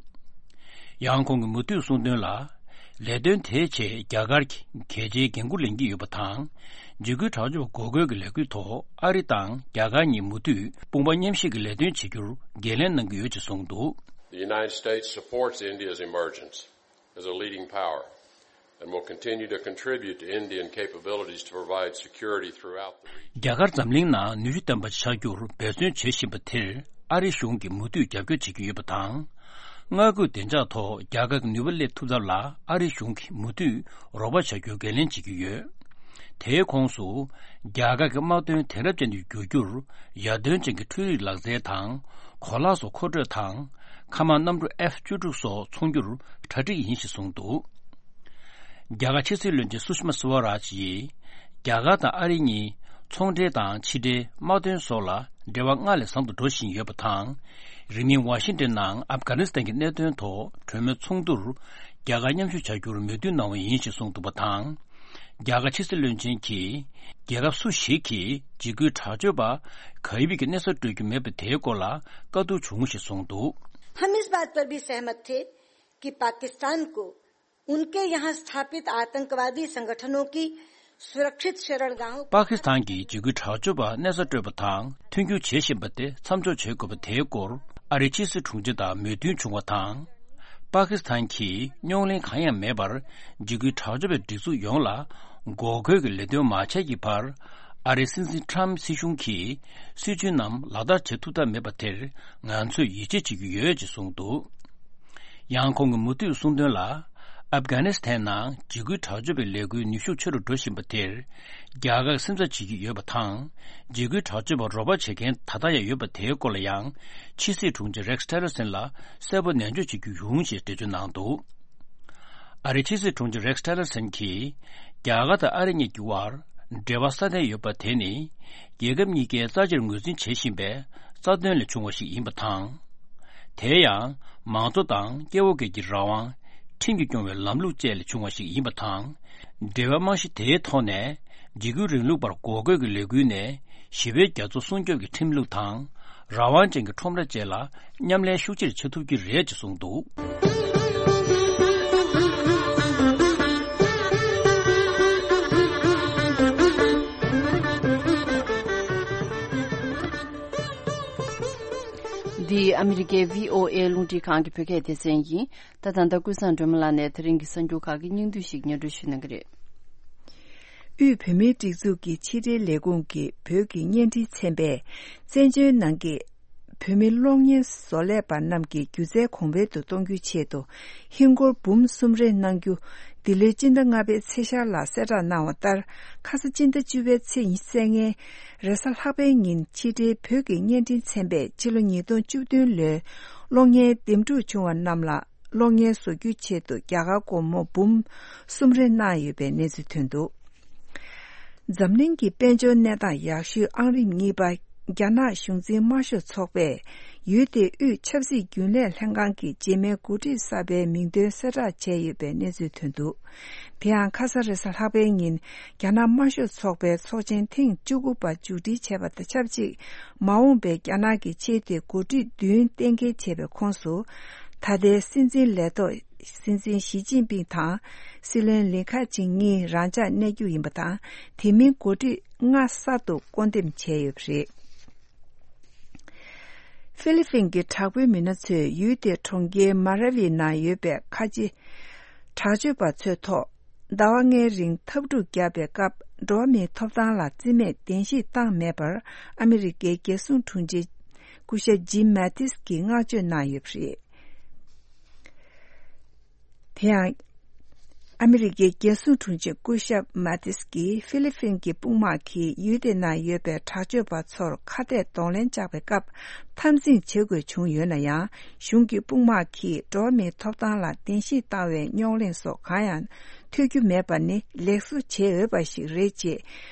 ཡང་ཁོང་གིས་མུ་མཐུད་གསུངས་དོན་ལ། ལས་དོན་དེའི་ཆེད་རྒྱ་གར་གྱི་གལ་ཆེའི་འགན་འཁུར་ལེན་གྱི་ཡོད་པ་དང་། འཇིགས་སྐུལ་དྲག་སྤྱོད་འགོག་རྒོལ་གྱི་ལས་འགུལ་ཐོག་ཨ་རི་དང་རྒྱ་གར་གཉིས་མུ་མཐུད་དཔུང་པ་མཉམ་གཤིབ་ཀྱི་ལས་དོན་བྱེད་རྒྱུར་འགན་ལེན་གནང་གི་ཡོད་ཅེས་གསུངས་འདུག། The United States supports India's emergence as a leading power and will continue to contribute to Indian capabilities to provide security throughout the region. རྒྱ་གར་འཛམ་གླིང་ནང་ནུས་ཤུགས་ལྡན་པ་ཆགས་རྒྱུར་འབད་བརྩོན་བྱེད་བཞིན་པ་དེར་ཨ་རི་གཞུང་གིས་མུ་མཐུད་རྒྱབ་སྐྱོར་བྱེད་ཀྱི་ཡོད་པ་དང་། མངའ་ཁུལ་བདེ་འཇགས་ཐོག་རྒྱ་གར་གྱི་ནུས་པ་སླེབས་ཐུབ་ཐབས་ལ་ཨ་རི་གཞུང་གིས་མུ་མཐུད་རོགས་པ་བྱ་རྒྱུར་འགན་ལེན་བྱེད་ཀྱི་ཡོད། དེའི་ཁོངས་སུ། རྒྱ་གར་གྱི་དམག་དོན་དེང་རབས་ཅན་དུ་བསྒྱུར་རྒྱུར་ཡར་ཐོན་ཅན་གྱི་འཕྲུལ་རིག་ལག་རྩལ་དང་གོ་ལག་སོགས་མཁོ་སྤྲོད་དང་། མཁའ་དམག་གནམ་གྲུ་ཨེཕ་བཅུ་དྲུག་སོགས་ཚོང་རྒྱུར་གྲ་སྒྲིག་ཡིན་ཞེས་གསུངས་འདུག་རྒྱ་གར་ཕྱི་སྲིད་བློན་ཆེན་སུ་ཤི་མ་སི་ཝ་རཱཇ་ཡིས། རྒྱ་གར་དང་ཨ་རི་གཉིས་ཚོང་འབྲེལ་དང་ཕྱི་འབྲེལ་དམག་དོན་སོགས་ལ་འབྲེལ་བ་སྔར་ལས་ཟབ་ཏུ་འགྲོ་བཞིན་ཡོད་པ་དང་། རིང་མིན་ཝ་ཤིང་ཏན་ནང་ཨབ་གྷ་ནི་སི་ཐན་གྱི་གནད་དོན་ཐོག་གྲོས་མོལ་ཚོགས་འདུར་རྒྱ་གར་མཉམ་ཞུགས་བྱ་རྒྱུར་མོས་མཐུན་གནང་བ་ཡིན་ཞེས་གསུངས་འདུག་པ་དང་། རྒྱ་གར་ཕྱི་སྲིད་བློན་ཆེན་གྱིས་རྒྱལ་ཁབ་སུ་ཞིག་གིས་འཇིགས་སྐུལ་དྲག་སྤྱོད་པ་ག་ཡི་བིག་གི་གནས་སར་སྤྲོད་རྒྱུ་མེད་པ་དེའི་སྐོར་ལ་བཀའ་བསྡུར་བྱུང་ཞེས་གསུངས་འདུག हम इस बात पर भी सहमत थे कि पाकिस्तान को उनके यहाँ स्थापित आतंकवादी संगठनों की सुरक्षित शरणगाहों पर པ་ཀི་སི་ཐན་གྱིས་འཇིགས་སྐུལ་དྲག་སྤྱོད་པ་གནས་སར་སྤྲོད་པ་དང་མཐུན་འགྱུར་བྱེད་བཞིན་པ་དེ་མཚམས་འཇོག་བྱེད་དགོས་པ་དེའི་སྐོར་ཨ་རིའི་ཕྱི་སྲིད་དྲུང་ཆེ་དང་མོས་མཐུན་བྱུང་བ་དང་། པ་ཀི་སི་ཐན་གྱིས་རྙོག་གླེང་གང་ཡང་མེད་པར་འཇིགས་སྐུལ་དྲག་སྤྱོད་པའི་སྒྲིག་འཛུགས་ཡོངས་ལ་འགོག་རྒོལ་གྱི་ལས་དོན་མ་བྱས་ཀྱི་བར། ཨ་རིའི་སྲིད་འཛིན་ཁྲམ་སྲིད་གཞུང་གིས་སྲིད་ཇུས་རྣམས་ལག་བསྟར་བྱེད་ཐུབ་ཐབས་མེད་པ་དེར་ང་ཚོས་ཡིད་ཆེས་བྱེད་ཀྱི་ཡོད་ཅེས་གསུངས་འདུག་ཡང་ཁོང་གིས་མུ་མཐུད་གསུངས་དོན་ལ། ཨབ་གྷ་ནི་སི་ཐན་ནང་འཇིགས་སྐུལ་དྲག་སྤྱོད་པའི་ལས་འགུལ་ནུས་ཤུགས་ཆེ་རུ་འགྲོ་བཞིན་པ་དེར། རྒྱ་གར་སེམས་འཚབ་བྱེད་ཀྱི་ཡོད་པ་དང་། འཇིགས་སྐུལ་དྲག་སྤྱོད་པར་རོགས་པ་བྱེད་མཁན་ད་ལྟ་ཡང་ཡོད་པ་དེའི་སྐོར་ལ་ཡང་། ཕྱི་སྲིད་དྲུང་ཆེ་རེག་སི་ཊེ་ལར་སན་ལ་གསལ་པོ་ནན་བརྗོད་བྱེད་རྒྱུ་ཡོང་ཞེས་འགྲེལ་བརྗོད་གནང་འདུག་ཨ་རིའི་ཕྱི་སྲིད་དྲུང་ཆེ་རེག་སི་ཊེ་ལར་སན་གྱིས། རྒྱ་གར་དང་ཨ་རི་གཉིས་ཀྱི་དབར་འབྲེལ་བ་སྲ་བརྟན་ཡོད་པ་དེ་ནི། རྒྱལ་ཁབ་གཉིས་ཀས་རྩ་ཆེར་ངོས་འཛིན་བྱེད་བཞིན་པའི་རྩ་དོན་ལས་བྱུང་བ་ཞིག་ཡིན་པ་དང་། དེ་ཡང་མང་གཙོ་དང་སྐྱེ་བོ་སྒེར་གྱི་རང་དབང་། ཁྲིམས་ཀྱིས་སྐྱོང་བའི་ལམ་ལུགས་བཅས་ལས་བྱུང་བ་ཞིག་ཡིན་པ་དང་། འབྲེལ་བའི་རྨང་གཞི་དེའི་ཐོག་ནས་འཇིགས་སྐུལ་རིང་ལུགས་པར་འགོག་རྒོལ་གྱི་ལས་འགུལ་ནས་ཞི་བའི་རྒྱ་མཚོ་སྲུང་སྐྱོབ་ཀྱི་ཁྲིམས་ལུགས་དང་། རང་དབང་ཅན་གྱི་ཁྲོམ་ར་བཅས་ལ་མཉམ་ལས་ཤུགས་ཆེར་བྱེད་ཐུབ་ཀྱི་རེད་ཅེས་གསུངས་འདུག་འདི་ཨ་མི་རི་ཀའི་བྷི་ཨོ་ཨེ་རླུང་འཕྲིན་ཁང་གི་བོད་སྐད་སྡེ་ཚན་ཡིན། ད་ད་ལྟ་ཀུན་བཟང་སྒྲོལ་མ་ལགས་ནས་དེ་རིང་གི་གསར་འགྱུར་ཁག་གི་སྙིང་བསྡུས་ཤིག་སྙན་སྒྲོན་ཞུ་གནང་གི་རེད། དབུས་བོད་མིའི་སྒྲིག་འཛུགས་ཀྱི་ཕྱི་དྲིལ་ལས་ཁུངས་ཀྱི་བོད་ཀྱི་བརྙན་འཕྲིན་ཚན་པས་བཙན་བྱོལ་ནང་གི་བོད་མི་གློག་བརྙན་བཟོ་ལས་པ་རྣམས་ཀྱི་སྒྱུ་རྩལ་གོང་འཕེལ་དུ་གཏོང་རྒྱུའི་ཆེད་དུ་ཧིན་སྒོར་འབུམ་གསུམ་རེ་གནང་རྒྱུ། འདི་ལོའི་སྤྱི་ཟླ་ལྔ་པའི་ཚེས་ཤར་ལ་གསལ་བསྒྲགས་གནང་བ་ལྟར། ཁ་ས་སྤྱི་ཟླ་བཅུ་པའི་ཚེས་ཉི་ཤུ་རྩ་ལྔའི་རེས་གཟའ་ལྷག་པའི་ཉིན་ཕྱི་དྲིལ་བོད་ཀྱི་བརྙན་འཕྲིན་ཚན་པས་ཕྱི་ལོ་ཉིས་སྟོང་བཅུ་བདུན་ལོའི་གློག་བརྙན་འདེམས་སྒྲུག་བྱུང་བ་རྣམས་ལ། གློག་བརྙན་བཟོ་རྒྱུའི་ཆེད་དུ་རྒྱ་གར་སྒོར་མོ་འབུམ་གསུམ་རེ་གནང་ཡོད་པའི་གནས་ཚུལ་ཐོན་འདུག་འཛམ་གླིང་གི་དཔལ་འབྱོར་གནས་སྟངས་ཡག་ཤོས་ཨང་རིམ་གཉིས་པ་རྒྱ་ནག་གཞུང་འཛིན་དམར་ཤོག་ཚོགས་པས་ཡུལ་དེའི་དབུས་ཆབ་སྲིད་རྒྱུན་ལས་ལྷན་ཁང་གི་རྗེས་མའི་འགོ་ཁྲིད་གསར་པའི་མིང་འདོན་གསལ་བསྒྲགས་བྱས་ཡོད་པའི་གནས་ཚུལ་ཐོན་འདུག་དེ་ཡང་ཁ་ས་རེས་གཟའ་ལྷག་པའི་ཉིན་རྒྱ་ནག་དམར་ཤོག་ཚོགས་པའི་ཚོགས་ཆེན་ཐེངས་བཅུ་དགུ་པ་མཇུག་སྒྲིལ་བྱས་པ་དང་ཆབས་ཅིག་མ་འོངས་པའི་རྒྱ་ནག་གི་ཆེས་མཐོའི་འགོ་ཁྲིད་བདུན་གཏན་འཁེལ་བྱས་པའི་ཁོངས་སུ། ད་ལྟའི་སྲིད་འཛིན་ལས་ཐོག་སྲིད་འཛིན་ཞི་ཅིན་ཕིང་དང་། སྲིད་བློན་ལི་ཁེ་ཆང་གཉིས་རང་འཇགས་གནས་རྒྱུ་ཡིན་པ་དང་། དེ་མིན་འགོ་ཁྲིད་ལྔ་གསར་དུ་བསྐོ་འདེམས་བྱས་ཡོད་པ་རེད། ཧྥི་ལི་ཕིན་གྱི་དྲག་པོའི་མི་སྣ་ཚོས་ཡུལ་དེའི་གྲོང་ཁྱེར་མ་ར་ཝི་ནང་ཡོད་པའི་ཁ་ཆེ་དྲག་སྤྱོད་པ་ཚོའི་ཐོག་ཟླ་བ་ལྔའི་རིང་འཐབ་འཁྲུག་བརྒྱབ་པའི་སྐབས། འགྲོ་བ་མིའི་ཐོབ་ཐང་ལ་བརྩི་མེད་གདན་ཞུ་བཏང་མེད་པར། ཨ་མི་རི་ཀའི་རྒྱལ་སྲུང་དྲུང་ཆེ་སྐུ་ཞབས་ཇིམ་མེ་ཏིས་ཀྱིས་བསྔགས་བརྗོད་གནང་ཡོད་པ་རེད། དེ་ཡང་། ཨ་མི་རི་ཀའི་རྒྱལ་སྲུང་དྲུང་ཆེ་སྐུ་ཞབས་མ་ཏིས་ཀྱིས་ཧྥི་ལི་ཕིན་གྱི་དཔུང་དམག་གིས་ཡུལ་དེ་ནང་ཡོད་པའི་དྲག་སྤྱོད་པ་ཚོར་ཁ་གཏད་གདོང་ལེན་བཅག་པའི་སྐབས་འཐབ་འཛིང་བྱེད་དགོས་བྱུང་ཡོད་ན་ཡང་། གཞུང་གི་དཔུང་དམག་གིས་འགྲོ་བ་མིའི་ཐོབ་ཐང་ལ་གདན་ཞུ་བཏང་བའི་རྙོག་གླེང་སོགས་གང་ཡང་ཐོས་རྒྱུ་མེད་པ་ནི་ལེགས་བཟོ་བྱེད་འོས་པ་ཞིག་རེད་ཅེས།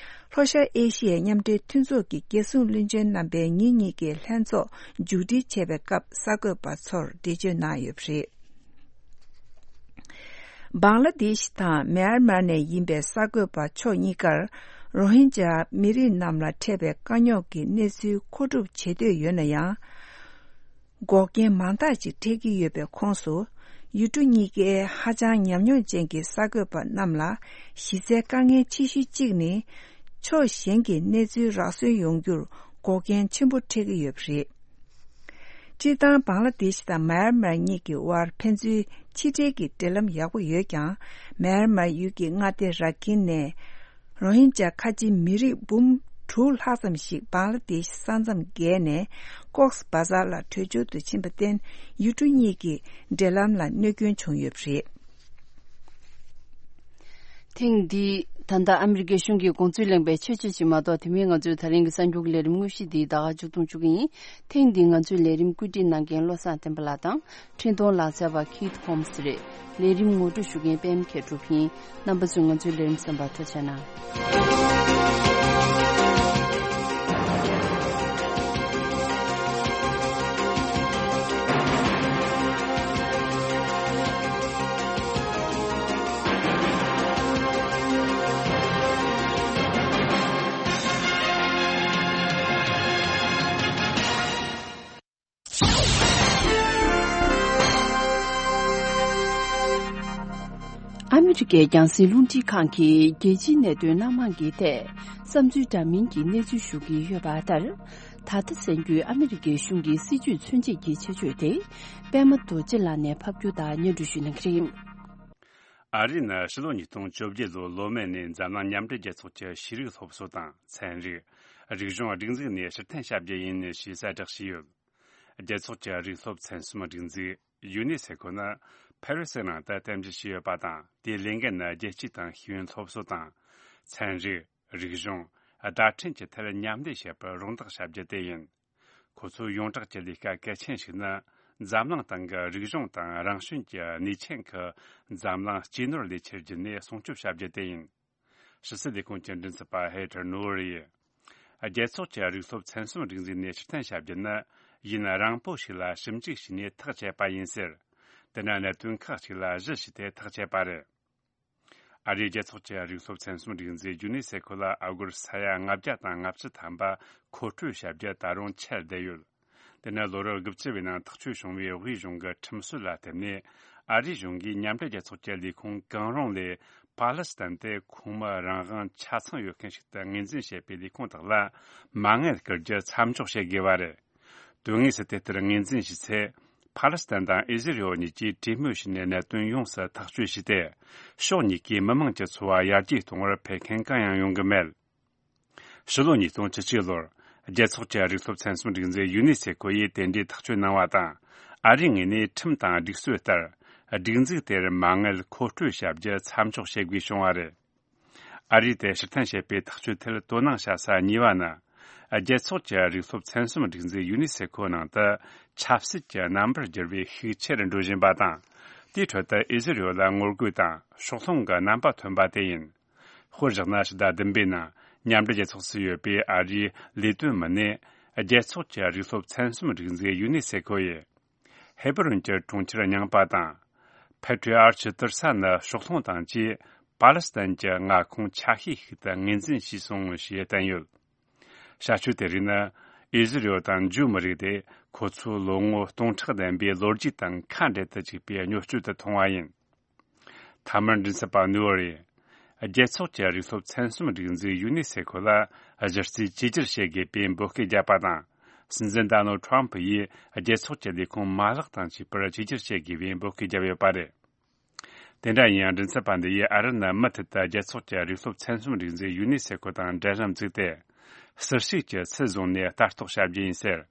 ལྷོ་ཤར་ཨེ་ཤི་ཡའི་མཉམ་འབྲེལ་མཐུན་ཚོགས་ཀྱི་རྒྱལ་སྲུང་བློན་ཆེན་རྣམ་པའི་ཉིན་གཉིས་ཀྱི་ལྷན་ཚོགས་མཇུག་སྒྲིལ་བྱས་པའི་སྐབས་གསར་འགོད་པ་ཚོར་འགྲེལ་བརྗོད་གནང་ཡོད་པ་རེད། བང་ལ་དེ་ཤི་དང་མེན་མར་ནས་ཡིན་པའི་གསར་འགོད་པ་ཕྱོགས་གཉིས་ཀར་རོ་ཧིན་ཇཱ་མི་རིགས་རྣམས་ལ་འཕྲད་པའི་དཀའ་རྙོག་གི་གནས་ཚུལ་མཁོ་སྒྲུབ་བྱེད་འདོད་ཡོད་ན་ཡང་། འགོག་རྐྱེན་མང་དག་ཅིག་འཕྲད་ཀྱི་ཡོད་པའི་ཁོངས་སུ། ཡུལ་གྲུ་གཉིས་ཀའི་ཧ་ཅང་ཉམས་མྱོང་ཅན་གྱི་གསར་འགོད་པ་རྣམས་ལ་གཞི་རྩའི་དཀའ་ངལ་ཆེ་ཤོས་གཅིག་ནི། ཕྱོགས་གཞན་གྱི་གནས་ཚུལ་རག་སོན་ཡོང་རྒྱུར་འགོག་རྐྱེན་ཆེན་པོ་འཕྲད་ཀྱི་ཡོད་པ་རེད། སྤྱིར་བཏང་བང་ལ་དེཤ་དང་མཱ་ཡར་མར་གཉིས་ཀྱི་དབར་ཕན་ཚུན་ཕྱི་འབྲེལ་གྱི་འབྲེལ་ལམ་ཡག་པོ་ཡོད་ཀྱང་། མཱ་ཡར་མར་ཡུལ་གྱི་མངའ་སྡེ་ར་ཁིན་ནས་རོ་ཧིན་ཇཱ་ཁ་ཆེ་མི་རིགས་འབུམ་དྲུག་ལྷག་ཙམ་ཞིག་བང་ལ་དེཤ་ས་མཚམས་བརྒལ་ནས་ཀོག་སི་བ་ཛར་ལ་བྲོས་བྱོལ་དུ་ཕྱིན་པར་བརྟེན། ཡུལ་གྲུ་གཉིས་ཀྱི་འབྲེལ་ལམ་ལ་གནོད་སྐྱོན་བྱུང་ཡོད་པ་རེད། ཐེངས་འདིའི་ ད་ལྟ་ཨ་མི་རི་ཀའི་གཞུང་གི་དགོངས་ཚུལ་གླེང་བའི་ཆོས་ཆོས་ཅིག་མ་གཏོགས། དེ་མིན་ང་ཚོའི་ད་རིང་གི་གསར་འགྱུར་གྱི་ལས་རིམ་དངོས་གཞི་འདི་ད་ག་མཇུག་བསྡོམས་བཅུག་གི་ཡིན། ཐེངས་འདིའི་ང་ཚོའི་ལས་རིམ་བཀོད་སྒྲིག་གནང་མཁན་བློ་བཟང་བསྟན་པ་ལགས་དང་། འཕྲིན་གཏོང་ལག་རྩལ་བ་ཁིད་ཧོམ་སི་རེད། ལས་རིམ་ངོ་སྤྲོད་ཞུ་མཁན་པད་མ་མཁས་གྲུབ་ཡིན། རྣམ་པ་ཚོས་ང་ཚོའི་ལས་རིམ་གསན་པར་ཐུགས་རྗེ་གནང་། ཨ་མི་རི་ཀའི་རྒྱང་སྲིང་རླུང་འཕྲིན་ཁང་གིས་རྒྱལ་སྤྱིའི་གནད་དོན་སྣ་མང་གི་ཐད་བསམ་ཚུལ་འདྲ་མིན་གྱི་གནས་ཚུལ་ཞུ་གི་ཡོད་པ་ལྟར། ད་ལྟ་གསར་འགྱུར་ཨ་མི་རི་ཀའི་གཞུང་གི་སྲིད་ཇུས་མཚོན་བྱེད་ཀྱི་ཆེད་བརྗོད་དེ། པད་མ་རྡོ་རྗེ་ལགས་ནས་ཕབ་སྒྱུར་དང་སྙན་སྒྲོན་ཞུ་གནང་གི་རེད། ཨ་རི་ནི་ཕྱི་ལོ་ཉིས་སྟོང་བཅོ་བརྒྱད་ལོའི་ལོ་སྨད་ནས་འཛམ་གླིང་མཉམ་འབྲེལ་རྒྱལ་ཚོགས་ཀྱི་ཤེས་རིག་སློབ་གསོ་དང་། ཚན་རིག་རིག་གཞུང་། སྒྲིག་འཛུགས་ནས་ཕྱིར་འཐེན་བྱ་རྒྱུ་ཡིན་ཞེས་གསལ་བསྒྲགས་བྱས་ཡོད། རྒྱལ་ཚོགས་ཀྱི་རིག་སློབ་ཚན་གསུམ་སྒྲིག་འཛུགས་ཡུ་ནེ་སེ་ཁོ་ནི་ཕ་རི་སི་ནང་དུ་རྟེན་གཞི་བྱས་ཡོད་པ་དང་། དེའི་ལས་འགན་ནི་རྒྱལ་སྤྱི་དང་ཤེས་ཡོན་སློབ་གསོ་དང་། ཚན་རིག་རིག་གཞུང་། བརྡ་འཕྲིན་གྱི་ཐད་མཉམ་ལས་བྱེད་པར་རོགས་འདེགས་བྱ་རྒྱུ་དེ་ཡིན། ཁོ་ཚོའི་ཡོངས་གྲགས་ཀྱི་ལས་ཀ་གལ་ཆེན་ཞིག་ནི། འཛམ་གླིང་སྟེང་གི་རིག་གཞུང་དང་རང་བྱུང་གི་ནུས་ཆེན་གྱིས་འཛམ་གླིང་སྤྱིའི་ནོར་ལས་ཁྱེར་རྒྱུ་ནས་སྲུང་སྐྱོབ་བྱ་རྒྱུ་དེ་ཡིན། ཕྱི་སྲིད་ལས་ཁུངས་ཀྱི་མགྲིན་ཚབ་པ་ཧེ་ཐར་ནོ་ཝར་ཡིས། རྒྱལ་ཚོགས་ཀྱི་རིག་སློབ་ཚན་གསུམ་སྒྲིག་འཛུགས་ནས་ཕྱིར་འཐེན་བྱ་རྒྱུ་ནི། ཡུན་རིང་པོ་ཞིག་ལ་ཞིབ་འཇུག་བྱས་ནས་ཐག་བཅད་པ་ཡིན་ཟེར། དེ་ནི་གནད་དོན་ཁག་ཅིག་ལ་གཞི་བྱས་ཏེ་ཐག་བཅད་པ་རེད། ཨ་རིའི་རྒྱལ་ཚོགས་ཀྱི་རིག་སློབ་ཚན་གསུམ་སྒྲིག་འཛུགས་ཡུ་ནེ་སེ་ཁོ་ལ་ཨ་སྒོར་ས་ཡ་ལྔ་བརྒྱ་དང་ལྔ་བཅུ་ཐམ་པ་མཁོ་སྤྲོད་བྱ་རྒྱུ་ད་རུང་ཆད་བསྡད་ཡོད། དེ་ནི་ལོ་རབས་དགུ་བཅུ་བའི་ནང་ཐག་གཅོད་བྱུང་བའི་དབུས་གཞུང་གི་ཁྲིམས་སྲོལ་ལ་བརྟེན་ནས། ཨ་རིའི་གཞུང་གིས་མཉམ་འབྲེལ་རྒྱལ་ཚོགས་ཀྱི་ལས་ཁུངས་གང་རུང་ལས་ཕཱ་ལེ་སི་ཐན་དེ་ཁོངས་མི་རང་དབང་ཆ་ཚང་ཡོད་མཁན་ཞིག་ཏུ་ངོས་འཛིན་བྱེད་པའི་ལས་ཁུངས་དག་ལ་མ་དངུལ་བསྐུར་རྒྱུ་མཚམས་འཇོག་བྱེད་དགོས་པ་རེད། དོན་དངོས་སུ་དེ་ལྟར་ངོས་འཛིན་བྱས་ཚེ། ཕཱ་ལེ་སི་ཐན་དང་ཨི་ཟི་རེལ་གཉིས་ཀྱིས་གྲོས་མོལ་བྱས་ནས་གནད་དོན་ཡོངས་སུ་ཐག་གཅོད་བྱས་ཏེ། ཕྱོགས་གཉིས་ཀའི་མི་དམངས་ཀྱི་འཚོ་བ་ཡར་རྒྱས་གཏོང་བར་ཕན་ཁེ་གང་ཡང་ཡོང་གི་མེད། ཕྱི་ལོ་ཉིས་སྟོང་བཅུ་གཅིག་ལོར་རྒྱལ་ཚོགས་ཀྱི་རིག་སློབ་ཚན་གསུམ་སྒྲིག་འཛུགས་ཡུ་ནེ་སེ་ཁོ་ཡིས་དེ་འདྲའི་ཐག་གཅོད་གནང་བ་དང་། ཨ་རིའི་ངོས་ནས་ཁྲིམས་དང་སྒྲིག་སྲོལ་ལྟར། སྒྲིག་འཛུགས་དེར་མ་དངུལ་མཁོ་སྤྲོད་བྱ་རྒྱུ་མཚམས་འཇོག་བྱེད་དགོས་བྱུང་བ་རེད། ཨ་རིས་དེ་ཕྱིར་འཐེན་བྱེད་པའི་ཐག་གཅོད་ཐད་དོ་སྣང་བྱ་ས་གཉིས་པ་ནི། རྒྱལ་ཚོགས་ཀྱི་རིག་སློབ་ཚན་གསུམ་སྒྲིག་འཛུགས་ཡུ་ནེ་སེ་ཁོ་ནང་དུ་ཆབ་སྲིད་ཀྱི་རྣམ་པར་འགྱུར་བའི་ཤུགས་ཆེ་རུ་འགྲོ་བཞིན་པ་དང་། དེའི་ཁྲོད་དུ་ཨི་ཟི་རེལ་ལ་ངོ་རྒོལ་དང་ཕྱོགས་ལྷུང་གི་རྣམ་པ་ཐོན་པ་དེ་ཡིན། དཔེར་བཞག་ན། ཕྱི་ཟླ་བདུན་པའི་ནང་མཉམ་འབྲེལ་རྒྱལ་ཚོགས་སུ་ཡོད་པའི་ཨ་རིའི་ལས་དོན་མི་སྣས། རྒྱལ་ཚོགས་ཀྱི་རིག་སློབ་ཚན་གསུམ་སྒྲིག་འཛུགས་ཡུ་ནེ་སེ་ཁོ་ཡིས། ཧེ་བྷ་རོན་གྱི་གྲོང་ཁྱེར་རྙིང་པ་དང་། ཕེ་ཏྲི་ཨར་ཆི་ཏིར་ས་ནི་ཕྱོགས་ལྷུང་དང་བཅས། པཱ་ལེ་སི་ཐན་གྱི་མངའ་ཁོངས་ཆ་ཤས་ཤིག་ཏུ་ངོས་འཛིན་བྱས་སོང་ཞེས་བསྟན་ཡོད། བྱ་སྤྱོད་དེ་རིགས་ནི། ཨི་ཟི་རེལ་དང་ཇུའུ་མི་རིགས་དེ་ཁོ་ཚོའི་ལོ་ངོ་སྟོང་ཕྲག་ལྡན་པའི་ལོ་རྒྱུས་དང་ཁ་འབྲལ་དུ་བཅུག་པའི་བརྙས་བཅོས་དུ་མཐོང་བ་ཡིན། མཐའ་མར་མགྲིན་ཚབ་པ་ནུའུ་ཨར་ཡིས། རྒྱལ་ཚོགས་ཀྱི་རིག་སློབ་ཚན་གསུམ་སྒྲིག་འཛུགས་ཡུ་ནེ་སེ་ཁོ་ལ་གཞི་རྩའི་བཅོས་སྒྱུར་བྱེད་དགོས་པའི་འབོད་སྐུལ་བརྒྱབ་པ་དང་། སྲིད་འཛིན་ཌོ་ནལ་ཁྲམ་ཕུ་ཡིས་རྒྱལ་ཚོགས་ཀྱི་ལས་ཁུངས་མ་ལག་དང་བཅས་པར་བཅོས་སྒྱུར་བྱེད་དགོས་པའི་འབོད་སྐུལ་བརྒྱབ་ཡོད་པ་རེད། དེ་འདྲ་ཡིན་ཡང་། མགྲིན་ཚབ་པ་འདི་ཡིས་ཨ་རི་ནི་མུ་མཐུད་དུ་རྒྱལ་ཚོགས་ཀྱི་རིག་སློབ་ཚན་གསུམ་སྒྲིག་འཛུགས་ཡུ་ནེ་སེ་ཁོ་དང་འབྲེལ་ལམ་བཙུགས་ཏེ། ཟུར་ཞུགས་ཀྱི་ཚུལ་བཟུང་ནས་ལྟ་རྟོག་བྱ་རྒྱུ་ཡིན་ཟེར།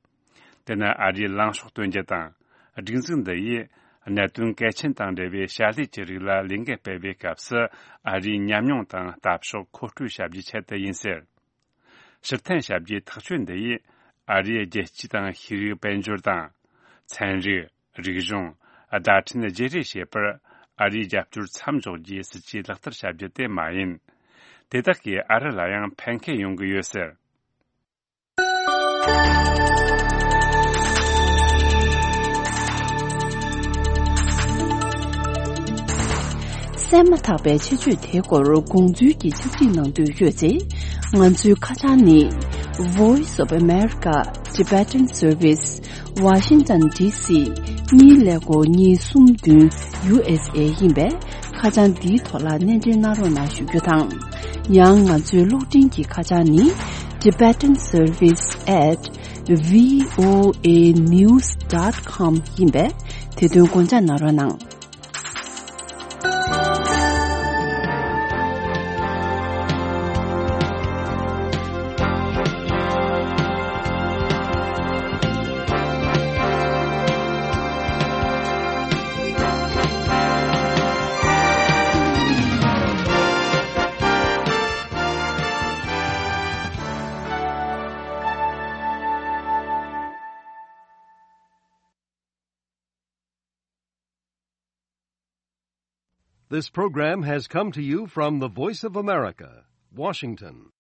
དེ་ནི་ཨ་རིའི་ལངས་ཕྱོགས་སྟོན་རྒྱུ་དང་། སྒྲིག་འཛུགས་འདི་ཡིས་གནད་དོན་གལ་ཆེན་དང་འབྲེལ་བའི་བྱ་ལས་ཀྱི་རིགས་ལ་ལས་འགུལ་སྤེལ་བའི་སྐབས་སུ། ཨ་རིའི་ཉམས་མྱོང་དང་ལྟ་ཕྱོགས་མཁོ་སྤྲོད་བྱ་རྒྱུའི་ཆེད་དུ་ཡིན་ཟེར། ཕྱིར་འཐེན་བྱ་རྒྱུའི་ཐག་གཅོད་འདི་ཡིས། ཨ་རིའི་རྒྱལ་སྤྱི་དང་ཤེས་རིག་དཔལ་འབྱོར་དང་། ཚན་རིག་རིག་གཞུང་། བརྡ་འཕྲིན་བརྗེ་རེས་བྱེད་པར། ཨ་རིའི་རྒྱབ་སྐྱོར་མཚམས་འཇོག་རྒྱུའི་སྲིད་ཇུས་ལག་བསྟར་བྱ་རྒྱུ་དེ་མ་ཡིན། དེ་དག་གིས་ཨ་རི་ལ་ཡང་ཕན་ཁེ་ཡོང་གི་ཡོད་ཟེར། གསན་མ་ཐག་པའི་ཆེད་བརྗོད་དེའི་སྐོར་དགོངས་ཚུལ་གྱི་ཕྱག་བྲིས་གནང་འདོད་ཡོད་ཚེ། ང་ཚོའི་ཁ་བྱང་ནི། Voice of America Tibetan Service, Washington D C གཉིས་ཀླད་ཀོར་གཉིས་གསུམ་བདུན། U S A ཡིན་པས། ཁ་བྱང་འདིའི་ཐོག་ལ་སྣེ་འདྲེན་གནང་རོགས་གནང་ཞུ་རྒྱུ་དང་། ཡང་ང་ཚོའི་གློག་འཕྲིན་གྱི་ཁ་བྱང་ནི། Tibetan Service at V O A news dot com ཡིན་པས། དེ་དོན་དགོངས་འཇགས་གནང་རོགས་གནང་། This program has come to you from the Voice of America, Washington.